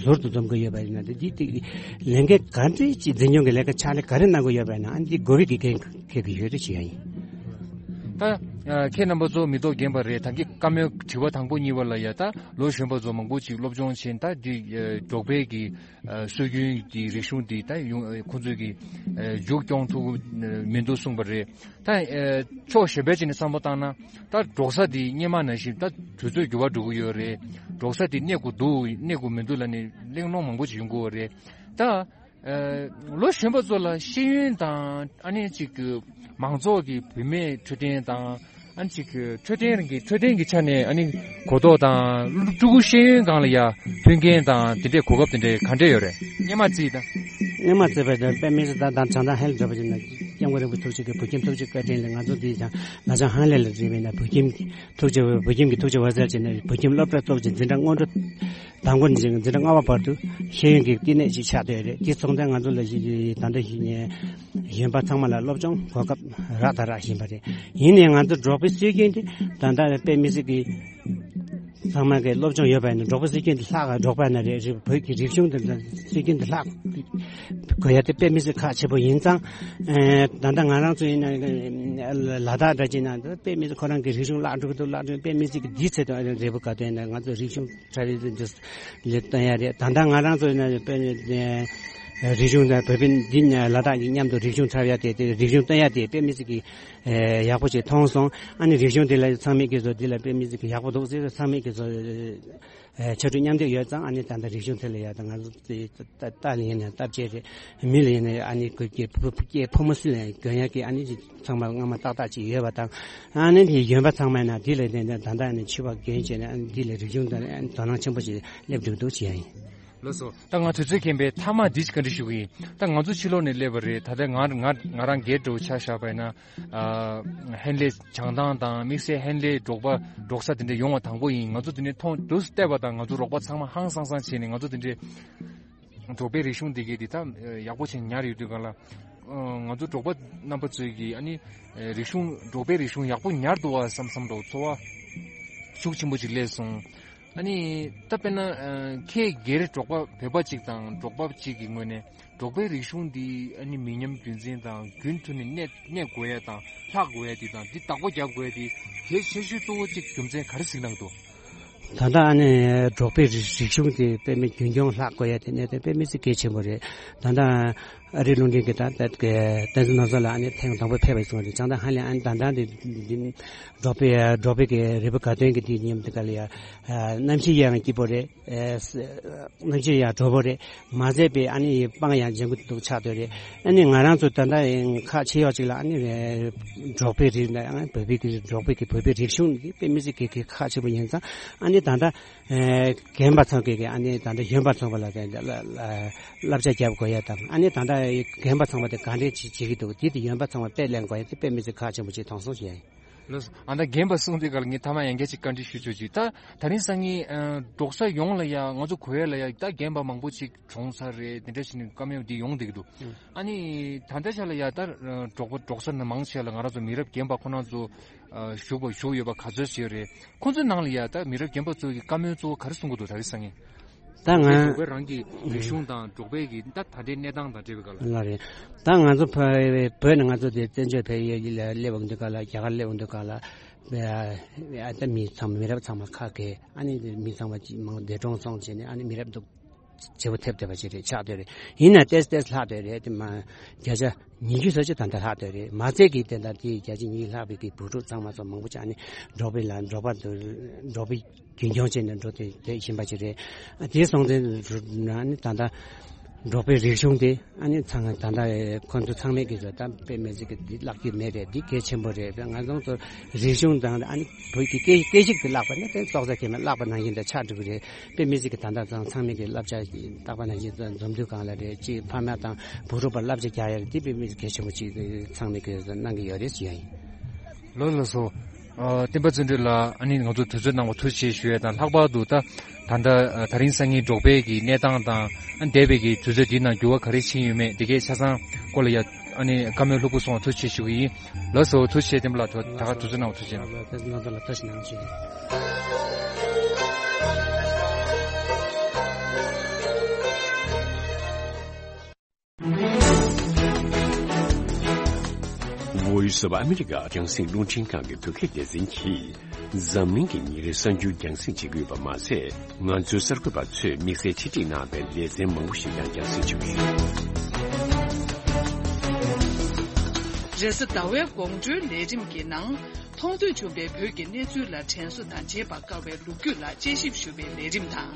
ཟུར་དུ་འཛོམས་ཀྱི་ཡོད་པ་ཡིན་ན། ད་འདི་དེ་ལས་འགན་ག་འདྲ་ཅིག་འཛིན་སྐྱོང་གི་ལས་ཀ་ཕྱག་ལས་ག་རེ་གནང་གི་ཡོད་པ་ཡིན་ན། ཨ་ནི་འདི་གོ་བའི་གི་འགན་འཁྱེར་གྱི་ཡོད་རེད་ཞུ་ཡ་ཡིན། ད་ཁྱེད་རྣམ་པ་ཚོ་མི་ཐོག་རྒན་པ་རེད། ད་གིན་བཀའ་མོལ་དྲི་བ་དང་པོ་གཉིས་པ་ལ་ཡ་ད་ལོ་གཞོན་པ་ཚོ་མང་པོ་ཅིག་སློབ་སྦྱོང་བྱས། ད་འདི་འབྲོག་པའི་གི་སྲོལ་རྒྱུན་གྱི་རིག་གཞུང་འདི་ད་ཡོང་ཁོང་ཚོས་ཀྱི་མཇུག་སྐྱོང་ཐུབ་མི་འདུག་གསུངས་པ་རེད། ད་ཕྱོགས་གཞན་པའི་ཅིག་ནས་བསམ་བློ་བཏང་ན་ད་འབྲོག་ས་འདི་སྔོན་མ་ནང་བཞིན་ད་དུས་ཚོད་འགྱུར་བ་འགྲོ་གི་ཡོད་རེད། འབྲོག་ས་འདི་གནས་དགོས་འདུག་གནས་དགོས་མི་འདུག་ལབ་ནས་གླེང་སློང་མང་པོ་ཅིག་ཡོང་གི་ཡོད་རེད། ད་ལོ་གཞོན་པ་ཚོ་ལ་ཤེས་ཡོན་དང་ཨ་ནི་ཅིག་གི་མང་ཚོགས་ཀྱི་བུད་མེད་འཕྲོད་བསྟེན་དང་ཨ་ནི་ཅིག་གི་འཕྲོད་བསྟེན་གྱི་འཕྲོད་བསྟེན་གྱི་ཆ་ནས་ཨ་ནི་གོ་རྟོགས་དང་ཕྲུ་གུ་ཤེས་ཡོན་སྒང་ལ་ཡ་མཐུན་རྐྱེན་དང་དེ་འདྲའི་གོ་སྐབས་དེ་འདྲའི་ག་འདྲས་ཡོད་རེད། སྔོན་མ་བརྩིས་དང་། སྔོན་མ་བརྩིས་པ་དང་དཔེ་མི་སྲིད་ད་དང་བྱང་ཐང་ཧན་ལ་འགྲོ་བ་ཡིན་ན་སྐྱབས་མགོན་རིན་པོ་ཐུགས་རྗེ་གི་བོད་ཁྱིམ་ཐུགས་རྗེ་བཀའ་དྲིན་ལས་ང་ཚོ་འདི་ཡང་ལ་བྱང་ཧན་ལེ་ལ་འགྲིམས་པ་ཡིན་ན་བོད་ཁྱིམ་གྱི་ཐུགས་རྗེ་བོད་ཁྱིམ་གྱི་ཐུགས་རྗེ་བ་ཟེར་བྱས་ནས་བོད་ཁྱིམ་སློབ་གྲྭ་གཙོ་བོ་ཅིག་འཛིན་གྲྭ་སྔོན་འགྲོ། དང་པོ་ནས་བྱས་འཛིན་གྲྭ་ལྔ་པ་བར་དུ་ཤེས་ཡོན་གྱི་བསྟི་གནས་ཤིག་ཆགས་བསྡད་ཡོད་རེད། དེ་སོང་ཙང་ང་ཚོ་ལ་ད་ལྟ་གཞོན་པ་ཚང་མ་ལ་སློབ་སྦྱོང་གོ་སྐབས་རག་དང་རག་བཞིན་པ་རེད། ཡིན་ནའི་ང་ཚོ་འབྲོག་པའི་སྲོལ་རྒྱུན་དེ་ད་ལྟ་དཔེ་མི་སྲིད་ཀྱི་ཚང་མ་གི་སློབ་སྦྱོང་ཡོད་པ་ཡིན་ན། འབྲོག་པའི་སྲོལ་རྒྱུན་དེ་ལྷག་ག་འབྲོག་པ་ན་རེད། རེད། བོད་ཀྱི་རིག་གཞུང་དེ་སྲོལ་རྒྱུན་དེ་ལྷག་དགོས་ཡ་དེ་དཔེ་མི་སྲིད་ཁག་ཆེ་པོ་ཡིན་ཙང་། ད་ལྟ་ང་རང་ཚོ་ཡིན་ན་ལ་དྭགས་འདྲ་ཅིག་ན་དཔེ་མི་སྲིད་ཁོ་རང་གི་རིག་གཞུང་བརླག་འགྲོ་གི་འདུག་བརླག་འགྲོ། དཔེ་མི་སྲིད་ཀྱི་འདིའི་ཚེ་དང་རེད་པོ་ག་དོན་ན་ང་ཚོ་རིག་གཞུང་ཁྲ་རེ་ལས་སྟོན་ཡ་རེད། ད་ལྟ་ང་རང་ཚོ་ཡིན་ན་དཔེ་རིག་གཞུང་དང་བོད་པའི་འདི་ལ་དྭགས་ཀྱི་མཉམ་དུ་རིག་གཞུང་འཁྲབ་ཡ་དེ་དེ་རིག་གཞུང་སྟོན་ཡ་དེ་དཔེ་མི་སྲིད་ཀྱི་ཡག་པོ་ཞིག་མཐོང་སོང་། ཨ་ནི་རིག་གཞུང་དེ་ལ་ཚང་མས་ཀྱི་བཟོ་འདི་ལ་དཔེ་མི་སྲིད་ཀྱི་ཡག་པོ་འདུག་ཟེར། ཚང་མས་ཀྱི་བཟོ་ཕྱར་གྲུ་མཉམ་འདེགས་ཡོད་ཙང་། ཨ་ནི་ད་ལྟ་རིག་གཞུང་དེ་ལ་ཡ་ད་ང་ཚོ་རྟ་ལ་ཡིན་ན་རྟ་བཅས་རེད། མི་ལ་ཡིན་ན་ཨ་ནི་ཁོ་སྐྱེ་ཕོ་སྐྱེ་ཕོ་མོ་སུ་ལ་ཡང་གྱོན་ཡ་གི་ཨ་ནི་ཚང་མ་སྔ་མ་ཏག་ཏག་ཅིག་ཡོད་པ་དང་། ཨ་ནི་དེ་གྱོན་པ་ཚང་མ་ན་འདི་ལ་ནི་ད་ལྟ་ནི་ཕྱུ་པ་གྱོན་བྱས་ནས་ཨ་ནི་འདི་ལ་རིག་གཞུང་དང་དོ་སྣང་ཆེན་པོ་ཞིག་སླེབས་འགྲོ་འདུག་ཅེས་ཡིན། ལགས་སོ། ད་ང་དུས་ཚོད་ཁེངས་པས་མཐའ་མ་འདི་ཞིག་བཀའ་འདྲི་ཞུ་གི་ཡིན། ད་ང་ཚོ་ཕྱི་ལོགས་ནས་སླེབས་པ་རེད། ད་ལྟ་ང་ང་ང་རང་སྒེར་འདྲ་བོ་ཆ་བཞག་པ་ཡིན་ན། ཨ་ཧན་ལེ་བྱང་ཐང་དང་དམིགས་བསལ་ཧན་ལེ་འབྲོག་པ་འབྲོག་ས་དེ་འདྲ་ཡོང་བ་དང་པོ་ཡིན། ང་ཚོ་དེ་ནས་མཐོང་དུས་བལྟས་པ་དང་ང་ཚོ་རོགས་པ་ཚང་མ་ཧང་སང་སང་བྱས་ནས་ང་ཚོ་དེ་འདྲའི་འབྲོག་པའི་རིག་གཞུང་འདི་གའི་འདི་ད་ཡག་པོ་བྱས་ཉར་ཡོད་དུས་ག་ལ། ང་ཚོ་འབྲོག་པ་རྣམ་པ་ཚོས་ཀྱིས་ཨ་ནི་རིག་གཞུང་འབྲོག་པའི་རིག་གཞུང་ཡག་པོ་ཉར་འདུག་བ་བསམ་བསམ་འདྲ་བོ་ཚོར་བ་ཤུགས་ཆེན་པོ་ཅིག་སླེབས་སོང་། ཨ་ནི་ད་དཔེར་ན་ཁྱེད་སྒེར་འབྲོག་པ་བོད་པ་ཅིག་དང་འབྲོག་པ་ཅིག་གི་ངོས་ནས་འབྲོག་པའི་རིག་གཞུང་འདི་ཨ་ནི་མི་ཉམས་རྒྱུན་འཛིན་དང་རྒྱུན་མཐུད་ནས་གནས་གནས་དགོས་ཡ་དང་ལྷག་དགོས་ཡ་འདི་དང་འདི་བདག་པོ་རྒྱབ་དགོས་ཡ་འདི་གལ་ཆེ་ཤོས་གཙོ་བོ་གཅིག་རྒྱུ་མཚན་ག་རེ་གཟིགས་གནང་འདུག་ད་ལྟ་ཨ་ནི་འབྲོག་པའི་རིག་རིག་གཞུང་དེ་དཔེ་མི་རྒྱུན་འཁྱོངས་ལྷག་དགོས་ཡ་དེ་གནད་དོན་དཔེ་མི་སྲིད་གལ་ཆེན་པོ་རེད། ད་ལྟ་ཨ་རི་ལུང་འདྲེན་གྱི་ད་ལྟ་གི་བསྟན་འཛིན་ནོར་བཟང་ལགས་ཨ་ནི་ཐེངས་དང་པོ་ཕེབས་པ་སོང་རེད། བྱང་ཐང་ཧན་ལེ་ཨ་ནི་ད་ལྟ་འདི་འདི་འབྲོག་པའི་འབྲོག་པའི་གི་རི་བོ་དགའ་སྟོན་གྱི་དུས་མཉམ་དུ་ག་ལ་ཡ་གནམ་གཤིས་ཡང་སྐྱིད་པོ་རེད། གནམ་གཤིས་ཡང་དྲོ་པོ་རེད། མ་ཟད་པའི་ཨ་ནི་སྤང་ཡང་ལྗང་ཁུ་འདུག་ཆགས་སྡོད་རེད། ཨ་ནི་ང་རང་ཚོ་ད་ལྟ་ཁག་ཆེ་ཡོད་ཅིག་ལ་ཨ་ནི་འབྲོག་པའི་རིགས་ལ་ཡང་བོད་པའི་གི་འབྲོག་པའི་གི་བོད་པའི་རིག་གཞུང་འདི་དཔེ་མི་སྲིད་གི་གི་ཁག་ཆེན་པོ་ཡིན་ཙང་། ཨ་ནི་ད་ལྟ་རྒན་པ་ཚང་གི་གི་ཨ་ནི་ད་ལྟ་གཞོན་པ་ཚང་པ་ལ་བསླབ་བྱ་རྒྱབ་དགོས་ཡ་དང་། ཨ་ནི་ད་ལྟ་རྒན་པ་ཚང་པ་དེ་ག་འདྲས་བྱེད་བྱེད་ཀྱི་འདུག་འདི་དེ་གཞོན་པ་ཚང་པ་དཔེ་ལེན་དགོས་ཡ་དེ་དཔེ་མི་སྲིད་ཁག་ཆེན་པོ་ཅིག་མཐོང་སོང་ཞེས་ཡིན། ལགས་སོ། ཨ་ད་རྒན་པ་གསུངས་དུས་ག་ལ་ངས་མཐའ་མ་ཡང་བསྐྱར་ཅིག་བཀའ་འདྲི་ཞུ་ཆོག་ཅིག་ད་ད་རིང་སང་ཉིན་འབྲོག་ས་ཡོངས་ལ་ཡ་ང་ཚོ་གོ་ཡ་ལ་ཡ་ད་རྒན་པ་མང་པོ་ཅིག་གྲོངས་ཚར་རེད། དེ་འདྲ་ཞིག་ནས་བཀའ་མོལ་འདི་ཡོང་བསྡད་ཀྱི་འདུག་ཨ་ནི་ད་ལྟ་ཆ་ལ་ཡ་ད་འབྲོག་པ་འབྲོག་ས་ནང་མང་ཆེ་ལ་ང་རང་ཚོ་མི་རབས་རྒན་པ་ཁོ་རང་ཚོ་བཞུགས་པ་བཞུགས་ཡོད་པ་ག་ཚོད་ཅིག་ཡོད་རེད། ཁོ་ཚོའི་ནང་ལ་ཡ་ད་མི་རབས་རྒན་པ་ཚོ་གི་བཀའ་མོལ་གཙོ་བོ་ག་རེ་གསུང་གི་འདུག་ད་རིང་སང་ཉིན། ད་ང་འབྲོག་པའི་རང་གི་རིག་གཞུང་དང་འབྲོག་པའི་གི་ད་ད་ལྟའི་གནས་སྟངས་དང་འབྲེལ་བའི་སྐོར་ལ། ལགས་རེད། ད་ང་ཚོ་བོད་བོད་ནས་ང་ཚོ་དེ་བཙན་བྱོལ་བོད་ཡུལ་ལ་སླེབས་ཡོང་དུས་སྐབས་ལ། རྒྱ་གར་སླེབས་ཡོང་དུས་སྐབས་ལ། ཨ་ད་མི་ཚང་མ་མི་རབས་ཚང་མ་ཁ་གས། ཨ་ནི་མི་ཚང་མ་ཅིག་མང་འདས་གྲོངས་སོང་བྱས་ནས། ཨ་ནི་མི་རབས་འདུག་བརྗེ་པོ་ཐེབས་ཐེབས་པ་ཅིག་རེད། ཆགས་བསྡད་རེད། ཡིན་ན་ཏེས་ཏེས་ལྷག་བསྡད་རེད། དེ་མ་བརྒྱ་ཆ་ཉི་ཤུ་ཙམ་ཅིག་ད་ལྟ་ལྷག་བསྡད་རེད། མ་ཚད་ཀྱི་དེ་ལྟར་དེ་བརྒྱ་ཆ་ཉི་ཤུ་ལྷག་པའི་གི་བུ་ཕྲུག་ཚང་མ་ཚོ་མང་པོ་ཅིག་ཨ་ནི་འབྲོག་པའི་ལ་འབྲོག་པ་དུ་འབྲོག་པའི་རྒྱུན་སྐྱོང་བྱས་ནས་འགྲོ་དེ་དེ་བཞིན་པ་ཅིག་རེད། དེ་སོང་ཙང་ཨ་ནི་ད་ལྟ་འབྲོག་པའི་རིག་གཞུང་དེ་ཨ་ནི་ཚང་ད་ལྟ་ཁོ་ཚོ་ཚང་མས་ཀྱི་ཚོ་ད་དཔེ་མི་སྲིད་ཀྱི་འདི་བརླག་རྒྱུ་མེད་རེད། འདི་གལ་ཆེན་པོ་རེད། ང་ཚོ་ཚོ་རིག་གཞུང་དང་ཨ་ནི་བོད་ཀྱི་སྐད་སྐད་ཡིག་དེ་བརླག་པ་ན་དེ་སྲོག་རྩ་ཁེལ་མེད་བརླག་པ་ནང་བཞིན་དུ་ཆགས་འགྲོ་གི་རེད། དཔེ་མི་སྲིད་ཀྱི་ད་ལྟ་ཚང་ཚང་མས་ཀྱི་བསླབ་བྱ་བཏགས་པ་ནང་བཞིན་འཛོམས་འདུ་སྒང་ལ་རེད། ཅིག་ཕ་མ་དང་བུ་ཕྲུག་པར་བསླབ་བྱ་རྒྱག་ཡ་རེད། དེ་དཔེ་མི་སྲིད་གལ་ཆེན་པོ་ཅིག་ཚང་མས་ཀྱི་གནང་གི་ཡོད་རེད་ཞུ་ཡ་ཡིན། ལགས་ལགས་སོ། ཨ་བསྟན་པ་བརྩོན་འགྲུས་ལགས། ཨ་ནི་ང་ཚོ་དུས་ཚོད་གནང་བ་ཐུགས་རྗེ་ཆེ་ཞུ་ཡ་དང་། ལྷག་པར་དུ་ད་ད་ལྟ་ཨ་ད་རིང་སང་ཉིན་འབྲོག་པའི་གི་གནས་སྟངས་དང་། ཨ་འདས་པའི་གི་དུས་ཚོད་འདིའི་ནང་འགྱུར་བ་ག་རེ་ཕྱིན་ཡོད་མེད་འདི་གའི་ཆ་ཚང་སྐོར་ལ་ཡ། ཨ་ནི་བཀའ་མོལ་ལྷུག་པོ་གསུངས་པ་ཐུགས་རྗེ་ཆེ་ཞུ་གི་ཡིན། ལགས་སོ། ཐུགས་རྗེ་ཆེ། བསྟན་པ་ལགས། ད་ག་དུས་ཚོད་གནང་བ་ཐུགས་རྗེ་གནང་། ང་ཚོ་ལ་ཐུགས་རྗེ་གནང་ཞུ། Voice of America རྒྱང་སྲིང་རླུང་འཕྲིན་ཁང་གི་བོད་སྐད་སྡེ་ཚན་གྱིས་འཛམ་གླིང་གི་ཉིན་རེའི་གསར་འགྱུར་རྒྱང་སྲིང་བྱེད་ཀྱི་ཡོད་པ་མ་ཟད། ང་ཚོའི་གསར་འགོད་པ་ཚོས་དམིགས་བསལ་ཁྲིད་སྒྲིག་གནང་བའི་ལེ་ཚན་མང་པོ་ཞིག་ཀྱང་རྒྱང་སྲིང་བྱེད་ཀྱི་ཡོད། རེས་གཟའ་ཟླ་བའི་དགོང་དྲོའི་ལས་རིམ་གྱི་ནང་། མཐོང་ཐོས་བྱུང་བའི་བོད་ཀྱི་གནས་ཚུལ་ལ་དྲན་གསོ་དང་བརྗེད་པར་དཀའ་བའི་ལོ་རྒྱུས་ལ་དཔྱད་ཞིབ་ཞུ་བའི་ལས་རིམ་དང་།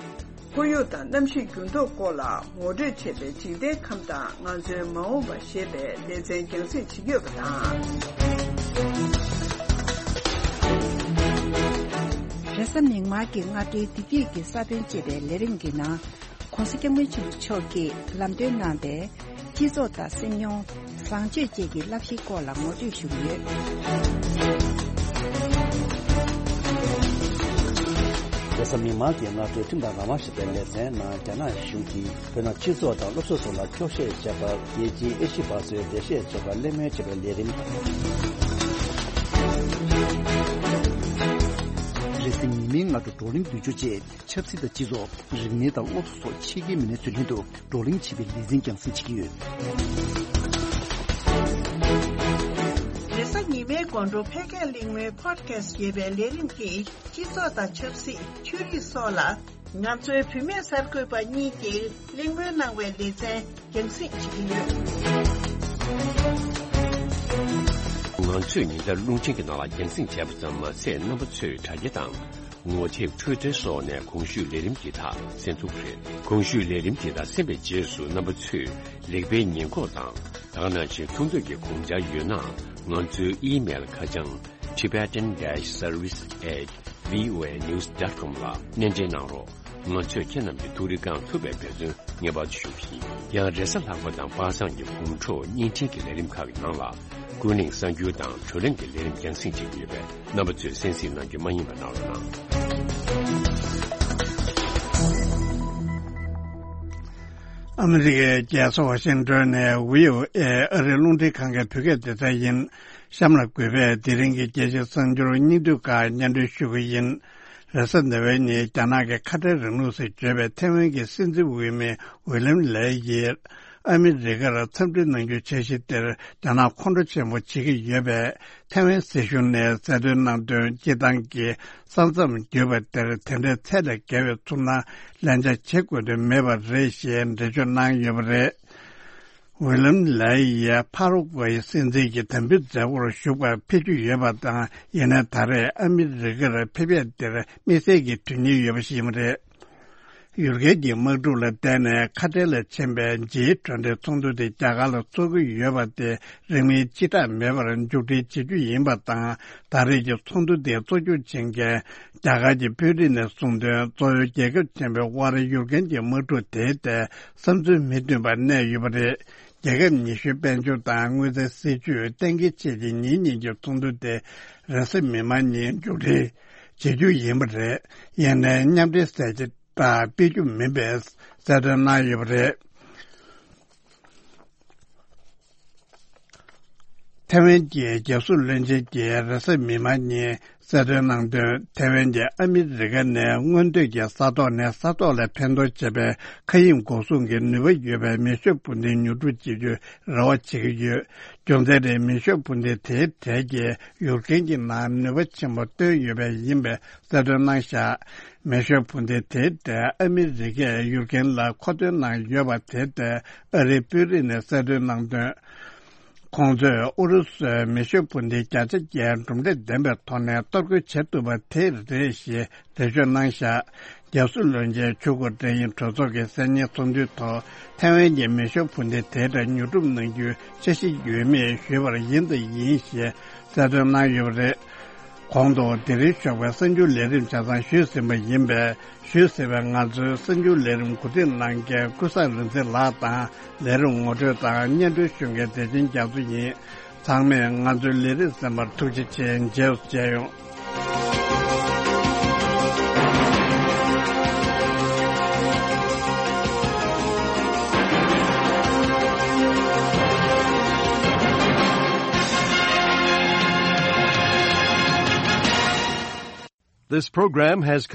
ཁོར་ཡུག་དང་གནམ་གཤིས་འགྱུར་ལྡོག་སྐོར་ལ་ངོ་སྤྲོད་བྱས་པའི་འཇིག་རྟེན་ཁམས་དང་ང་ཚོའི་མ་འོངས་པ་ཞེས་པའི་ལེ་ཚན་རྒྱང་སྲིང་བྱེད་ཀྱི་ཡོད་པ་དང་། རེས་གཟའ་མིག་དམར་གྱི་སྔ་དྲོའི་བདེ་སྐྱིད་ཀྱི་ས་བོན་ཅེས་པའི་ལས་རིམ་གྱི་ནང་། ༸གོང་ས་༸སྐྱབས་མགོན་ཆེན་པོ་མཆོག་གིས་ལམ་སྟོན་གནང་པའི་སྤྱི་ཚོགས་དང་སེམས་མྱོང་། བཟང་སྤྱོད་བཅས་ཀྱི་བསླབ་གཞིའི་སྐོར་ལ་ངོ་སྤྲོད་ཞུ་གི་ཡོད། རེས་གཟའ་མིག་དམར་གྱི་སྔ་དྲོའི་ཁྲིམས་དང་རང་དབང་ཞེས་པའི་ལེ་ཚན་ནང་། རྒྱ་ནག་གཞུང་གིས་བོད་ནང་སྤྱི་ཚོགས་དང་སློབ་གསོ་སོགས་ལ་འཁྱོག་བཤད་བྱས་པར་རྒྱལ་སྤྱིའི་ཨེ་ཤི་བ་སོའི་འགྲེལ་བཤད་བྱེད་པར་གླེང་མོལ་བྱེད་པའི་ལས་རིམ་དང་། རེས་གཟའ་ཉི་མའི་སྔ་དྲོ་བགྲོ་གླེང་བསྡུས་བསྒྱུར་བཅས། ཆབ་སྲིད་དང་སྤྱི་ཚོགས། རིག་གནས་དང་སློབ་གསོ་སོགས་ཆེད་མཁས་མི་སྣ་ཚོའི་མདུན་དུ་བགྲོ་གླེང་བྱེད་པའི་ལེ་ཚན་རྒྱང་སྲིང་བྱེད་ཀྱི་ཡོད། རེས་གཟའ་ཉི་མའི་དགོང་དྲོ་ཕལ་སྐད་གླེང་མོལ་Podcast ཞེས་པའི་ལས་རིམ་གྱིས་སྤྱི་ཚོགས་དང་ཆབ་སྲིད། ཆོས་རིག་སོགས་ལ་ང་ཚོའི་བུད་མེད་གསར་འགོད་པ་གཉིས་ཀྱིས་གླེང་མོལ་གནང་བའི་ལེ་ཚན་རྒྱང་སྲིང་བྱེད་ཀྱི་ཡོད། ང་ཚོས་ཉིན་ལྟར་རླུང་འཕྲིན་གྱི་ནང་ལ་རྒྱང་སྲིང་བྱས་པ་ཙམ་མ་ཟད། རྣམ་པ་ཚོས་དྲ་རྒྱ་དང་། ངོ་དེབ། Twitter སོགས་ནས་གོང་ཞུས་ལས་རིམ་འདི་དག་གསན་ཐུབ་རེད། གོང་ཞུས་ལས་རིམ་འདི་དག་གསན་པའི་རྗེས་སུ་རྣམ་པ་ཚོས་ལེགས་སྤེལ་ཉེས་འགོག་དང་། ད་ག་ནང་བཞིན་ཐུགས་འདོད་ཀྱི་དགོངས་འཆར་ཡོད་ན། ང་ཚོའི་ཨི་མེལ་ཁ་བྱང་tibetanservice@voanews.com ལ་སྣེ་འདྲེན་གནང་རོགས། ང་ཚོས་ཁྱེད་རྣམས་ཀྱི་ཐུགས་རེ་བསྐང་ཐུབ་པའི་འབད་བརྩོན་ངེས་པར་དུ་ཞུ་གི་ཡིན། ཡང་རེས་གཟའ་ལྷག་པ་དང་པ་སངས་ཀྱི་དགོང་དྲོ་བརྙན་འཕྲིན་གྱི་ལས་རིམ་ཁག་གི་ནང་ལ། ཀུན་གླེང་གསར་འགྱུར་དང་བགྲོ་གླེང་གི་ལས་རིམ་རྒྱང་སྲིང་བྱེད་ཀྱི་ཡོད་པས། རྣམ་པ་ཚོས་གསན་གཟིགས་གནང་རྒྱུ་མ་བསྙེལ་བ་གནང་རོགས་གནང་། ཨ་མི་རི་ཀའི་རྒྱལ་ས་ཝ་ཤིང་ཏོན་ནས་VOA ཨ་རིའི་རླུང་འཕྲིན་ཁང་གི་བོད་སྐད་སྡེ་ཚན་ཡིན། གཤམ་ལ་འགོད་པས་དེ་རིང་གི་རྒྱལ་སྤྱིའི་གསར་འགྱུར་སྙིང་བསྡུས་ཁག་སྙན་སྒྲོན་ཞུ་གི་ཡིན། རེས་གཟའ་ཟླ་བའི་ཉིན། རྒྱ་ནག་གི་ཁ་བྲལ་རིང་ལུགས་སུ་བརྗོད་པའི་ཐེ་ཝན་གྱི་སྲིད་འཛིན་འོས་མི་ཝི་ལམ་ལེ་ཡིས། ཨ་མི་རི་ཀར་འཚམས་འདྲི་གནང་རྒྱུའི་འཆར་གཞི་དེར་རྒྱ་ནག་ཁོང་ཁྲོ་ཆེན་པོ་བྱེད་ཀྱི་ཡོད་པས། ཐེ་ཝན་སྲིད་གཞུང་ནས་གསལ་སྟོན་གནང་དོན། སྤྱིར་བཏང་གི་ས་མཚམས་བརྒྱུད་པ་དེར་དེ་འདྲའི་ཚད་ལས་བརྒལ་བའི་ཚུར་སྣང་ལན་ཆགས་བྱེད་དགོས་དོན་མེད་པ་རེད་ཞེས་འགྲེལ་བརྗོད་གནང་ཡོད་པ་རེད། ཝི་ལམ་ལེ་ཡིས་ཕ་རོ་ཀུའེ་སྲིད་འཛིན་གྱི་དམ་འབུལ་མཛད་སྒོར་ཞུགས་པར་ཕེབས་རྒྱུ་ཡོད་པ་དང་། ཡིན་ནའི་ད་རེས་ཨ་མི་རི་ཀར་ཕེབས་ཡས་དེར་དམིགས་བསལ་གྱི་དོན་སྙིང་ཡོད་པ་ཞིག་ཡིན་པ་རེད། ཡུལ་སྐད་ཀྱི་དམག་འཁྲུག་ལ་བརྟེན་ནས་ཁ་བྲལ་ལ་ཕྱིན་པའི་ཇིའི་གྲོས་འབྲེལ་ཚོགས་འདུ་དེ་རྒྱ་གར་ལ་འཚོགས་ཀྱི་ཡོད་པ་དེ་རིང་མིན་སྤྱི་བསྒྲགས་མེད་པར་མཇུག་སྒྲིལ་བྱེད་རྒྱུ་ཡིན་པ་དང་། ད་རེས་ཀྱི་ཚོགས་འདུ་དེ་གཙོ་སྐྱོང་བྱེད་མཁན་རྒྱ་གར་གྱི་དཔོན་རིགས་ནས་གསུངས་དོན། གཙོ་བོའི་རྒྱལ་ཁབ་ཆེན་པོའི་དབར་ཡུལ་ཀུན་གྱི་དམག་འཁྲུག་དེའི་ཐད་བསམ་ཚུལ་མི་མཐུན་པ་གནས་ཡོད་པ་རེད། རྒྱལ་ཁབ་ཉི་ཤུའི་དཔལ་འབྱོར་དང་དངུལ་རྩའི་སྲིད་ཇུས་གཏན་འཁེལ་བྱེད་ཀྱི་ཉིན་གཉིས་ཀྱི་ཚོགས་འདུ་དེ་རེས་གཟའ་མིག་དམར་ཉིན་མཇུག་སྒྲིལ་བྱེད་རྒྱུ་ཡིན་པ་རེད། ཡིན་ནའི་མཉམ་འབྲེལ་གསལ་བྱེད་སྤེལ་རྒྱུ་མིན་པའི་གསལ་སྟོན་གནང་ཡོད་པ་རེད། ཐའེ་ཝན་གྱི་རྒྱལ་སྲུང་བློན་ཆེན་གྱིས་རེས་གཟའ་མིག་དམར་ཉིན་གསལ་སྟོན་གནང་དོན། ཐའེ་ཝན་གྱིས་ཨ་མི་རི་ཀ་ནས་སྔོན་སྡོད་ཀྱི་ས་ཐོག་ནས་ས་ཐོག་ལ་འཕེན་གཏོང་བྱེད་པའི་མཁའ་དབྱིངས་འགོག་སྲུང་གི་ནུས་པ་ཡོད་པའི་མེ་ཤུགས་འཕུར་མདེལ་ཉོ་སྒྲུབ་བྱེད་རྒྱུའི་རེ་བ་བྱེད་ཀྱི་ཡོད། རྒྱུ་མཚན་དེ་མེ་ཤུགས་འཕུར་མདེལ་དེའི་གྲས་ཀྱིས་ཡུཀ་རེན་གྱི་ནང་ནུས་པ་ཆེན་པོ་བཏོན་ཡོད་པས་ཡིན་པའི་གསལ་སྟོན་གནང་བཞག། མེ་ཤུགས་འཕུར་མདེལ་དེའི་གྲས་ཨ་མི་རི་ཀས་ཡུཀ་རེན་ལ་མཁོ་འདོན་གནང་ཡོད་པ་དེ་ལྟར་ཨ་རིའི་དཔོན་རིགས་ནས་གསལ་སྟོན་གནང་དོན། ཁོང་ཚོས་ཨུ་རུ་སུས་མེ་ཤུགས་འཕུར་མདེལ་བརྒྱ་ཆ་བརྒྱའི་གྲུབ་འབྲས་ལྡན་པའི་ཐོག་ནས་གཏོར་རྒོལ་བྱེད་ཐུབ་པ་དེ་རེད་ཞེས་འགྲེལ་བརྗོད་གནང་བཞག། རྒྱལ་སྲུང་བློན་ཆེན་ཆོས་སྐུ་བཀྲ་ཤིས་གྲོས་ཚོགས་ཀྱི་གསར་རྙིང་ཚོགས་འདུའི་ཐོག་ཐའེ་ཝན་གྱི་མེ་ཤུགས་འཕུར་མདེལ་དེ་འདྲ་ཉོ་སྒྲུབ་གནང་རྒྱུའི་འཆར་གཞི་ཡོད་མེད་ཞུས་པར་ཡིན་དང་ཡིན་ཞེས་གསལ་སྟོན་གནང་ཡོད་པ་རེད། གོང་དུ་དེ་རིང་ཞོགས་པའི་གསར་འགྱུར་ལས་རིམ་ཆ་ཚང་ཞུས་ཟིན་པ་ཡིན་པས། ཞུས་ཟིན་པའི་ང་ཚོའི་གསར་འགྱུར་ལས་རིམ་གོ་སྒྲིག་གནང་མཁན་ཀུན་བཟང་རིག་འཛིན་ལགས་དང་། ལས་རིམ་ངོ་སྤྲོད་དང་སྙན་སྒྲོན་ཞུ་མཁན་བདེ་ཆེན་རྒྱ་མཚོ་ཡིན། ཚང་མས་ང་ཚོའི་ལས་རིམ་གསན་པར་ཐུགས་རྗེ་ཆེ། མཇལ་ཡོང་། This program has come